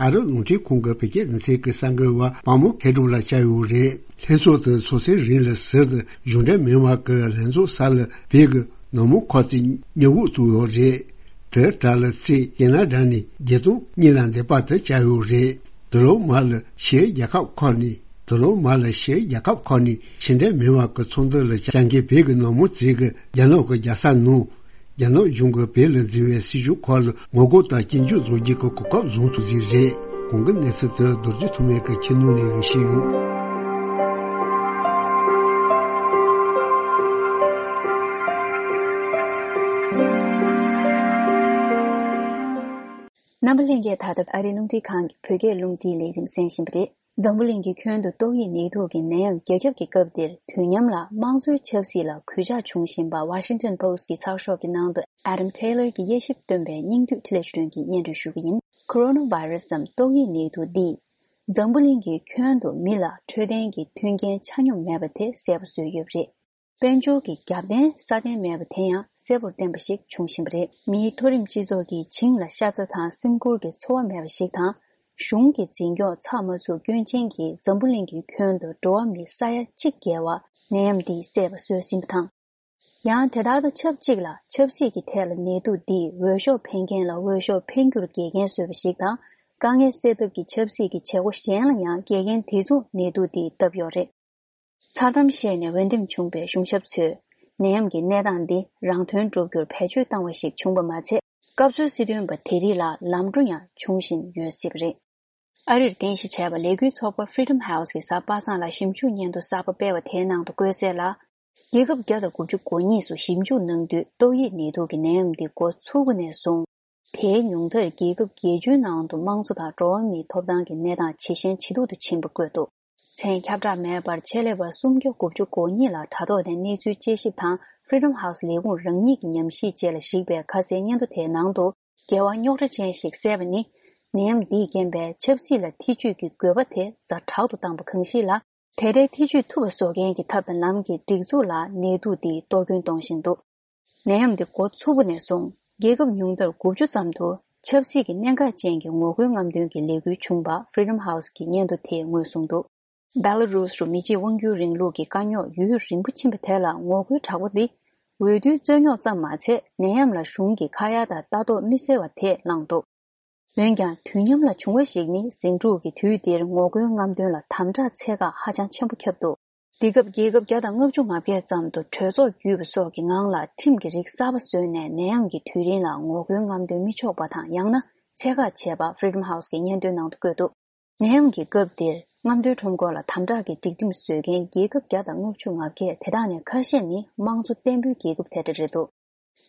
ཨ་རི་རླུང་འཕྲིན་ཁང་གི་བོད་སྐད་སྡེ་ཚན་གྱི་གསར་འགོད་པ་དཔའ་མོ་མཁས་གྲུབ་ལགས་བཅར་ཡོད་རེད། ལྷན་ཚོགས་དེ་ཚོགས་སའི་རིང་ལ་ཟུར་དུ་གཞུང་འབྲེལ་མིན་པ་གི་ལྷན་ཚོགས་ས་ལ་བོད་ཀྱི་ནག་མོ་ཁོག་རྩེད་མྱུ་གུ་བཙུགས་ཡོད་རེད། དེ་གྲས་ལ་རྩེད་ཀེ་ན་ཌ་ནས་བརྒྱད་སྟོང་གཉིས་ལ་འདས་པ་དེ་བཅར་ཡོད་རེད། དེ་ལོ་མ་ལ་ཕྱིའི་རྒྱལ་ཁབ་ཁག་ནས་དེ་ལོ་མ་ལ་ཕྱིའི་རྒྱལ་ཁབ་ཁག་ནས་ཕྱི་འབྲེལ་མིན་པ་གི་ཚོགས་འདུ་ལ་བཅར་མཁན་བོད་ཀྱི་ནག་མོ་རྫས་ཀྱིས་རྒྱ་ནག་གི་རྒྱལ་ས་ནང་རྒྱ་ནག་གཞུང་གིས་བོད་ལ་འཛིན་པའི་སྲིད་བྱུས་ཁག་ལ་ངོ་རྒོལ་དང་སྐྱོན་བརྗོད་བཟོ་རྒྱུ་གི་གོ་སྐབས་བཟུང་ཐུབ་ཀྱི་རེད། གོང་གི་གནས་ཚུལ་དེ་རྡོ་རྗེ་ཐོགས་མེད་ཀྱིས་ཁྱེད་ནང་ནས་འོས་ཤིག་ཡོད། རྣམ་པ་ལྷན་རྒྱས། ད་ལྟ་ཨ་རིའི་རླུང་འཕྲིན་ཁང་གི་བོད་སྐད་རླུང་འཕྲིན་ལས་རིམ་གསན་བཞིན་པ་རེད། འཛམ་བུ་གླིང་གི་ཁྱོན་དུ་ཏོག་དབྱིབས་ནད་དུག་གི་ནད་ཡམས་རྒྱ་ཁྱབ་ཀྱི་སྐབས་འདིར། དུས་མཉམ་ལ་དམངས་གཙོའི་ཆབ་སྲིད་ལ་གུས་ཕྱག་བྱུང་བཞིན་པ་Washington Post་གི་ཚགས་ཤོག་གི་ནང་དུ་Adam Taylor་གྱི་དབྱེ་ཞིབ་བཏོན་པའི་སྙིང་བསྡུས་འཕྲིན་ལས་ཆོས་སྒྲོན་གྱིས་སྙན་སྒྲོན་ཞུ་གི་ཡིན། Coronavirus་འམ་ཏོག་དབྱིབས་ནད་དུག་འདིས་འཛམ་བུ་གླིང་གི་ཁྱོན་དུ་མི་ལ་འཕྲོད་བསྟེན་གྱི་མཐུན་རྐྱེན་ཆ་སྙོམས་མེད་པ་དེ་གསལ་པོ་བཟོས་ཡོད་པ་རེད། དཔལ་འབྱོར་གྱི་རྒྱབ་རྟེན་སྲ་བརྟན་མེད་པ་དེ་ཡང་གསལ་པོར་བསྟན་པ་ཞིག་བྱུང་བཞིན་པ་རེད། མིའི་མཐོ་རིམ་སྤྱི་ཚོགས་ཀྱིས་བྱིངས་ལ་ཤ་ཚ་དང་སེམས་ཁུར་གྱི་ཚོར་བ་མེད་པ་ཞིག་དང་། གཞུང་གི་འཛིན་སྐྱོང་ཚགས་མ་ཚུད་སྐྱོན་ཅན་གྱིས་འཛམ་བུ་གླིང་གི་ཁྱོན་དུ་འགྲོ་བ་མི་ས་ཡ་གཅིག་བརྒལ་བ་ནད་ཡམས་འདིས་བསད་པ་བཟོས་ཟིན་པ་དང་། ཡང་དེ་དག་དང་ཆབས་ཅིག་ལ་ཆབ་སྲིད་ཀྱི་ཐད་ལ་ནད་དུག་འདིས་འོས་ཤོག་འཕེན་མཁན་ལ་འོས་ཤོག་འཕེན་རྒྱུར་འགལ་རྐྱེན་བཟོས་པ་ཞིག་དང་། དཀའ་ངལ་སེལ་ཐབས་ཀྱི་ཆབ་སྲིད་ཀྱི་བྱེད་སྒོ་གཞན་ལ་ཡང་འགལ་རྐྱེན་དེ་ཚོ་ནད་དུག་འདིས་བཏབ་ཡོད་རེད། མཚར་གཏམ་བཤད་ནས་འོས་འདེམས་བྱུང་བའི་གཞུང་ཞབས་ཚོས་ནད་ཡམས་ཀྱི་གནས་སྟངས་འདི་རང་དོན་སྒྲུབ་རྒྱུར་བེད་སྤྱོད་བཏང་བ་ཞིག་བྱུང་པ་མ་ཚད། སྐབས་འཚོལ་སྲིད་དོན་པ་དེ་རིགས་ལ་ལམ་འགྲོ་ཡང་འབྱུང་བཞིན་ཡོད་སྲིད་པ་རེད། ཨ་རིར་རྟེན་གཞི་བྱས་པ་ལས་འགུལ་ཚོགས་པ་Freedom House་གིས་གཟའ་པ་སངས་ལ་ཞིབ་འཇུག་སྙན་ཐོ་གསར་པ་སྤེལ་བ་དེའི་ནང་དུ་བཀོད་གསལ་ལ། རྒྱལ་ཁབ་བརྒྱ་དང་དགུ་བཅུ་གོ་གཉིས་སུ་ཞིབ་འཇུག་གནང་དུས་ཏོག་དབྱིབས་ནད་དུག་གི་ནད་ཡམས་འདི་འགོ་ཚུགས་པ་ནས་བཟུང་། དེའི་ཉུང་མཐར་རྒྱལ་ཁབ་བརྒྱད་ཅུའི་ནང་དུ་དམངས་གཙོ་དང་འགྲོ་བ་མིའི་ཐོབ་ཐང་གི་གནས་སྟངས་ཇེ་ཞན་ཇེ་སྡུག་ཏུ་ཕྱིན་པ་བཀོད་འདུག་མཚན་ཁྱབ་བསྒྲགས་མེད་པར་ཆེད་ལས་པ་སུམ་བརྒྱ་དགུ་བཅུ་གོ་གཉིས་ལ་དྲ་ཐོག་ནས་གནས་ཚུལ་དཔྱད་ཞིབ་དང་Freedom House་ལས་ཁུངས་རང་ཉིད་ཀྱི་ཉམས་ཞིབ་བཅས་ལ་གཞིགས་པའི་ཁ་གསལ་སྙན་ཐོ་དེའི་ནང་དུ། འགལ་བ་རྙོག་དྲ་ཅན་ཞིག་གསལ་བ་ནི། ནད་ཡམས་འདིས་རྐྱེན་པས་ཆབ་སྲིད་ལ་ཐེ་ཇུས་ཀྱི་དགོས་པ་དེ་ཛ་དྲག་ཏུ་བཏང་པ་གང་ཞིག་ལ། དེ་འདྲའི་ཐེ་ཇུས་ཐུབ་པ་བཟོ་མཁན་གྱི་ཐབས་དང་ལམ་གྱི་སྒྲིག་འཛུགས་ལ་ནད་དུག་འདིས་གཏོར་སྐྱོན་གཏོང་བཞིན་འདུག་ནད་ཡམས་འདི་འགོ་ཚུགས་པ་ནས་བཟུང་རྒྱལ་ཁབ་ཉུང་མཐར་དགུ་བཅུ་ཙམ་དུ་ཆབ་སྲིད་ཀྱི་གནད་འགག་ཅན་གྱི་ངོ་རྒོལ་རྔམ་སྟོན་གྱི་ལས་འགུལ་བྱུང་བ་Freedom House་གི་སྙན་ཐོ་དེས་ངོས་བཟུང་འདུག Belarus་རུ་མི་གཅིག་དབང་སྒྱུར་རིང་ལུགས་ཀྱི་དཀའ་རྙོག་ཡུན་རིང་པོ་ཕྱིན་པ་དེ་ལ་ངོ་རྒོལ་དྲག་པོ་འདི་འོས་བསྡུའི་རྩོད་རྙོག་ཙམ་མ་ཚད་ནད་ཡམས་ལ་གཞུང་གི་ཁ་ཡ་དང་ལྟ་རྟོག་མི་སེལ་བ་དེས་བསླངས་འདུག་འོན་ཀྱང་དུས་མཉམ་ལ་བྱུང་བ་ཞིག་ནི་ཟིང་འཁྲུག་གི་དུས་འདིར་ངོ་རྒོལ་རྔམ་སྟོན་ལ་དམ་དྲག་ཚད་བཀག་ཧ་ཅང་ཆེན་པོ་ཁྱབ་འདུག་འདི་སྐབས་རྒྱལ་ཁབ་བརྒྱ་དང་ལྔ་བཅུ་ང་བརྒྱད་ཙམ་དུ་གྲོས་ཚོགས་བརྒྱུད་པ་སོགས་ཀྱི་ངང་ལ་ཁྲིམས་ཀྱི་རིགས་གསར་པ་བཟོས་ནས་ནད་ཡམས་ཀྱི་དུས་རིང་ལ་ངོ་རྒོལ་རྔམ་སྟོན་མི་ཆོག་པ་དང་ཡང་ན་ཚད་བཀག་བྱས་པ་Freedom House་གི་སྙན་ཐོའི་ནང་དུ་བཀོད་འདུག་ནད་ཡམས་ཀྱི་སྐབས་འདིར་ རྔམ་སྟོན་ཁྲོམ་སྐོར་ལ་དམ་དྲག་གི་སྒྲིག་ཁྲིམས་བཟོས་མཁན་རྒྱལ་ཁབ་བརྒྱ་དང་ལྔ་བཅུ་ང་བརྒྱད། དེ་དག་ནས་ཁ་ཤས་ནི་དམངས་གཙོ་བརྟན་པོའི་རྒྱལ་ཁབ་དེ་འདྲ་རེད་འདུག་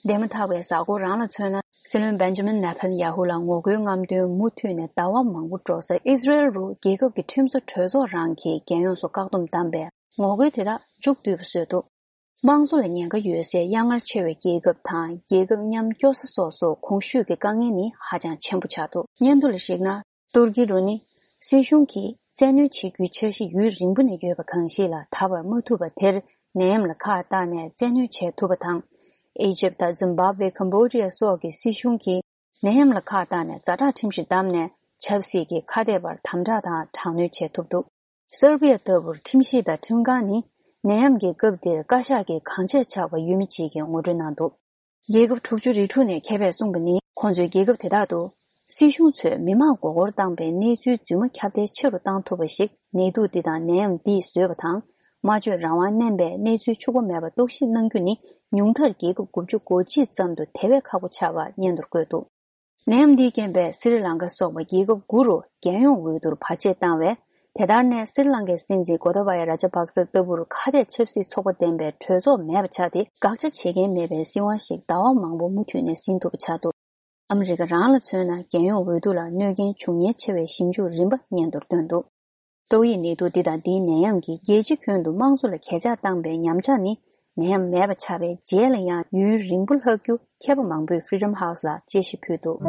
འདས་མ་ཐག་པའི་གཟའ་འཁོར་རང་ལ་མཚོན་ན། སྲིད་བློན་བེན་ཇ་མིན་ནེ་ཐན་ཡ་ཧུ་ལ་ངོ་རྒོལ་རྔམ་སྟོན་མུ་མཐུད་ནས་ཟླ་བ་མང་པོ་འགྲོ་སར། ཨི་སི་རེལ་རུ་རྒྱལ་ཁབ་ཀྱི་ཁྲིམས་བཟོ་གྲོས་ཚོགས་རང་གིས་རྒྱལ་ཡོངས་སུ་བཀག་སྡོམ་བསྡམས་པས་ངོ་རྒོལ་དེ་དག་མཇུག་བསྡུས་པ་བཟོས་འདུག་དམངས་གཙོ་ལ་ཉེན་ཁ་ཡོད་སའི་དབྱར་སྔར་ཆེ་བའི་རྒྱལ་ཁབ་དང་རྒྱལ་ཁབ་མཉམ་སྐྱོར་ས་སོགས་སུ་གོང་ཞུས་ཀྱི་དཀའ་ངལ་ནི་ཧ་ཅང་ཆེན་པོ་ཆགས་འདུག་སྙན་ཐོ་ལ་གཞིགས་ན། ཏུར་ཀི་རུ་ནི་སྲིད་གཞུང་གིས་བཙན་གནོན་བྱེད་རྒྱུའི་འཆར་གཞི་ཡུན་རིང་པོ་ནས་ཡོད་པ་གང་ཞིག་ལ་ད་བར་མ་ཐུབ་པ་དེར། ནད་ཡམས་ལ་ཁག་བཏགས་ནས་བཙན་གནོན་བྱེད་ཐུབ་པ་དང་། ཨི་ཇིབ་དང་ཛིམ་བྷབ་ཝེ། ཀམ་བྷོ་ཌི་ཡ་སོགས་ཀྱི་སྲིད་གཞུང་གིས་ནད་ཡམས་ལ་ཁག་བཏགས་ནས་ཛ་དྲག་ཁྲིམས་གཞི་བསྡམས་ནས་ཆབ་སྲིད་ཀྱི་ཁ་གཏད་པར་དམ་དྲག་དང་དྲག་གནོན་བྱེད་ཐུབ་འདུག་སར་བྷི་ཡ་ལྟ་བུར་ཁྲིམས་གཞི་དང་ཁྲིམས་ཁང་ནི་ནད་ཡམས་ཀྱི་སྐབས་འདིར་བཀའ་ཤག་གིས་གང་ཆེ་ཆགས་པ་ཡོད་མེད་བཅས་ཀྱི་ངོ་སྤྲོད་གནང་འདུག་རྒྱལ་ཁབ་དྲུག་ཅུ་རེ་དྲུག་ནས་མཁས་པས་གསུངས་པ་ནི། ཁོང་ཚོས་རྒྱལ་ཁབ་དེ་དག་ཏུ་སྲིད་གཞུང་ཚོས་མི་མང་མགོ་སྐོར་བཏང་པའི་གནས་ཚུལ་རྫུན་མ་ཁྱབ་གདལ་ཆེ་རུ་བཏང་ཐུབ་པ་ཞིག་ནད་དུག་འདི་དང་ནད་ཡམས་འདིས་བཟོས་པ་དང་། སྨྲ་བརྗོད་རང་དབང་མནན་པའི་གནས་ཚུལ་འཕྱུགས་པ་མེད་པ་རྟོག་ཞིབ་གནང་རྒྱུ་ནི་ཉུང་མཐར་རྒྱལ་ཁབ་དགུ་བཅུ་གོ་གཅིག་ཙམ་དུ་དེ་བས་ཁག་པོ་ཆགས་པ་སྙན་ཐོར་བཀོད་འདུག་ནད་ཡམས་འདིས་རྐྱེན་པས་སི་རི་ལང་ཀ་སོགས་པ་རྒྱལ་ཁབ་དགུ་རུ་རྒྱལ་ཡོངས་འོས་བསྡུར་བར་ཆད་བཏང་བས། དེ་ལྟར་ནས་སི་རི་ལང་ཀའི་སྲིད་འཛིན་གོ་ཏཱ་བ་ཡ་ར་ཇ་པག་ས་ལྟ་བུར་ཁ་གཏད་ཆབ་སྲིད་ཚོགས་པ་ལྡན་པའི་གྲོས་ཚོགས་མེད་པ་ཆགས་ཏེ། དགག་བྱ་བྱེད་མཁན་མེད་པའི་སྲིད་དབང་ཞིག་ཟླ་བ་མང་པོ་མུ་མཐུད་ནས་ཟིན་ཐུབ་པ་ཆགས་འདུག་ཨ་མི་རི་ཀ་རང་ལ་མཚོན་ན། རྒྱལ་ཡོངས་འོས་བསྡུ་ལ་གནོད་རྐྱེན་འབྱུང་ཉེན་ཆེ་བའི་ཞིབ་འཇུག་རིམ་པ་སྙན་ཐོར་བཏོན་འདུག་ཏོག་དབྱིབས་ནད་དུག་འདི་དང་འདིའི་ནད་ཡམས་ཀྱིས་རྒྱལ་སྤྱི་ཁྱོན་དུ་དམངས་གཙོ་ལ་གས་ཆག་བཏང་པའི་ཉམས་ཆག་ནི། ནད་ཡམས་མེད་པ་ཆགས་པའི་རྗེས་ལ་ཡང་ཡུན་རིང་པོ་ལྷག་རྒྱུ། མཁས་པ་མང་པོས་Freedom House ལ་དཔྱད་ཞིབ་ཕུལ་འདུག་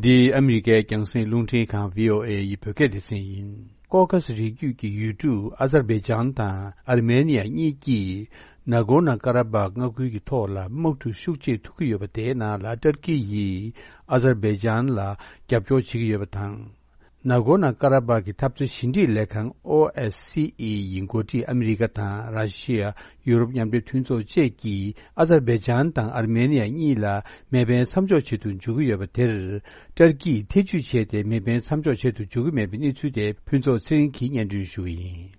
འདི་ཨ་མི་རི་ཀའི་རྒྱང་སྲིང་རླུང་འཕྲིན་ཁང་བྷི་ཨོ་ཨེ་ཡི་བོད་སྐད་སྡེ་ཚན་ཡིན། ཀོ་ཀ་སི་རི་རྒྱུད་ཀྱི་ཡུལ་གྲུ་ཨ་ཛར་བྷེ་ཇན་དང་ཨར་མེ་ནི་ཡ་གཉིས་ཀྱིས་ནཱ་གོར་ནཱ་ཀ་ར་བྷག་མངའ་ཁུལ་གྱི་ཐོག་ལ་དམག་འཁྲུག་ཤུགས་ཆེ་ཐུག་གི་ཡོད་པ་དེའི་ནང་ལ། ཏར་ཀི་ཡིས་ཨ་ཛར་བྷེ་ཇན་ལ་རྒྱབ་སྐྱོར་བྱེད་ཀྱི་ཡོད་པ་དང་། ནཱ་གོར་ནཱ་ཀ་ར་བྷག་གི་འཐབ་རྩོད་ཞི་འགྲིག་ལས་ཁང་ཨོ་ཨེས་སི་ཨི་ཡི་འགོ་ཁྲིད་ཨ་མི་རི་ཀ་དང་ར་ཤི་ཡ། ཡུ་རོབ་མཉམ་འབྲེལ་མཐུན་ཚོགས་བཅས་ཀྱིས་ཨ་ཛར་བྷེ་ཇན་དང་ཨར་མེ་ནི་ཡ་གཉིས་ལ་མེ་འཕེན་མཚམས་འཇོག་བྱེད་དུ་འཇུག་གི་ཡོད་པ་དེར། ཏར་ཀིས་ཐེ་ཇུས་བྱས་ཏེ་མེ་འཕེན་མཚམས་འཇོག་བྱེད་དུ་འཇུག་གི་མེད་པའི་གནས་ཚུལ་དེ་ཕུན་ཚོགས་ཚེ་རིང་གིས་སྙན་སྒྲོན་ཞུ་གི་ཡིན།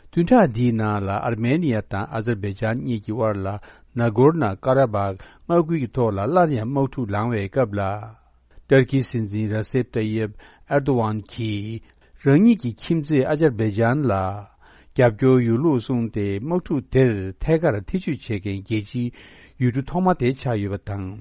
བདུན་ཕྲག་འདིའི་ནང་ལ་ཨར་མེ་ནི་ཡ་དང་ཨ་ཛར་བྷེ་ཇན་གཉིས་ཀྱི་དབར་ལ་ནཱ་གོར་ནཱ་ཀ་ར་བྷག་མངའ་ཁུལ་གྱི་ཐོག་ལ་སླར་ཡང་དམག་འཁྲུག་ལངས་པའི་སྐབས་ལ། ཏར་ཀིའི་སྲིད་འཛིན་ར་སེབ་ཏ་ཡེབ་ཨེར་དོ་ཝན་གྱིས་རང་ཉིད་ཀྱི་ཁྱིམ་མཚེས་ཨ་ཛར་བྷེ་ཇན་ལ་རྒྱབ་སྐྱོར་ཡོད་ལུགས་གསུངས་ཏེ། དམག་འཁྲུག་དེར་ཐད་ཀར་ཐེ་ཇུས་བྱེད་མཁན་རྒྱལ་སྤྱིའི་ཡུལ་གྲུ་ཐོག་མ་དེ་ཆགས་ཡོད་པ་དང་།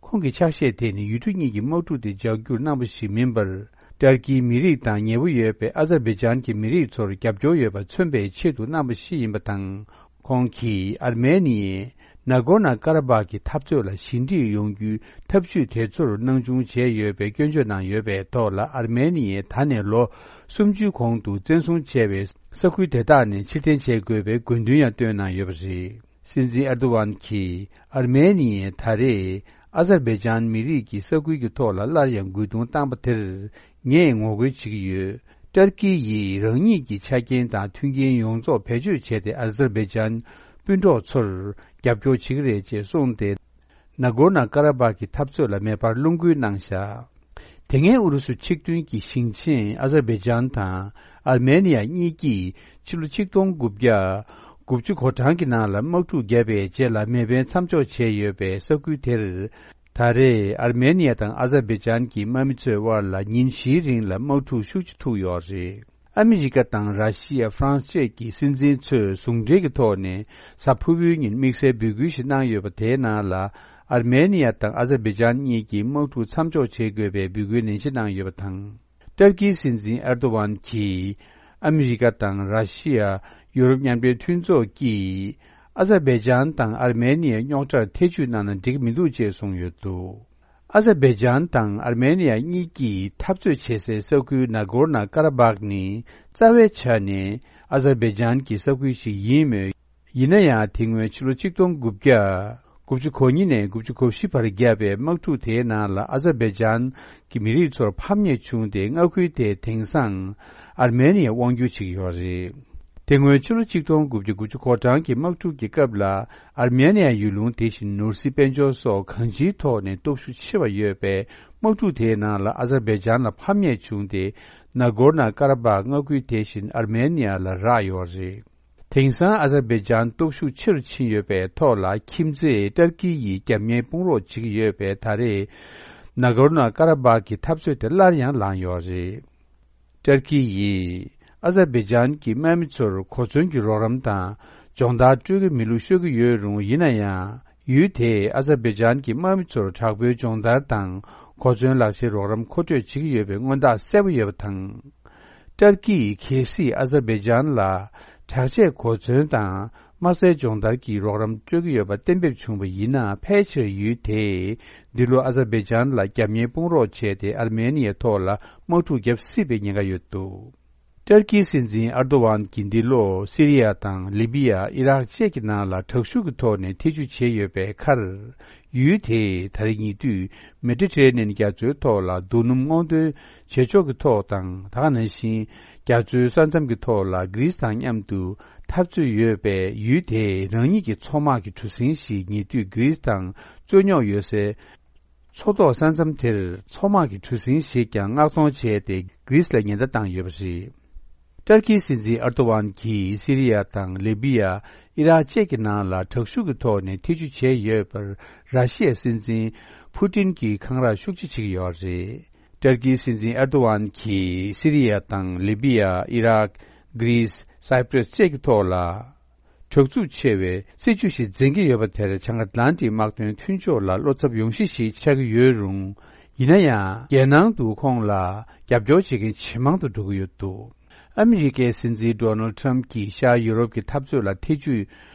ཁོང་གི་ཕྱག་བཞེས་དེ་ནི་ཡུལ་གྲུ་གཉིས་ཀྱི་དམག་འཁྲུག་དེ་ལྗགས་བསྒྱུར་གནང་བ་ཞིག་མིན་པར། ཏར་ཀིའི་མི་རིགས་དང་ཉེ་བོ་ཡོད་པའི་ཨ་ཛར་བྷེ་ཇན་གྱི་མི་རིགས་ཚོར་རྒྱབ་སྐྱོར་ཡོད་པ་མཚོན་པའི་ཆེད་དུ་གནང་བ་ཞིག་ཡིན་པ་དང་། ཁོང་གིས་ཨར་མེ་ནི་ཡས་ནཱ་གོར་ནཱ་ཀ་ར་བྷག་གི་འཐབ་རྩོད་ལ་ཞི་འགྲིག་ཡོང་རྒྱུའི་ཐབས་ཇུས་དེ་ཚོར་སྣང་ཆུང་བྱས་ཡོད་པའི་སྐྱོན་བརྗོད་གནང་ཡོད་པའི་ཐོག་ལ། ཨར་མེ་ནི་ཡས་ད་ནས་ལོ་སུམ་ཅུའི་གོང་དུ་བཙན་བཟུང་བྱས་པའི་ས་ཁུལ་དེ་དག་ནས་ཕྱིར་འཐེན་བྱེད་དགོས་པའི་དགོས་འདུན་ཡང་བཏོན་གནང་ཡོད་པ་རེད། སྲིད་འཛིན་ཨེར་དོ་ཝན་གྱིས་ཨར་མེ་ནི་ཡས་ད་རེས་ཨ་ཛར་བྷེ་ཇན་མི་རིགས་ཀྱི་ས་ཁུལ་གྱི་ཐོག་ལ་སླར་ཡང་རྒོལ་རྡུང་བཏང་པ་དེར་ངས་ངོ་རྒོལ་བྱེད་ཀྱི་ཡོད། ཏར་ཀི་ཡིས་རང་ཉིད་ཀྱི་ཆ་རྐྱེན་དང་མཐུན་རྐྱེན་ཡོངས་རྫོགས་བེད་སྤྱོད་བྱས་ཏེ། ཨ་ཛར་བྷེ་ཇན་སྤུན་གྲོགས་ཚོར་རྒྱབ་སྐྱོར་བྱེད་ཀྱི་རེད་ཅེས་གསུངས་ཏེ། ནཱ་གོར་ནཱ་ཀ་ར་བྷག་གི་འཐབ་རྩོད་ལ་མེ་འཕར་རླུང་རྒོལ་གནང་བཞག་དེ་སྔའི་ཨུ་རུ་སུ་ཆིག་མཐུན་གྱི་ཞིང་ཆེན་ཨ་ཛར་བྷེ་ཇན་དང་ཨར་མེ་ནི་ཡ་གཉིས་ཀྱིས་ཕྱི་ལོ་ཆིག་སྟོང་དགུ་བརྒྱ་དགུ་བཅུ་གོ་གྲངས་ཀྱི་ནང་ལ་དམག་འཁྲུག་བརྒྱབ་པའི་རྗེས་ལ་མེ་འཕེན་མཚམས་འཇོག་བྱས་ཡོད་པའི་ས་ཁུལ་དེར། ད་རེས་ཨར་མེ་ནི་ཡ་དང་ཨ་ཛར་བྷེ་ཇན་གྱི་དམག་མི་ཚོའི་དབར་ལ་ཉིན་བཞིའི་རིང་ལ་དམག་འཁྲུག་ཤུགས་ཆེ་ཐུག་ཡོད་རེད། ཨ་མི་རི་ཀ་དང་ར་ཤི་ཡ། ཧྥ་རན་སི་བཅས་ཀྱི་སྲིད་འཛིན་ཚོས་ཟུང་འབྲེལ་གྱི་ཐོག་ནས་གཟའ་ཕུར་བུའི་ཉིན་དམིགས་བསལ་འབོད་སྐུལ་ཞིག་གནང་ཡོད་པ། དེའི་ནང་ལ་ཨར་མེ་ནི་ཡ་དང་ཨ་ཛར་བྷེ་ཇན་གཉིས་ཀྱིས་དམག་འཁྲུག་མཚམས་འཇོག་བྱེད་དགོས་པའི་འབོད་སྐུལ་ནན་ཆེ་གནང་ཡོད་པ་དང་། ཏར་ཀིའི་སྲིད་འཛིན་ཨེར་དོ་ཝན་གྱིས་ཨ་མི་རི་ཀ་དང་ར་ཤི་ཡ། ཡུ་རོབ་མཉམ་འབྲེལ་མཐུན་ཚོགས་ཀྱིས་ཨ་ཛར་བྷེ་ཇན་དང་ཨར་མེ་ནི་ཡའི་རྙོག་དྲར་ཐེ་ཇུས་གནང་ན་འགྲིག་མི་འདུག་ཅེས་གསུངས་ཡོད་འདུག་ཨ་ཛར་བྷེ་ཇན་དང་ཨར་མེ་ནི་ཡ་གཉིས་ཀྱིས་འཐབ་རྩོད་བྱེད་སའི་ས་ཁུལ་ནཱ་གོར་ནཱ་ཀ་ར་བྷག་ནི་རྩ་བའི་ཆ་ནས་ཨ་ཛར་བྷེ་ཇན་གྱི་ས་ཁུལ་ཞིག་ཡིན་མོད། ཡིན་ན་ཡང་། དེ་སྔོན་ཕྱི་ལོ་ཆིག་སྟོང་དགུ་བརྒྱ་དགུ་བཅུ་གོ་གཉིས་ནས་དགུ་བཅུ་གོ་བཞི་བར་བརྒྱབ་པའི་དམག་འཁྲུག་དེའི་ནང་ལ་ཨ་ཛར་བྷེ་ཇན་གྱི་མི་རིགས་ཚོར་ཕམ་ཉེས་བྱུང་སྟེ། མངའ་ཁུལ་དེ་དེང་སང་ཨར་མེ་ནི་ཡས་དབང་སྒྱུར་བྱེད་ཀྱི་ཡོད་རེད། དེ་སྔོན་ཕྱི་ལོ་ཆིག་སྟོང་དགུ་བརྒྱ་དགུ་བཅུ་གོ་གྲངས་ཀྱི་དམག་འཁྲུག་གི་སྐབས་ལ། ཨར་མེ་ནི་ཡ་ཡུལ་ལུང་དེ་བཞིན་ནོར་སྲིད་དཔལ་འབྱོར་སོགས་གང་ཅིའི་ཐོག་ནས་སྟོབས་ཤུགས་ཆེ་བ་ཡོད་པས། དམག་འཁྲུག་དེའི་ནང་ལ་ཨ་ཛར་བྷེ་ཇན་ལ་ཕམ་ཉེས་བྱུང་སྟེ། ནཱ་གོར་ནཱ་ཀ་ར་བྷག་མངའ་ཁུལ་དེ་བཞིན་ཨར་མེ་ནི་ཡ་ལ་རག་ཡོད་རེད། དེང་སང་ཨ་ཛར་བྷེ་ཇན་སྟོབས་ཤུགས་ཆེ་རུ་ཕྱིན་ཡོད་པའི་ཐོག་ལ། ཁྱིམ་མཚེས་ཏར་ཀི་ཡིས་རྒྱབ་གཉེར་དཔུང་རོགས་བྱེད་ཀྱི་ཡོད་པས། ད་རེས་ ནཱ་གོར་ནོ་ཀ་ར་བཱག་གི་འཐབ་རྩོད་དེ་སླར་ཡང་ལངས་ཡོད་རེད། ཏུར་ཀི་ཡིས་ཨ་ཛར་བེ་ཇན་གྱི་དམག་མི་ཚོར་གོ་མཚོན་གྱི་རོགས་རམ་དང་སྦྱོང་བརྡར་སྤྲོད་ཀྱི་མེད་ལུགས་ཤོད་ཀྱི་ཡོད་རུང་། ཡིན་ན་ཡང་ཡུལ་དེས་ཨ་ཛར་བེ་ཇན་གྱི་དམག་མི་ཚོར་དྲག་པོའི་སྦྱོང་བརྡར་དང་གོ་མཚོན་ལག་ཤེས་རོགས་རམ་མཁོ་སྤྲོད་བྱེད་ཀྱི་ཡོད་པའི་མངོན་རྟགས་གསལ་པོ་ཡོད་པ་དང་། ཏུར་ཀི་ཡིས་གལ་སྲིད་ཨ་ཛར་བེ་ཇན་ལ་དྲག་ཆས་གོ་མཚོན་དང་དམག་སའི་སྦྱོང་བརྡར་གྱི་རོགས་རམ་སྤྲོད་ཀྱི་ཡོད་པ་གཏན་འབེབས་བྱུང་བ་ཡིན་ན། ཕལ་ཆེར་ཡུལ་དེས་འདི་ལོ་ཨ་ཛར་བེ་ཇན་ལ་རྒྱབ་གཉེར་སྤོང་རོགས་བྱས་ཏེ། ཨར་མེ་ནི་ཡའི་ཐོག་ལ་དམག་འཁྲུག་བརྒྱབ་སྲིད་པའི་ཉེན་ཁ་ཡོད་འདུག་ཏུར་ཀིའི་སྲིད་འཛིན་ཨར་དོ་ཝན་གྱིས་འདི་ལོ་སི་རི་ཡ་དང་ལི་བི་ཡ། ཨི་རག་བཅས་ཀྱི་ནང་ལ་དྲག་ཤུགས་ཀྱི་ཐོག་ནས་ཐེ་བྱུས་བྱས་ཡོད་པའི་ཁར། ཡུལ་དེས་ད་རེས་ཉེ་དུས་མེ་ཌི་ཊི་རེ་ནི་ཡན་རྒྱ་མཚོའི་ཐོག་ལ་རྡོ་སྣུམ་སྔོག་འདོན་བྱེད་ཕྱོགས་ཀྱི་ཐོག་དང་། ད་ག་ནང་བཞིན་རྒྱ་མཚོའི་ས་མཚམས་ཀྱི་ཐོག་ལ་གྷི་རིས་དང་མཉམ་དུ་འཐབ་རྩོད་ཡོད་པས། ཡུལ་དེས་རང་ཉིད་ཀྱི་མཚོ་དམག་གི་གྲུ་གཟིངས་ཤིག་ཉེ་དུས་གྷི་རིས་དང་རྩོད་རྙོག་ཡོད་སའི་མཚོ་ཐོག་ས་མཚམས་དེར་མཚོ་དམག་གི་གྲུ་གཟིངས་ཤིག་ཀྱང་མངགས་གཏོང་བྱས་ཏེ། གྷི་རིས་ལ་ཉེན་བརྡ་བཏང་ཡོད་པ་རེད། ཏུར་ཀིའི་སྲིད་འཛིན་ཨར་དོ་ཝན་གྱིས་སི་རི་ཡ་དང་ལི་བི་ཡ། ཨི་རག་བཅས་ཀྱི་ནང་ལ་དྲག་ཤུགས་ཀྱི་ཐོག་ནས་ཐེ་བྱུས་བྱས་ཡོད་པར་ར་ཤི་ཡའི་སྲིད་འཛིན་ཕུ་ཏིན་གྱིས་འཁང་ར་ཤུགས་ཆེ་བྱེད་ཀྱི་ཡོད་རེད། ཏུར་ཀིའི་སྲིད་འཛིན་ཨར་དོ་ཝན་གྱིས་སི་རི་ཡ་དང་ལི་བི་ཡ། ཨི་རག་གྷི་རིས། སའི་པྲེས་བཅས་ཀྱི་ཐོག་ལ་དྲག་རྩུབ་ཆེ་བའི་སྲིད་བྱུས་ཤིག་འཛིན་གྱི་ཡོད་པ་དེར། བྱང་ཨ་ཏི་ལན་ཏིག་དམག་དོན་མཐུན་ཕྱོགས་ལ་བློ་འཚབ་ཡོང་གཞི་ཞིག་ཆགས་ཀྱི་ཡོད་རུང་། ཡིན་ན་ཡང་རྒྱལ་ནང་དུ་ཁོང་ལ་རྒྱབ་སྐྱོར་བྱེད་མཁན་ཇེ་མང་དུ་འགྲོ་གི་ཡོད་འདུག་ཨ་མི་རི་ཀའི་སྲིད་འཛིན་ཌོ་ནལ་ཌི་ཊརམ་ཕ་གྱིས་ཤར་ཡུ་རོབ་ཀྱི་འཐབ་རྩོད་ལ་ཐེ་བྱུས་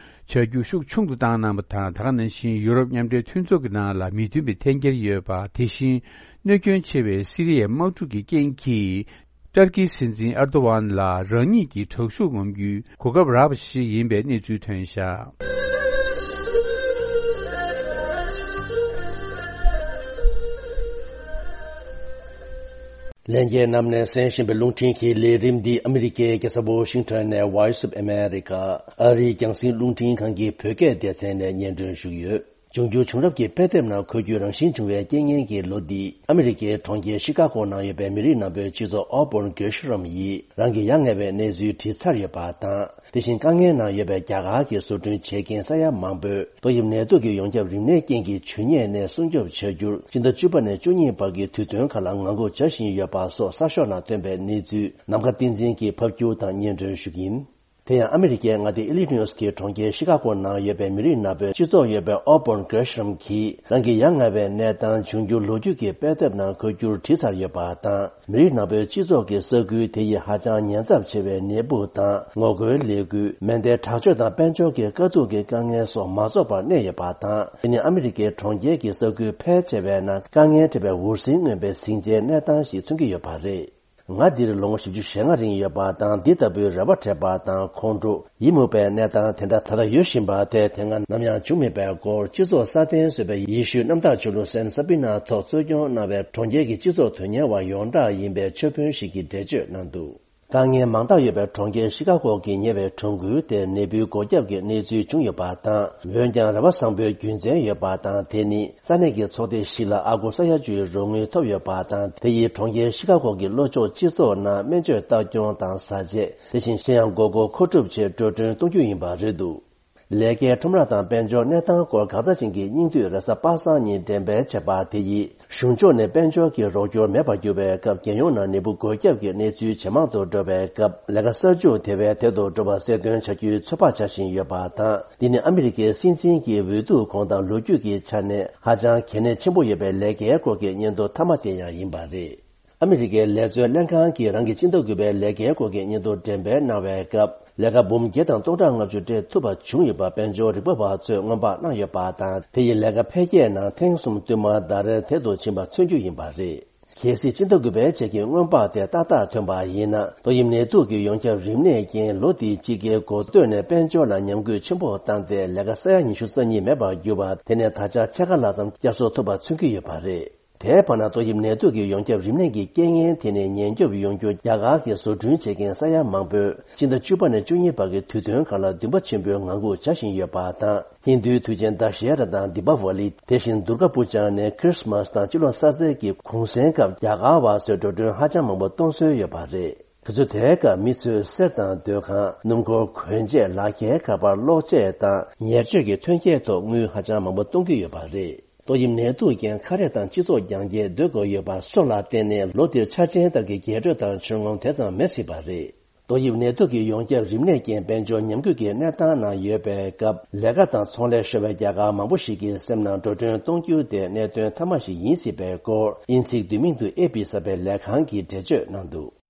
བྱ་རྒྱུ་ཤུགས་ཆུང་དུ་བཏང་གནང་བ་དང་། ད་ག་ནང་བཞིན་ཡུ་རོབ་མཉམ་འབྲེལ་མཐུན་ཚོགས་ཀྱི་ནང་ལ་མི་མཐུན་པའི་འཐེན་འཁྱེར་ཡོད་པ། དེ་བཞིན་གནོད་སྐྱོན་ཆེ་བའི་སི་རི་ཡའི་དམག་འཁྲུག་གི་རྐྱེན་གྱིས། ཏུར་ཀིའི་སྲིད་འཛིན་ཨར་དོ་ཝན་ལ་རང་ཉིད་ཀྱི་དྲག་ཤུགས་ངོམ་རྒྱུའི་གོ་སྐབས་རག་པ་ཞིག་ཡིན་པའི་གནས་ཚུལ་ཐོན་བཞག་ལྷན་རྒྱས་རྣམས་ནས་གསན་བཞིན་པའི་རླུང་འཕྲིན་གྱི་ལས་རིམ་འདི་ཨ་མི་རི་ཀའི་རྒྱལ་ས་ཝོ་ཤིང་ཊོན་ནས་Voice of America ཨ་རིའི་རྒྱང་སྲིང་རླུང་འཕྲིན་ཁང་གི་བོད་སྐད་སྡེ་ཚན་ནས་སྙན་སྒྲོན་ཞུ་གི་ཡོད། འབྱུང་འགྱུར་བྱུང་རབས་ཀྱི་དཔེ་དེབ་ནང་འཁོད་རྒྱུ་རང་བཞིན་བྱུང་བའི་རྐྱེན་ངན་གྱི་ལོ་འདི། ཨ་མི་རི་ཀའི་གྲོང་ཁྱེར་ཤི་ཀ་གོ་ནང་ཡོད་པའི་མི་རིགས་ནག་པོའི་སྤྱི་ཚོགས་ཨོ་བོན་གེ་ཤི་རམ་ཡིས་རང་གི་ཡ་ང་བའི་གནས་ཚུལ་བྲིས་ཚར་ཡོད་པ་དང་། དེ་བཞིན་དཀའ་ངལ་ནང་ཡོད་པའི་རྒྱ་གར་གྱི་བཟོ་སྐྲུན་བྱེད་མཁན་ས་ཡ་མང་པོས་ཏོག་དབྱིབས་ནད་དུག་གི་ཡོངས་ཁྱབ་རིམས་ནད་རྐྱེན་གྱིས་བྱུས་ཉེས་ནས་སྲུང་སྐྱོབ་བྱ་རྒྱུར། སྤྱི་ཟླ་བཅུ་པ་ནས་བཅུ་གཉིས་བར་གྱི་དུས་སྟོན་ཁག་ལ་ངང་སྒུག་བྱ་བཞིན་ཡོད་པ་སོགས་གསར་ཤོག་ནང་ཐོན་པའི་གནས་ཚུལ་ནམ་མཁའ་བསྟན་འཛིན་གྱིས་ཕབ་སྒྱུར་དང་སྙན་སྒྲོན་ཞུ་གི་ཡིན། དེ་ཡང་ཨ་མི་རི་ཀའི་མངའ་སྡེ་ཨི་ལི་ནོས་ཀྱི་གྲོང་ཁྱེར་ཤི་ཀ་གོ་ནང་ཡོད་པའི་མི་རིགས་ནག་པོའི་སྤྱི་ཚོགས་ཡོད་པའི་ཨོ་བོན་གེ་ཤི་རམ་གྱིས་རང་གི་ཡ་ང་བའི་གནས་སྟངས་འབྱུང་འགྱུར་ལོ་རྒྱུས་ཀྱི་དཔེ་དེབ་ནང་འཁོད་རྒྱུར་བྲིས་ཚར་ཡོད་པ་དང་། མི་རིགས་ནག་པོའི་སྤྱི་ཚོགས་ཀྱི་ས་ཁུལ་དེ་ཡིས་ཧ་ཅང་ཉེན་ཚབས་ཆེ་བའི་ནད་འབུ་དང་ངོ་རྒོལ་ལས་འགུལ། མེ་མདའི་དྲག་སྤྱོད་དང་དཔལ་འབྱོར་གྱི་དཀའ་སྡུག་གི་དཀའ་ངལ་སོགས་མ་རྫོགས་པར་གནས་ཡོད་པ་དང་། དེ་ནི་ཨ་མི་རི་ཀའི་གྲོང་ཁྱེར་གྱི་ས་ཁུལ་ཕལ་ཆེ་བའི་ནང་དཀའ་ངལ་འཕྲད་པའི་འུར་ཟིང་མངོན་པའི་ཟིང་ཆའི་གནས་སྟངས་ཤིག་མཚོན་གྱི་ཡོད་པ་རེད། ང་འདིར་ལོ་ངོ་བཞི་བཅུ་ཞེ་ལྔ་རིང་ཡོད་པ་དང་། འདི་ལྟ་བུའི་རེ་བ་འཕྲོད་པ་དང་ཁོང་ཁྲོ་ཡིད་མུག་པའི་གནས་སྟངས་དེ་འདྲ་ད་ལྟ་ཡོད་བཞིན་པ་དེ་དེ་སྔ་ནམ་ཡང་བྱུང་མེད་པའི་སྐོར། སྤྱི་ཚོགས་སྲ་བརྟན་བཟོ་བའི་ཡེ་ཤུའི་གནམ་བདག་ཆོས་ལུགས་སན་སཱ་བི་ན་ཐོག་གཙོ་སྐྱོང་གནང་བའི་གྲོང་ཁྱེར་གྱི་སྤྱི་ཚོགས་དོན་གཉེར་བ་ཡོངས་གྲགས་ཡིན་པའི་ཆོས་དཔོན་ཞིག་གིས་འགྲེལ་བརྗོད་གནང་འདུག་དཀའ་ངལ་མང་དག་ཡོད་པའི་གྲོང་ཁྱེར་ཤི་ཀ་གོ་གི་ཉེ་བའི་གྲོང་ཁུལ་དེར་ནད་འབུའི་འགོས་ཁྱབ་ཀྱི་གནས་ཚུལ་བྱུང་ཡོད་པ་དང་། འོན་ཀྱང་རེ་བ་བཟང་པོའི་རྒྱུ་མཚན་ཡོད་པ་དང་། དེ་ནི་ས་གནས་ཀྱི་ཚོགས་སྡེ་ཞིག་ལ་ཨ་སྒོར་ས་ཡ་བཅུའི་རོགས་དངུལ་ཐོབ་ཡོད་པ་དང་། དེ་ཡིས་གྲོང་ཁྱེར་ཤི་ཀ་གོ་གི་ལྷོ་ཕྱོགས་སྤྱི་ཚོགས་ནང་སྨན་བཅོས་ལྟ་སྐྱོང་དང་བཟའ་ཆས། དེ་བཞིན་གཞན་ཡང་དགོས་མཁོ་མཁོ་སྒྲུབ་ཆེད་འགྲོ་གྲོན་གཏོང་རྒྱུ་ཡིན་པ་རེད་འདུག་ལས་ཀའི་ཁྲོམ་ར་དང་དཔལ་འབྱོར་གནས་སྟངས་སྐོར་དགག་རྩ་ཅན་གྱི་སྙིང་བསྡུས་རེས་གཟའ་པ་སངས་ཉིན་འགྲེམས་སྤེལ་བྱས་པ་དེ་ཡིས། གཞུང་ཕྱོགས་ནས་དཔལ་འབྱོར་གྱི་རོགས་སྐྱོར་མེད་པར་གྱུར་བའི་སྐབས། རྒྱལ་ཡོངས་ནང་ནད་འབུ་འགོས་ཁྱབ་ཀྱི་གནས་ཚུལ་ཇེ་མང་དུ་འགྲོ་བའི་སྐབས། ལས་ཀ་གསར་འཇུག་དེ་བས་དལ་དུ་འགྲོ་བ་གསལ་སྟོན་བྱ་རྒྱུའི་ཚོད་དཔག་བྱ་བཞིན་ཡོད་པ་དང་། འདི་ནི་ཨ་མི་རི་ཀའི་སྲིད་འཛིན་གྱི་འོས་བསྡུ་གོང་དང་ལོ་རྒྱུས་ཀྱི་ཆ་ནས་ཧ་ཅང་གལ་གནད་ཆེན་པོ་ཡོད་པའི་ལས་ཀའི་སྐོར་གྱི་སྙན་ཐོ་མཐའ་མ་དེ་ཡང་ཡིན་པ་རེད། ཨ་མི་རི་ཀའི་ལས་བཟོའི་ལྷན་ཁང་གིས་རང་གི་སྤྱི་ཟླ་དགུ་པའི་ལས་ཀའི་སྐོར་གྱི་སྙན་ཐོ་འགྲེམས་སྤེལ་གནང་བའི་སྐབས། ལས་ཀ་འབུམ་བརྒྱད་དང་སྟོང་ཕྲག་ལྔ་བཅུ་སྤྲད་ཐུབ་པ་བྱུང་ཡོད་པ། དཔལ་འབྱོར་རིག་པ་བ་ཚོས་སྔོན་དཔག་གནང་ཡོད་པ་དང་། དེ་ཡིས་ལས་ཀ་འཕེལ་རྒྱས་ནང་ཐེངས་གསུམ་བསྟུད་མར་ཟླ་རེར་དལ་དུ་ཕྱིན་པ་མཚོན་རྒྱུ་ཡིན་པ་རེད། གལ་སྲིད་སྤྱི་ཟླ་དགུ་པའི་རྗེས་ཀྱི་སྔོན་དཔག་དེ་ཏག་ཏག་ཐོན་པ་ཡིན་ན། ཏོག་དབྱིབས་ནད་དུག་གི་ཡོངས་ཁྱབ་རིམས་ནད་རྐྱེན་ལོ་འདིའི་དཔྱིད་ཀའི་འགོ་སྟོད་ནས་དཔལ་འབྱོར་ལ་ཉམས་རྒུད་ཆེན་པོ་བཏང་སྟེ། ལས་ཀ་ས་ཡ་ཉི་ཤུ་རྩ་གཉིས་མེད་པར་གྱུར་པ་དེ་ནས་ད་ཆ་ཕྱེད་ཀ་ལྷག་ཙམ་བསྐྱར་གསོ་ཐུབ་པ་མཚོན་གྱི་ཡོད་པ་རེད། དེའི་བར་ན་ཏོག་དབྱིབས་ནད་དུག་གི་ཡོངས་ཁྱབ་རིམས་ནད་ཀྱི་རྐྱེན་ངན་དེ་ནས་ཉེན་སྐྱོབ་ཡོང་རྒྱུར། རྒྱ་གར་གྱི་བཟོ་སྐྲུན་བྱེད་མཁན་ས་ཡ་མང་པོས་སྤྱི་ཟླ་བཅུ་པ་ནས་བཅུ་གཉིས་བར་གྱི་དུས་སྟོན་ཁག་ལ་འདུན་པ་ཆེན་པོས་ངང་སྒུག་བྱ་བཞིན་ཡོད་པ་དང་། ཧིན་རྡུའི་དུས་ཆེན་དཱ་ཤེ་ར་དང་དི་པ་ཝ་ལི། དེ་བཞིན་དུར་ག་པུ་ཇ་ནས་ཁྲིས་མཱས་དང་སྤྱི་ལོ་གསར་ཚེས་ཀྱི་གུང་སེང་སྐབས་རྒྱ་གར་བ་ཚོས་འགྲོ་གྲོན་ཧ་ཅང་མང་པོ་གཏོང་སྲོལ་ཡོད་པ་རེད། དེ་ཚོ་དེའི་སྐབས་མི་ཚོས་གསེར་དང་སྡོད་ཁང་། སྣུམ་འཁོར་གོན་ཆས། ལག་འཁྱེར། ཁ་པར་གློག་ཆས་དང་ཉེར་སྤྱོད་ཀྱི་ཐོན་སྐྱེད་ཐོག་དངུལ་ཧ་ཅང་མང་པོ་གཏོང་གི་ཡོད་པ་རེད། ཏོག་དབྱིབས་ནད་དུག་རྐྱེན་ཁ་རས་དང་སྤྱི་ཚོགས་རྒྱང་བཀྱེད་སྡོད་དགོས་ཡོད་པ་སོགས་ལ་བརྟེན་ནས་ལོ་འདིར་འཆར་ཅན་ལྟར་གྱི་རྒྱས་སྤྲོས་དང་ཇུས་ངོམ་དེ་ཙམ་མེད་སྲིད་པ་རེད། ཏོག་དབྱིབས་ནད་དུག་གི་ཡོངས་ཁྱབ་རིམས་ནད་རྐྱེན་དཔལ་འབྱོར་ཉམས་རྒུད་ཀྱི་གནས་སྟངས་ནང་ཡོད་པའི་སྐབས། ལས་ཀ་དང་ཚོང་ལས་ཤོར་བའི་རྒྱལ་ཁབ་མང་པོ་ཞིག་གིས་སེམས་ནང་འགྲོ་གྲོན་གཏོང་རྒྱུ་དེ་གནད་དོན་མཐའ་མ་ཞིག་ཡིན་སྲིད་པའི་སྐོར། དབྱིན་ཚིག་བསྡུས་མིང་དུ་ཨེ་པི་གསར་པའི་ལས་ཁང་གིས་འགྲེལ་བརྗོད་གནང་འདུག།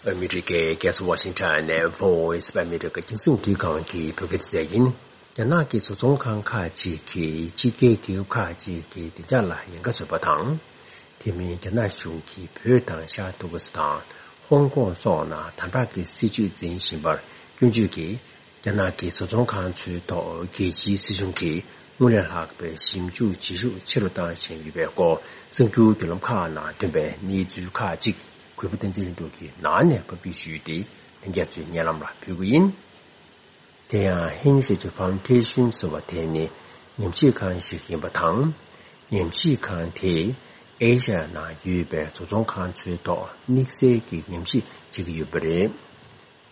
ཨ་མི་རི་ཀའི་རྒྱལ་ས་ཝ་ཤིང་ཊོན་ནས་Voice of America རྒྱང་སྲིང་རླུང་འཕྲིན་ཁང་གི་བོད་སྐད་སྡེ་ཚན་ཡིན། རྒྱ་ནག་གི་བཟོ་ཚོང་ཁང་ཁག་ཅིག་གིས་ཕྱི་རྒྱལ་རྒྱལ་ཁབ་ཁག་ཅིག་གི་བདེ་འཇགས་ལ་ཉེན་ཁ་བཟོས་པ་དང་། དེ་མིན་རྒྱ་ནག་གཞུང་གིས་བོད་དང་ཤར་ཏུར་ཀི་སི་ཐན། ཧོང་ཀོང་སོགས་ནང་དམ་དྲག་གི་སྲིད་བྱུས་འཛིན་བཞིན་པར་སྐྱོན་བརྗོད་ཀྱིས། རྒྱ་ནག་གི་བཟོ་ཚོང་ཁང་ཚོའི་ཐོག་རྒྱལ་སྤྱིའི་སྲིད་གཞུང་གིས་སྔོན་ལས་ལྷག་པའི་ཞིབ་འཇུག་བྱེད་ཤུགས་ཆེ་རུ་བཏང་བཞིན་ཡོད་པའི་སྐོར། གསར་འགྱུར་བརྒྱུད་ལམ་ཁག་ནང་ཐོན་པའི་གནས་ཚུལ་ཁག་ཅིག་གུས་པ་བསྟན་འཛིན་ལྷུན་གྲུབ་ཀྱིས་ནང་ནས་ཕབ་སྒྱུར་ཞུས་ཏེ། ལྷན་རྒྱས་ཚོའི་སྙན་ལམ་ལ་ཕུལ་གྱི་ཡིན། དེ་ཡང་Hensage Foundation ཟེར་བ་དེ་ནི་ཉམས་ཞིབ་ཁང་ཞིག་ཡིན་པ་དང་། ཉམས་ཞིབ་ཁང་དེས་ཨེ་ཤ་ཡ་ནང་ཡོད་པའི་བཟོ་ཚོང་ཁང་ཚོའི་ཐོག་དམིགས་བསལ་གྱི་ཉམས་ཞིབ་བྱེད་ཀྱི་ཡོད་པ་རེད།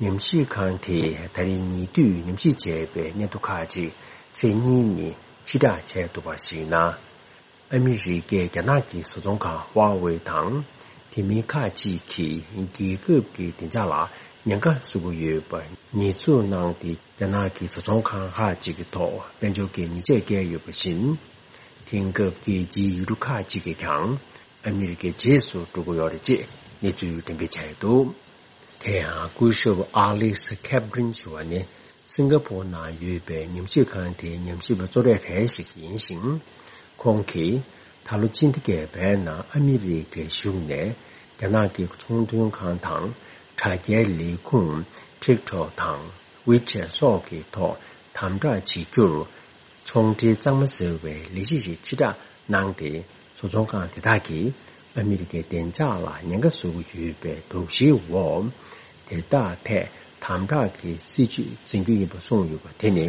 ཉམས་ཞིབ་ཁང་དེས་ད་རིང་ཉེ་དུས་ཉམས་ཞིབ་བྱས་པའི་གནས་ཐོ་ཁག་ཅིག་ཚེས་གཉིས་ཉིན་ཕྱིར་བསྒྲགས་བྱས་འདུག་པར་གཞིགས་ན། ཨ་མི་རི་ཀས་རྒྱ་ནག་གི་བཟོ་ཚོང་ཁང་Huawei དང་། དེ་མིན་ཁག་ཅིག་གིས་རྒྱལ་ཁབ་ཀྱི་བདེ་འཇགས་ལ་ཉེན་ཁ་བཟོ་གི་ཡོད་པ་ཉེས་འཛུགས་གནང་སྟེ། རྒྱ་ནག་གི་བཟོ་ཚོང་ཁང་ཁག་ཅིག་གི་ཐོག་དཔལ་འབྱོར་གྱི་ཉེས་ཆད་བཀལ་ཡོད་པ་བཞིན། དེང་སྐབས་རྒྱལ་སྤྱིའི་ཡུལ་གྲུ་ཁག་ཅིག་གིས་ཀྱང་ཨ་མི་རི་ཀའི་རྗེས་སུ་འགྲོ་གི་ཡོད་རེད་ཅེས་གནས་ཚུལ་འགྲེམས་སྤེལ་བྱས་ཡོད་འདུག། དེ་ཡང་སྐུ་ཞབས་Alex Kaplan ཞུ་བ་ནི་སིང་ག་པོར་ནང་ཡོད་པའི་ཉམས་ཞིབ་ཁང་དེའི་ཉམས་ཞིབ་པ་གཙོ་གྲས་གལ་ཞིག་ཡིན་ཞིང་། ཁོང་གིས་ད་ལོ་ཕྱི་ཟླ་བརྒྱད་པའི་ནང་ཨ་མི་རི་ཀའི་གཞུང་ནས་རྒྱ་ནག་གི་ཚོང་དོན་ཁང་དང་དྲ་རྒྱའི་ལས་ཁུངས་TikTok དང་WeChat སོགས་ཀྱི་ཐོག་དམ་དྲག་བྱེད་རྒྱུར། ཚོང་འབྲེལ་གཙང་མ་ཟེར་བའི་ལས་གཞི་ཞིག་ཕྱིར་བསྒྲགས་གནང་སྟེ། བཟོ་ཚོང་ཁང་དེ་དག་གིས་ཨ་མི་རི་ཀའི་བདེ་འཇགས་ལ་ཉེན་ཁ་བཟོ་གི་ཡོད་པའི་དོགས་གཞིའི་འོག་དེ་དག་ཐད་དམ་དྲག་གི་སྲིད་ཇུས་འཛིན་རྒྱུ་ཡིན་པ་གསུངས་ཡོད་པ་དེ་ནི།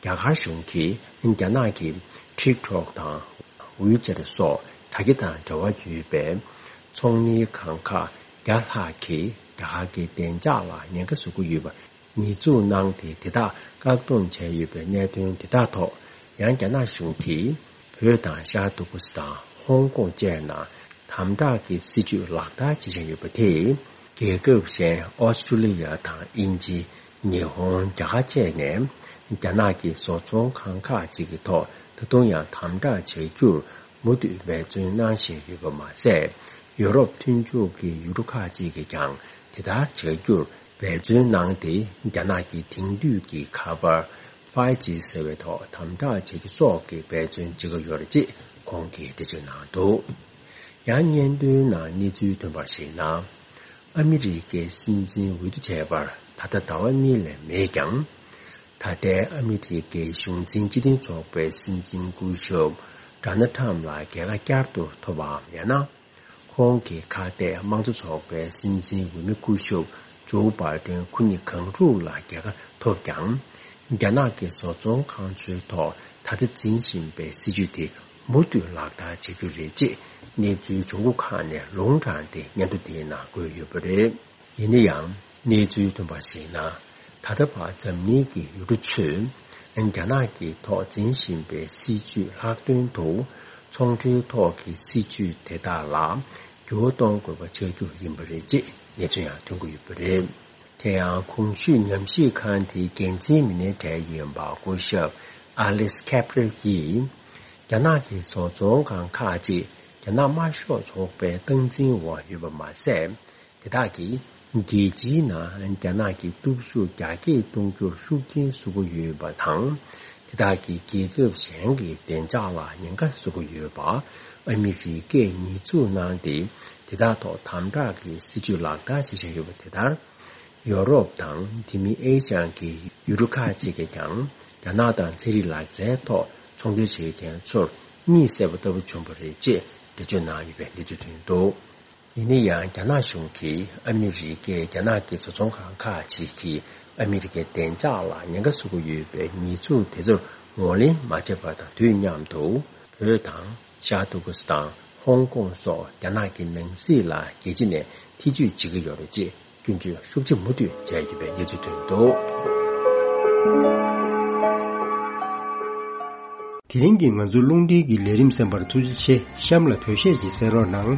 རྒྱ་གར་གཞུང་གིས་རྒྱ་ནག་གི་TikTok དང་WeChat སོགས་དྲ་རྒྱ་དང་འབྲེལ་བ་ཡོད་པའི་ཚོང་གཉེར་ཁང་ཁག་བརྒྱ་ལྷག་གིས་རྒྱ་གར་གྱི་བདེ་འཇགས་ལ་ཉེན་ཁ་བཟོ་གི་ཡོད་པ། ཉེས་འཛུགས་གནང་སྟེ། དེ་དག་བཀག་སྡོམ་བྱས་ཡོད་པའི་གནད་དོན་དེ་དག་ཐོག་ཡང་རྒྱ་ནག་གཞུང་གིས་བོད་དང་ཤར་ཏུར་ཀི་སི་ཐན། ཧོང་ཀོང་བཅས་ནང་དམ་དྲག་གི་སྲིད་ཇུས་ལག་བསྟར་བྱེད་བཞིན་ཡོད་པ་དེས། རྒྱལ་ཁབ་གཞན་ཨོ་སི་ཀྲུ་ལི་ཡ་དང་དབྱིན་ཇི། ཉི་ཧོང་། རྒྱ་གར་བཅས་ནས་རྒྱ་ནག་གི་བཟོ་ཚོང་ཁང་ཁག་ཅིག་གི་ཐོག་ད་དུང་ཡང་དམ་དྲག་བྱ་རྒྱུར་མུ་མཐུད་འབད་བརྩོན་གནང་བཞིན་ཡོད་པ་མ་ཟད། ཡོ་རོབ་མཐུན་ཕྱོགས་ཀྱི་ཡུལ་གྲུ་ཁག་ཅིག་གིས་ཀྱང་དེ་ལྟར་བྱ་རྒྱུར་འབད་བརྩོན་གནང་སྟེ། རྒྱ་ནག་གི་དེང་དུས་ཀྱི་ཁ་པར་ཕའི་ཇི་ཟེར་བའི་ཐོག་དམ་དྲག་བྱ་རྒྱུ་སོགས་ཀྱི་འབད་བརྩོན་བྱེད་ཀྱི་ཡོད་རེད་ཅེས་ཁོང་གིས་འགྲེལ་བརྗོད་གནང་འདུག། ཡང་སྙན་ཐོའི་ནང་གནས་ཚུལ་ཐོན་པར་གཞིགས་ན། ཨ་མི་རི་ཀའི་སྲིད་འཛིན་འོས་བསྡུ་བྱས་པར་ད་ལྟ་ཟླ་བ་གཉིས་ལས་མེད་ཀྱང་། ད་ལྟའི་ཨ་མི་རི་ཀའི་གཞུང་འཛིན་སྤྱི་མཐུན་ཚོགས་པའི་སྲིད་འཛིན་སྐུ་ཞབས་ཌོ་ནལ་ཁྲམ་ལ་རྒྱལ་ཁ་བསྐྱར་དུ་ཐོབ་པའམ། ཡང་ན། ཁོང་གི་ཁ་གཏད་དམངས་གཙོ་ཚོགས་པའི་སྲིད་འཛིན་འོས་མི་སྐུ་ཞབས་ཇོ་བྷའི་ཏན་ཁོ་གཉིས་གང་རུང་ལ་རྒྱལ་ཁ་ཐོབ་ཀྱང་། རྒྱ་ནག་གི་བཟོ་ཚོང་ཁང་ཚོའི་ཐོག་ད་ལྟ་འཛིན་བཞིན་པའི་སྲིད་ཇུས་དེ་མུ་མཐུད་ལག་བསྟར་བྱ་རྒྱུ་རེད་ཅེས་གནས་ཚུལ་ལྗོངས་ཁུངས་ཁག་ནས་ལུང་དྲངས་ཏེ་སྙན་ཐོ་དེའི་ནང་བཀོད་ཡོད་པ་རེད། ཡིན་ན་ཡང་། གནས་ཚུལ་ཐོན་པར་གཞིགས་ན། ད་ལྟ་བར་འཛམ་གླིང་གི་ཡུལ་གྲུ་ཚོས་རྒྱ་ནག་གི་ཐོག་འཛིན་བཞིན་པའི་སྲིད་ཇུས་ལྷག་དོན་དུ་ཚོང་འབྲེལ་ཐོག་གི་སྲིད་ཇུས་དེ་དག་ལ་འགྱུར་བ་གཏོང་དགོས་པ་ཆགས་རྒྱུ་ཡིན་པ་རེད་ཅེས་གནས་ཚུལ་ཡང་ཐོན་གྱི་ཡོད་པ་རེད། དེ་ཡང་གོང་ཞུས་ཉམས་ཞིབ་ཁང་དེའི་འགན་འཛིན་མི་སྣའི་གྲས་ཡིན་པ་སྐུ་ཞབས་ཨ་ལིས་ཁེབ་རེ་ཡིས། རྒྱ་ནག་གི་བཟོ་ཚོང་ཁང་ཁག་ཅིག་རྒྱ་ནག་དམར་ཤོག་ཚོགས་པའི་སྟངས་འཛིན་འོག་ཡོད་པ་མ་ཟད། དེ་དག་གིས་རྒྱལ་སྤྱིའི་ནང་རྒྱ་ནག་གི་སྟོབས་ཤུགས་རྒྱ་སྐྱེད་གཏོང་རྒྱུར་ཤུགས་རྐྱེན་བཟོ་གི་ཡོད་པ་དང་། དེ་དག་གིས་རྒྱལ་ཁབ་གཞན་གྱི་བདེ་འཇགས་ལ་ཉེན་ཁ་བཟོ་གི་ཡོད་པ། ཨ་མི་རི་ཀས་ཉེས་འཛུགས་གནང་སྟེ། དེ་དག་ཐོག་དམ་དྲག་གི་སྲིད་ཇུས་ལག་བསྟར་བྱེད་བཞིན་ཡོད་པ་དེ་ལྟར། ཡོ་རོབ་དང་དེ་མིན་ཨེ་ཤ་ཡའི་ཡུལ་གྲུ་ཁག་ཅིག་གིས་ཀྱང་རྒྱ་ནག་དང་ཚན་རིག་ལག་རྩལ་ཐོག་ཚོང་འབྲེལ་བྱེད་མཁན་ཚོར་གཉིད་སད་པ་ལྟ་བུ་བྱུང་བ་རེད་ཅེས་འགྲེལ་བརྗོད་གནང་ཡོད་པའི་གནས་ཚུལ་ཐོན་འདུག། ཡིན་ན་ཡང་རྒྱ་ནག་གཞུང་གིས་ཨ་མི་རི་ཀས་རྒྱ་ནག་གི་བཟོ་ཚོང་ཁང་ཁག་ཅིག་གིས་ཨ་མི་རི་ཀའི་བདེ་འཇགས་ལ་ཉེན་ཁ་བཟོ་གི་ཡོད་པའི་ཉེས་འཛུགས་དེ་ཚོར་ངོས་ལེན་མ་བྱས་པ་དང་དུས་མཉམ་དུ། བོད་དང་ ཤར་ཏུར་ཀི་སི་ཐན། ཧོང་ཀོང་སོགས་རྒྱ་ནག་གི་ནང་སྲིད་ལ་རྒྱལ་སྤྱི་ནས་ཐེ་བྱུས་བྱེད་ཀྱི་ཡོད་རེད་ཅེས་སྐྱོན་བརྗོད་ཤུགས་ཆེ་མུ་མཐུད་བྱས་ཡོད་པའི་གནས་ཚུལ་ཐོན་འདུག། དེ་རིང་གི་ང་ཚོའི་རླུང་འཕྲིན་གྱི་ལས་རིམ་གསན་པར་ཐུགས་རྗེ་ཆེ། གཤམ་ལ་བོད་གཞས་ཅིག་གསན་རོགས་གནང་།